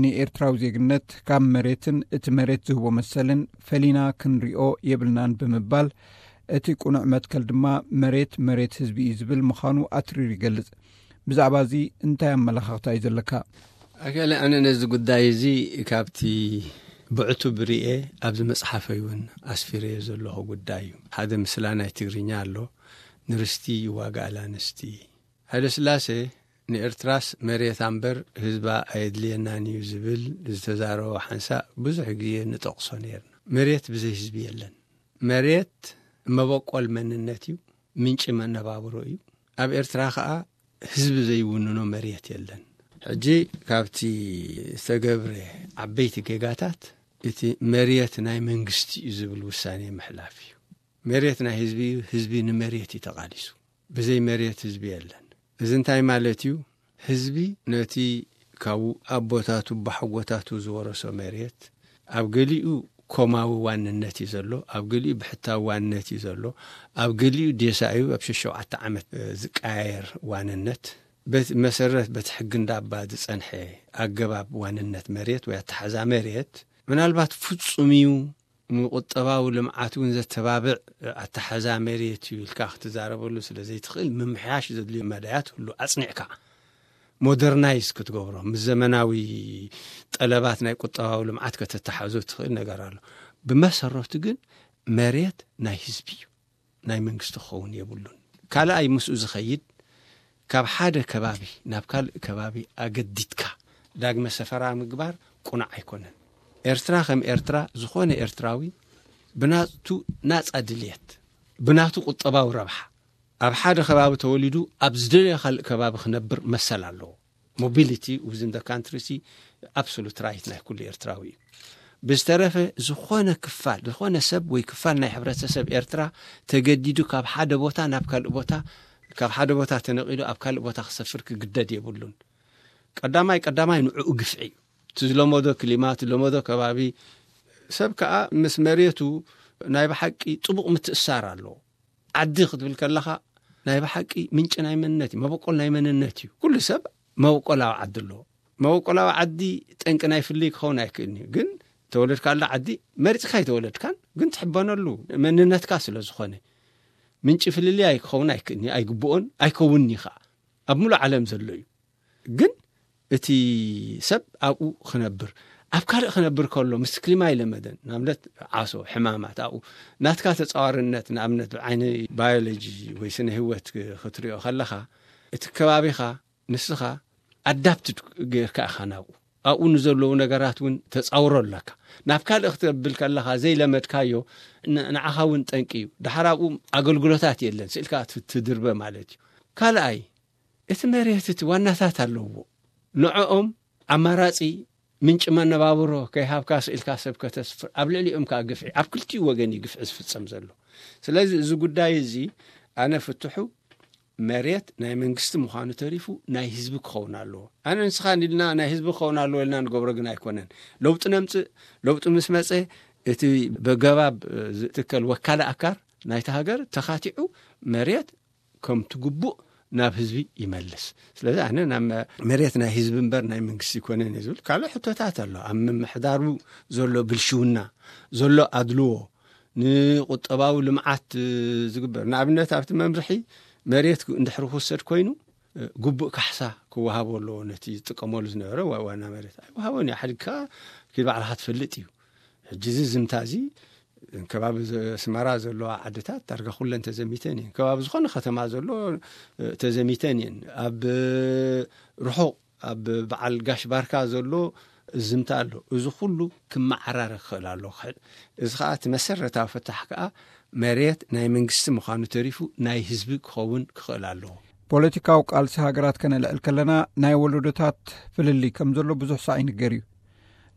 ንኤርትራዊ ዜግነት ካብ መሬትን እቲ መሬት ዝህቦ መሰልን ፈሊና ክንሪኦ የብልናን ብምባል፣ እቲ ቅኑዕ መትከል ድማ መሬት መሬት ህዝቢ እዩ ዝብል ምዃኑ ኣትሪሩ ይገልጽ። ብዛዕባ እዚ እንታይ ኣመለኻኽታ እዩ ዘለካ? ኣከለ ኣነ ነዚ ጉዳይ እዚ ካብቲ ብዕቱ ብርኤ ኣብዚ መጽሓፈይ እውን ኣስፊረዮ ዘለኹ ጉዳይ እዩ። ሓደ ምስላ ናይ ትግርኛ ኣሎ፣ ንርስቲ ይዋጋእ ኣላንስቲ። ሃይለስላሴ ንኤርትራስ መሬት ኣምበር ህዝባ ኣየድልየናን እዩ ዝብል ዝተዛረቦ ሓንሳእ ብዙሕ ግዜ ንጠቕሶ ነይርና። መሬት ብዘይ ህዝቢ የለን። መሬት መበቆል መንነት እዩ፣ ምንጪ መነባብሮ እዩ። ኣብ ኤርትራ ኸኣ ህዝቢ ዘይውንኖ መሬት የለን። ሕጂ ካብቲ ዝተገብረ ዓበይቲ ጌጋታት እቲ መሬት ናይ መንግስቲ እዩ ዝብል ውሳኔ ምሕላፍ እዩ። መሬት ናይ ህዝቢ እዩ፣ ህዝቢ ንመሬት እዩ ተቓሊሱ። ብዘይ መሬት ህዝቢ የለን። እዚ እንታይ ማለት እዩ? ህዝቢ ነቲ ካብ ኣቦታቱ ባሕጎታቱ ዝወረሶ መሬት ኣብ ገሊኡ ኮማዊ ዋንነት እዩ ዘሎ፣ ኣብ ገሊኡ ብሕታዊ ዋንነት እዩ ዘሎ፣ ኣብ ገሊኡ ዴሳ እዩ ኣብ ሸሸውዓተ ዓመት ዝቀያየር ዋንነት። በቲ መሰረት በቲ ሕጊ እንዳባ ዝጸንሐ ኣገባብ ዋንነት መሬት ወይ ኣተሓዛ መሬት ምናልባት ፍጹም እዩ ንቁጠባዊ ልምዓት እውን ዘተባብዕ ኣተሓዛ መሬት እዩ ኢልካ ክትዛረበሉ ስለ ዘይትኽእል፣ ምምሕያሽ ዘድልዮ መዳያት ሁሉ ኣጽኒዕካ ሞደርናይዝ ክትገብሮ፣ ምስ ዘመናዊ ጠለባት ናይ ቁጠባዊ ልምዓት ከተተሓዞ ትኽእል ነገር ኣሎ። ብመሰረቱ ግን መሬት ናይ ህዝቢ እዩ፣ ናይ መንግስቲ ክኸውን የብሉን። ካልኣይ ምስኡ ዝኸይድ፣ ካብ ሓደ ከባቢ ናብ ካልእ ከባቢ ኣገዲድካ ዳግመ ሰፈራ ምግባር ቁኑዕ ኣይኮነን። ኤርትራ ከም ኤርትራ፣ ዝኾነ ኤርትራዊ ብናቱ ናጻ ድልየት፣ ብናቱ ቁጠባዊ ረብሓ፣ ኣብ ሓደ ከባቢ ተወሊዱ ኣብ ዝደለዮ ካልእ ከባቢ ክነብር መሰል ኣለዎ። ሞቢሊቲ ዊዝን ደ ካንትሪ ሲ ኣብሶሉት ራይት ናይ ኩሉ ኤርትራዊ እዩ። ብዝተረፈ ዝኾነ ክፋል፣ ዝኾነ ሰብ ወይ ክፋል ናይ ሕብረተሰብ ኤርትራ ተገዲዱ ካብ ሓደ ቦታ ናብ ካልእ ቦታ፣ ካብ ሓደ ቦታ ተነቒሉ ኣብ ካልእ ቦታ ክሰፍር ክግደድ የብሉን። ቀዳማይ ቀዳማይ ንዕኡ ግፍዒ እዩ። እቲ ዝለመዶ ክሊማ፣ እቲ ዝለመዶ ከባቢ፣ ሰብ ከኣ ምስ መሬቱ ናይ ብሓቂ ጥቡቕ ምትእሳር ኣለዎ። ዓዲ ክትብል ከለኻ ናይ ብሓቂ ምንጪ ናይ መንነት እዩ፣ መበቆል ናይ መንነት እዩ። ኩሉ ሰብ መበቆላዊ ዓዲ ኣለዎ። መበቆላዊ ዓዲ ጠንቂ ናይ ፍልይ ክኸውን ኣይክእልን እዩ። ግን ተወለድካላ ዓዲ መሪጽካ ኣይተወለድካን፣ ግን ትሕበነሉ መንነትካ ስለ ዝኾነ ምንጪ ፍልልይ ኣይ-፣ ክኸውን ኣይክእልን እዩ፣ ኣይግብኦን ኣይከውንን እዩ ኸዓ። ኣብ ሙሉእ ዓለም ዘሎ እዩ። ግን እቲ ሰብ ኣብኡ ክነብር፣ ኣብ ካልእ ክነብር ከሎ ምስ ክሊማ ይለመደን። ንኣብነት ዓሶ፣ ሕማማት ኣብኡ ናትካ ተጻዋርነት፣ ንኣብነት ብዓይኒ ባዮሎጂ ወይ ስነ ህይወት ክትሪኦ ከለኻ፣ እቲ ከባቢኻ ንስኻ ኣዳፕትድ ጌርካ ኢኻ ናብኡ። ኣብኡ ንዘለዉ ነገራት እውን ተጻውሮ ኣለካ። ናብ ካልእ ክትብል ከለኻ ዘይለመድካዮ ን-፣ ንዓኻ እውን ጠንቂ እዩ። ደሓር ኣብኡ ኣገልግሎታት የለን፣ ስኢልካ ት-፣ ትድርበ ማለት እዩ። ካልኣይ፣ እቲ መሬት እቲ ዋናታት ኣለዎ። ንዕኦም ኣማራጺ ምንጪ መነባብሮ ከይሃብካ ስኢልካ ሰብ ከተስፍር፣ ኣብ ልዕሊኦም ከኣ ግፍዒ፣ ኣብ ክልቲኡ ወገን እዩ ግፍዒ ዝፍጸም ዘሎ። ስለዚ እዚ ጉዳይ እዚ ኣነ ፍትሑ መሬት ናይ መንግስቲ ምዃኑ ተሪፉ ናይ ህዝቢ ክኸውን ኣለዎ። ኣነ ንስኻ ኢልና ናይ ህዝቢ ክኸውን ኣለዎ ኢልና ንገብሮ ግን ኣይኮነን። ለውጢ ነምጽእ፣ ለውጢ ምስ መጸ እቲ በገባብ ዝትከል ወካለ ኣካር ናይቲ ሃገር ተኻቲዑ መሬት ከም ትግቡእ ናብ ህዝቢ ይመልስ። ስለዚ ኣነ ናብ መ-፣ መሬት ናይ ህዝቢ እምበር ናይ መንግስቲ ይኮነን እየ ዝብል። ካልእ ሕቶታት ኣሎ። ኣብ ምምሕዳሩ ዘሎ ብልሽውና፣ ዘሎ ኣድልዎ፣ ንቁጠባዊ ልምዓት፣ እ፣ ዝግበር፣ ንኣብነት ኣብቲ መምርሒ መሬት ክ-፣ እንድሕሪ ክውሰድ ኮይኑ፣ እ፣ ግቡእ ካሕሳ ክወሃቦ ኣለዎ ነቲ ዝጥቀመሉ ዝነበረ ዋ-፣ ዋና መሬት። ኣይወሃቦን እዩ። ሓዲግካ ኪድ ባዕልኻ ትፈልጥ እዩ። ሕጂ እዚ ዝምታ እዚ ከባቢ ዘ-፣ ኣስመራ ዘለዋ ዓድታት ዳርጋ ኩለን ተዘሚተን እየን። ከባቢ ዝኾነ ከተማ ዘሎ፣ እ፣ ተዘሚተን እየን። ኣብ፣ እ፣ ርሑቕ ኣብ በዓል ጋሽ ባርካ ዘሎ ዝምታ ኣሎ። እዚ ኩሉ ክመዓራረ ክኽእል ኣለዎ። ክሕ-፣ እዚ ኸኣ እቲ መሰረታዊ ፍታሕ ከኣ መሬት ናይ መንግስቲ ምዃኑ ተሪፉ ናይ ህዝቢ ክኸውን ክኽእል ኣለዎ። ፖለቲካዊ ቃልሲ ሃገራት ከነልዕል ከለና ናይ ወለዶታት ፍልልይ ከም ዘሎ ብዙሕ ሳዕ ይንገር እዩ።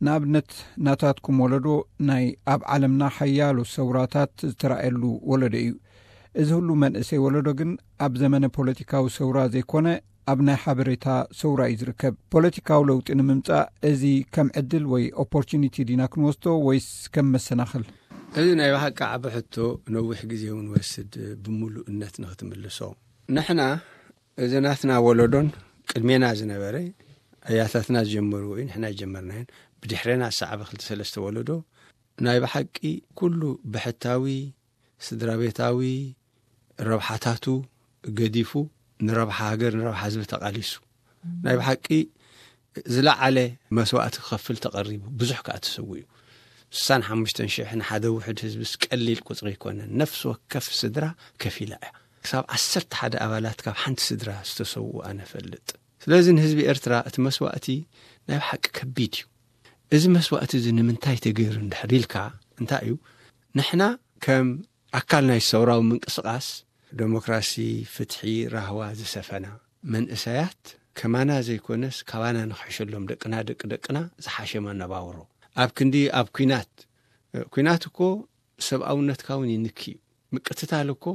ንኣብነት ናታትኩም ወለዶ ናይ ኣብ ዓለምና ሓያሎ ሰውራታት ዝተራእየሉ ወለዶ እዩ። እዚ ሁሉ መንእሰይ ወለዶ ግን ኣብ ዘመነ ፖለቲካዊ ሰውራ ዘይኮነ ኣብ ናይ ሓበሬታ ሰውራ እዩ ዝርከብ። ፖለቲካዊ ለውጢ ንምምጻእ እዚ ከም ዕድል ወይ ኦፖርቹኒቲ ዲና ክንወስዶ ወይስ ከም መሰናኽል? እዚ ናይ ብሓቂ ዓቢ ሕቶ፣ ነዊሕ ግዜ እውን ወስድ ብምሉእነት ንክትምልሶ። ንሕና እዚ ናትና ወለዶን ቅድሜና ዝነበረ ኣያታትና ዝጀመርዎ እዩ፣ ንሕና ጀመርናዮን ብድሕሬና ዝሰዓበ ክልተ ሰለስተ ወለዶ ናይ ብሓቂ ኩሉ ብሕታዊ ስድራ ቤታዊ ረብሓታቱ ገዲፉ ንረብሓ ሃገር፣ ንረብሓ ህዝቢ ተቓሊሱ ናይ ብሓቂ ዝለዓለ መስዋእቲ ክኸፍል ተቐሪቡ፣ ብዙሕ ከኣ ተሰዊኡ። ስሳን ሓሙሽተን ሽሕ ንሓደ ውሑድ ህዝብስ ቀሊል ቁጽሪ ኣይኮነን። ነፍሲ ወከፍ ስድራ ከፊላ እያ። ክሳብ ዓሰርተ ሓደ ኣባላት ካብ ሓንቲ ስድራ ዝተሰውኡ ኣነ እፈልጥ። ስለዚ ንህዝቢ ኤርትራ እቲ መስዋእቲ ናይ ብሓቂ ከቢድ እዩ። እዚ መስዋእቲ እዚ ንምንታይ ተገይሩ እንድሕር ኢልካ፣ እንታይ እዩ? ንሕና ከም ኣካል ናይ ሰውራዊ ምንቅስቓስ ደሞክራሲ፣ ፍትሒ፣ ራህዋ ዝሰፈና መንእሰያት ከማና ዘይኮነስ ካባና ንኽሕሸሎም ደቅና፣ ደቂ ደቅና ዝሓሸ መነባብሮ። ኣብ ክንዲ ኣብ ኲናት፣ ኲናት እኮ ሰብኣውነትካ እውን ይንኪ እዩ። ምቅትታል እኮ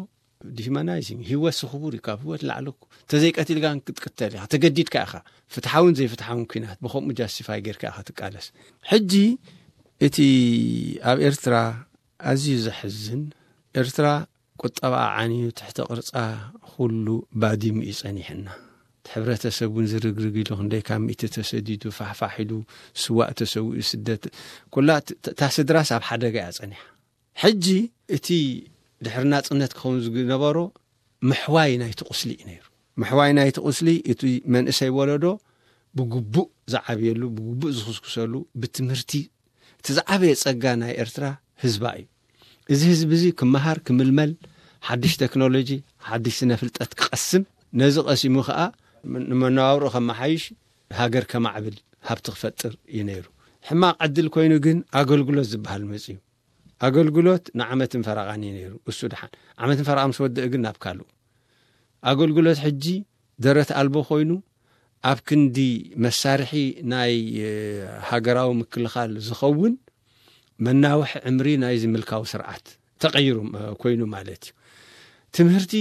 ዲሁማናይዚንግ፣ ህይወት ስኽቡር እዩ፣ ካብ ህይወት ላዕሊ እኮ። ተዘይቀቲልካ ክትቅተል ኢኻ፣ ተገዲድካ ኢኻ። ፍትሓውን ዘይፍትሓውን ኲናት ብኸምኡ ጃስቲፋይ ጌርካ ኢኻ ትቃለስ። ሕጂ እቲ ኣብ ኤርትራ ኣዝዩ ዘሕዝን፣ ኤርትራ ቁጠባ ዓንዩ ትሕቲ ቅርጻ ኩሉ ባዲሙ እዩ ጸኒሕና። እቲ ሕብረተሰብ እውን ዝርግርግ ኢሉ፣ ክንደይ ካብ ሚእቲ ተሰዲዱ፣ ፋሕፋሕ ኢሉ፣ ስዋእ ተሰዊኡ፣ ስደት፣ ኩላ ት-፣ ት-፣ እታ ስድራስ ኣብ ሓደጋ እያ ጸኒሓ። ሕጂ እቲ ድሕሪ ናጽነት ክኸውን ዝነበሮ ምሕዋይ ናይቲ ቁስሊ እዩ ነይሩ። ምሕዋይ ናይቲ ቁስሊ፣ እቲ መንእሰይ ወለዶ ብግቡእ ዝዓብየሉ፣ ብግቡእ ዝኽስኩሰሉ፣ ብትምህርቲ፣ እቲ ዝዓበየ ጸጋ ናይ ኤርትራ ህዝባ እዩ። እዚ ህዝቢ እዚ ክመሃር፣ ክምልመል፣ ሓድሽ ቴክኖሎጂ፣ ሓድሽ ስነ ፍልጠት ክቐስም፣ ነዚ ቀሲሙ ከኣ ንመነባብሮ ከመሓይሽ፣ ሃገር ከማዕብል፣ ሃብቲ ክፈጥር እዩ ነይሩ። ሕማቕ ዕድል ኮይኑ ግን ኣገልግሎት ዝበሃል መጽዩ። ኣገልግሎት ንዓመትን ፈረቓን እዩ ነይሩ። እሱ ደሓን ዓመትን ፈረቓ ምስ ወደአ ግን ናብ ካልኡ። ኣገልግሎት ሕጂ ደረት ኣልቦ ኮይኑ፣ ኣብ ክንዲ መሳርሒ ናይ፣ እ፣ ሃገራዊ ምክልኻል ዝኸውን መናውሒ ዕምሪ ናይዚ ምልካዊ ስርዓት ተቐይሩ፣ እ፣ ኮይኑ ማለት እዩ። ትምህርቲ፣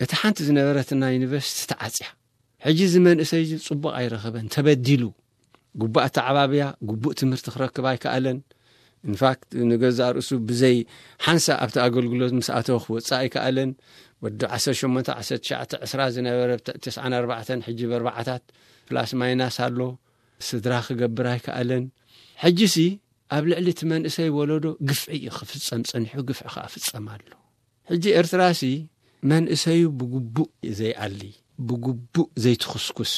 እቲ ሓንቲ ዝነበረትና ዩኒቨርሲቲ ተዓጽያ። ሕጂ እዚ መንእሰይ እዚ ጽቡቕ ኣይረኸበን፣ ተበዲሉ። ግቡእ ኣተዓባብያ፣ ግቡእ ትምህርቲ ክረክብ ኣይከኣለን። ኢንፋክት፣ ንገዛእ ርእሱ ብዘይ ሓንሳእ ኣብቲ ኣገልግሎት ምስ ኣተወ ክወጽእ ኣይከኣለን። ወዲ ዓሰርተ ሸሞንተ፣ ዓሰርተ ትሽዓተ፣ ዕስራ ዝነበረ፣ ብ-፣ ተስዓን ኣርባዕተን፣ ሕጂ ብኣርባዓታት ፕላስ ማይናስ ኣሎ። ስድራ ክገብር ኣይከኣለን። ሕጂሲ ኣብ ልዕሊ እቲ መንእሰይ ወለዶ ግፍዒ እዩ ክፍጸም ጸኒሑ፣ ግፍዒ ከኣ ፍጸም ኣሎ። ሕጂ ኤርትራሲ መንእሰዩ ብግቡእ ዘይኣሊ፣ ብግቡእ ዘይትኹስኩስ፣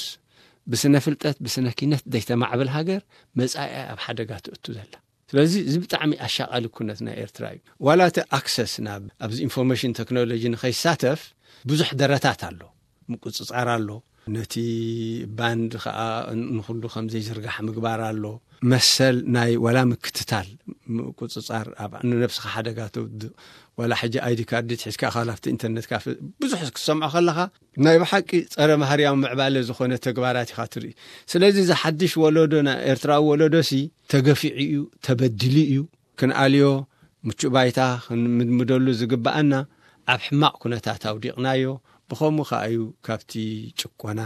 ብስነ ፍልጠት፣ ብስነ ኪነት ዘይተማዕብል ሃገር መጻኢኣ ኣብ ሓደጋ ትእቱ ዘላ። ስለዚ እዚ ብጣዕሚ ኣሻቓሊ ኩነት ናይ ኤርትራ እዩ። ዋላ እቲ ኣክሰስ ናብ ኣብዚ ኢንፎርሜሽን ቴክኖሎጂ ንኸይሳተፍ ብዙሕ ደረታት ኣሎ፣ ምቁጽጻር ኣሎ። ነቲ ባንድ ኸኣ ንኹሉ ከም ዘይዝርጋሕ ምግባር ኣሎ። መሰል ናይ ዋላ ምክትታል፣ ምቁጽጻር፣ ኣብ ንነብስኻ ሓደጋ ተውድቕ፣ ዋላ ሕጂ ኣይዲ ካርድ ሒዝካ ኢኻ፣ ካብቲ ኢንተርነት ካፈ ብዙሕ ክትሰምዖ ከለኻ፣ ናይ ብሓቂ ጸረ ማህርያዊ ምዕባለ ዝኾነ ተግባራት ኢኻ ትርኢ። ስለዚ እዚ ሓድሽ ወለዶ፣ ናይ ኤርትራዊ ወለዶሲ ተገፊዑ እዩ፣ ተበዲሉ እዩ። ክንኣልዮ፣ ምቹእ ባይታ ክንምድምደሉ ዝግብኣና ኣብ ሕማቕ ኩነታት ኣውዲቕናዮ። ብኸምኡ ከኣ እዩ ካብቲ ጭቆና፣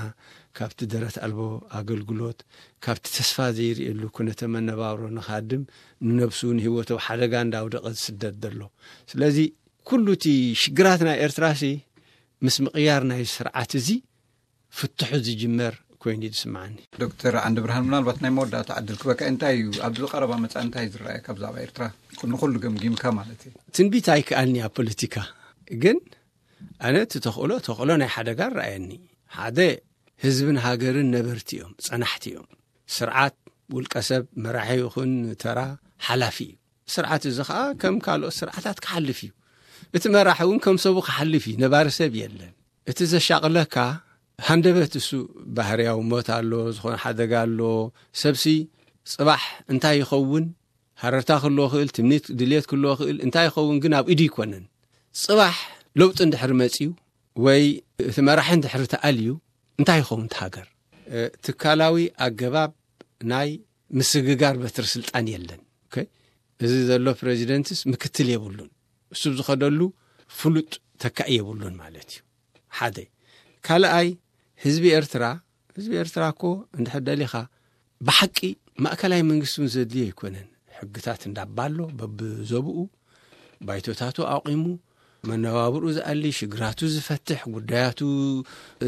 ካብቲ ደረት ኣልቦ ኣገልግሎት፣ ካብቲ ተስፋ ዘይርእየሉ ኩነተ መነባብሮ ንኻድም፣ ንነብሱ ንህይወቱ ኣብ ሓደጋ እንዳውደቐ ዝስደድ ዘሎ። ስለዚ ኩሉ እቲ ሽግራት ናይ ኤርትራሲ ምስ ምቕያር ናይ ስርዓት እዚ ፍትሑ ዝጅመር ኮይኑ እዩ ዝስምዓኒ። ዶክተር ዓንደ ብርሃን፣ ምናልባት ናይ መወዳእታ ዕድል ክበካ፣ እንታይ እዩ ኣብዚ ቀረባ መጻኢ እንታይ ዝረኣየካ ብዛዕባ ኤርትራ? ንኹሉ ገምጊምካ ማለት እዩ። ትንቢት ኣይከኣልኒ ኣብ ፖለቲካ፣ ግን ኣነ እቲ ተኽእሎ፣ ተኽእሎ ናይ ሓደጋ ረኣየኒ። ሓደ፣ ህዝብን ሃገርን ነበርቲ እዮም፣ ጸናሕቲ እዮም። ስርዓት፣ ውልቀ ሰብ፣ መራሒ ይኹን ተራ፣ ሓላፊ እዩ። ስርዓት እዚ ኸኣ ከም ካልኦት ስርዓታት ክሓልፍ እዩ። እቲ መራሒ እውን ከም ሰቡ ክሓልፍ እዩ። ነባሪ ሰብ የለን። እቲ ዘሻቕለካ ሃንደበት እሱ ባህርያዊ ሞት ኣሎ፣ ዝኾነ ሓደጋ ኣሎ። ሰብሲ ጽባሕ እንታይ ይኸውን? ሃረርታ ክህልዎ ክእል፣ ትምኒት ድልየት ክህልዎ ክእል፣ እንታይ ይኸውን ግን ኣብ ኢዱ ይኮነን። ጽባሕ ለውጢ እንድሕር መጽዩ ወይ እቲ መራሒ እንድሕር ተኣልዩ እንታይ ይኸውን እቲ ሃገር? እ፣ ትካላዊ ኣገባብ ናይ ምስግጋር በትሪ ስልጣን የለን። ኦኬ? እዚ ዘሎ ፕሬዚደንትስ ምክትል የብሉን። እሱ ዝኸደሉ ፍሉጥ ተካኢ የብሉን ማለት እዩ። ሓደ። ካልኣይ፣ ህዝቢ ኤርትራ፣ ህዝቢ ኤርትራ እኮ እንድሕር ደሊኻ ብሓቂ ማእከላይ መንግስቲ እውን ዘድልዮ ኣይኮነን። ሕግታት እንዳባ ኣሎ፣ በብዘብኡ ባይቶታቱ ኣቑሙ፣ መነባብርኡ ዝኣሊ፣ ሽግራቱ ዝፈትሕ፣ ጉዳያቱ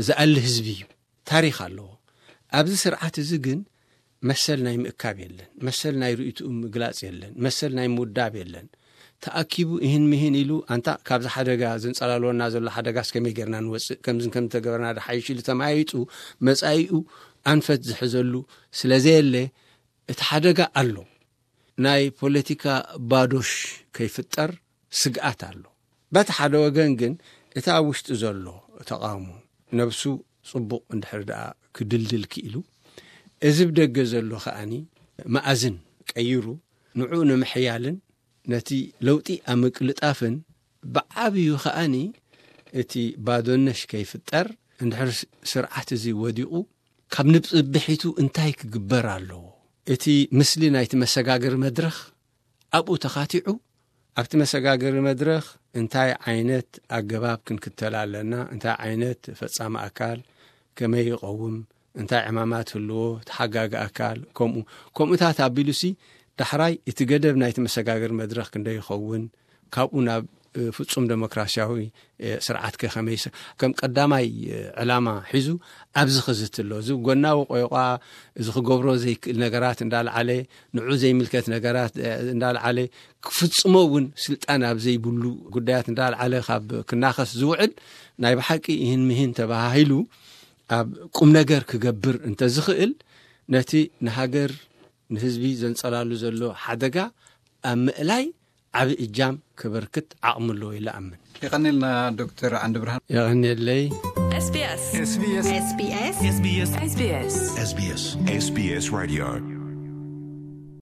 ዝኣሊ ህዝቢ እዩ። ታሪኽ ኣለዎ። ኣብዚ ስርዓት እዚ ግን መሰል ናይ ምእካብ የለን፣ መሰል ናይ ርእይትኡ ምግላጽ የለን፣ መሰል ናይ ምውዳብ የለን። ተኣኪቡ ይህን ምሂን ኢሉ፣ ኣንታ ካብዚ ሓደጋ ዘንጸላልወና ዘሎ ሓደጋስ ከመይ ጌርና ንወጽእ፣ ከምዝን ከም ተገበርና ድሓይሽ ኢሉ ተማያይጡ መጻኢኡ ኣንፈት ዝሕዘሉ ስለ ዘየለ፣ እቲ ሓደጋ ኣሎ። ናይ ፖለቲካ ባዶሽ ከይፍጠር ስግኣት ኣሎ። በቲ ሓደ ወገን ግን፣ እቲ ኣብ ውሽጢ ዘሎ ተቓውሞ ነብሱ ጽቡቕ እንድሕር ደኣ ክድልድል ክኢሉ፣ እዚ ብደገ ዘሎ ከኣኒ መኣዝን ቀይሩ፣ ንዕኡ ንምሕያልን ነቲ ለውጢ ኣብ ምቅልጣፍን፣ ብዓብዩ ከኣኒ እቲ ባዶነሽ ከይፍጠር፣ እንድሕር ስ-፣ ስርዓት እዚ ወዲቑ፣ ካብ ንጽብሒቱ እንታይ ክግበር ኣለዎ? እቲ ምስሊ ናይቲ መሰጋገሪ መድረኽ ኣብኡ ተኻቲዑ፣ ኣብቲ መሰጋገሪ መድረኽ እንታይ ዓይነት ኣገባብ ክንክተል ኣለና፣ እንታይ ዓይነት ፈጻሚ ኣካል፣ ከመይ ይቐውም፣ እንታይ ዕማማት ህልዎ፣ ተሓጋጊ ኣካል፣ ከምኡ፣ ከምኡታት ኣቢሉሲ፣ ዳሕራይ እቲ ገደብ ናይቲ መሰጋገሪ መድረኽ ክንደይ ይኸውን፣ ካብኡ ናብ ፍጹም ደሞክራሲያዊ ስርዓት ከ ከመይሰ ከም ቀዳማይ ዕላማ ሒዙ ኣብዚ ክዝትሎ እዚ ጎናዊ ቆይቋ እዚ ክገብሮ ዘይክእል ነገራት እንዳልዓለ ንዑ ዘይምልከት ነገራት እንዳልዓለ ክፍጽሞ እውን ስልጣን ኣብ ዘይብሉ ጉዳያት እንዳልዓለ ካብ ክናኸስ ዝውዕል ናይ ብሓቂ ይህን ምሂን ተባሃሂሉ ኣብ ቁም ነገር ክገብር እንተዝኽእል ነቲ ንሃገር ንህዝቢ ዘንጸላሉ ዘሎ ሓደጋ ኣብ ምእላይ ዓቢ እጃም ክበርክት ዓቕሚ ኣለዎ ኢለ ኣምን። የቐኒልና ዶክተር ዓንዲ ብርሃን። የቐኒለይ። SBS SBS SBS SBS SBS SBS Radio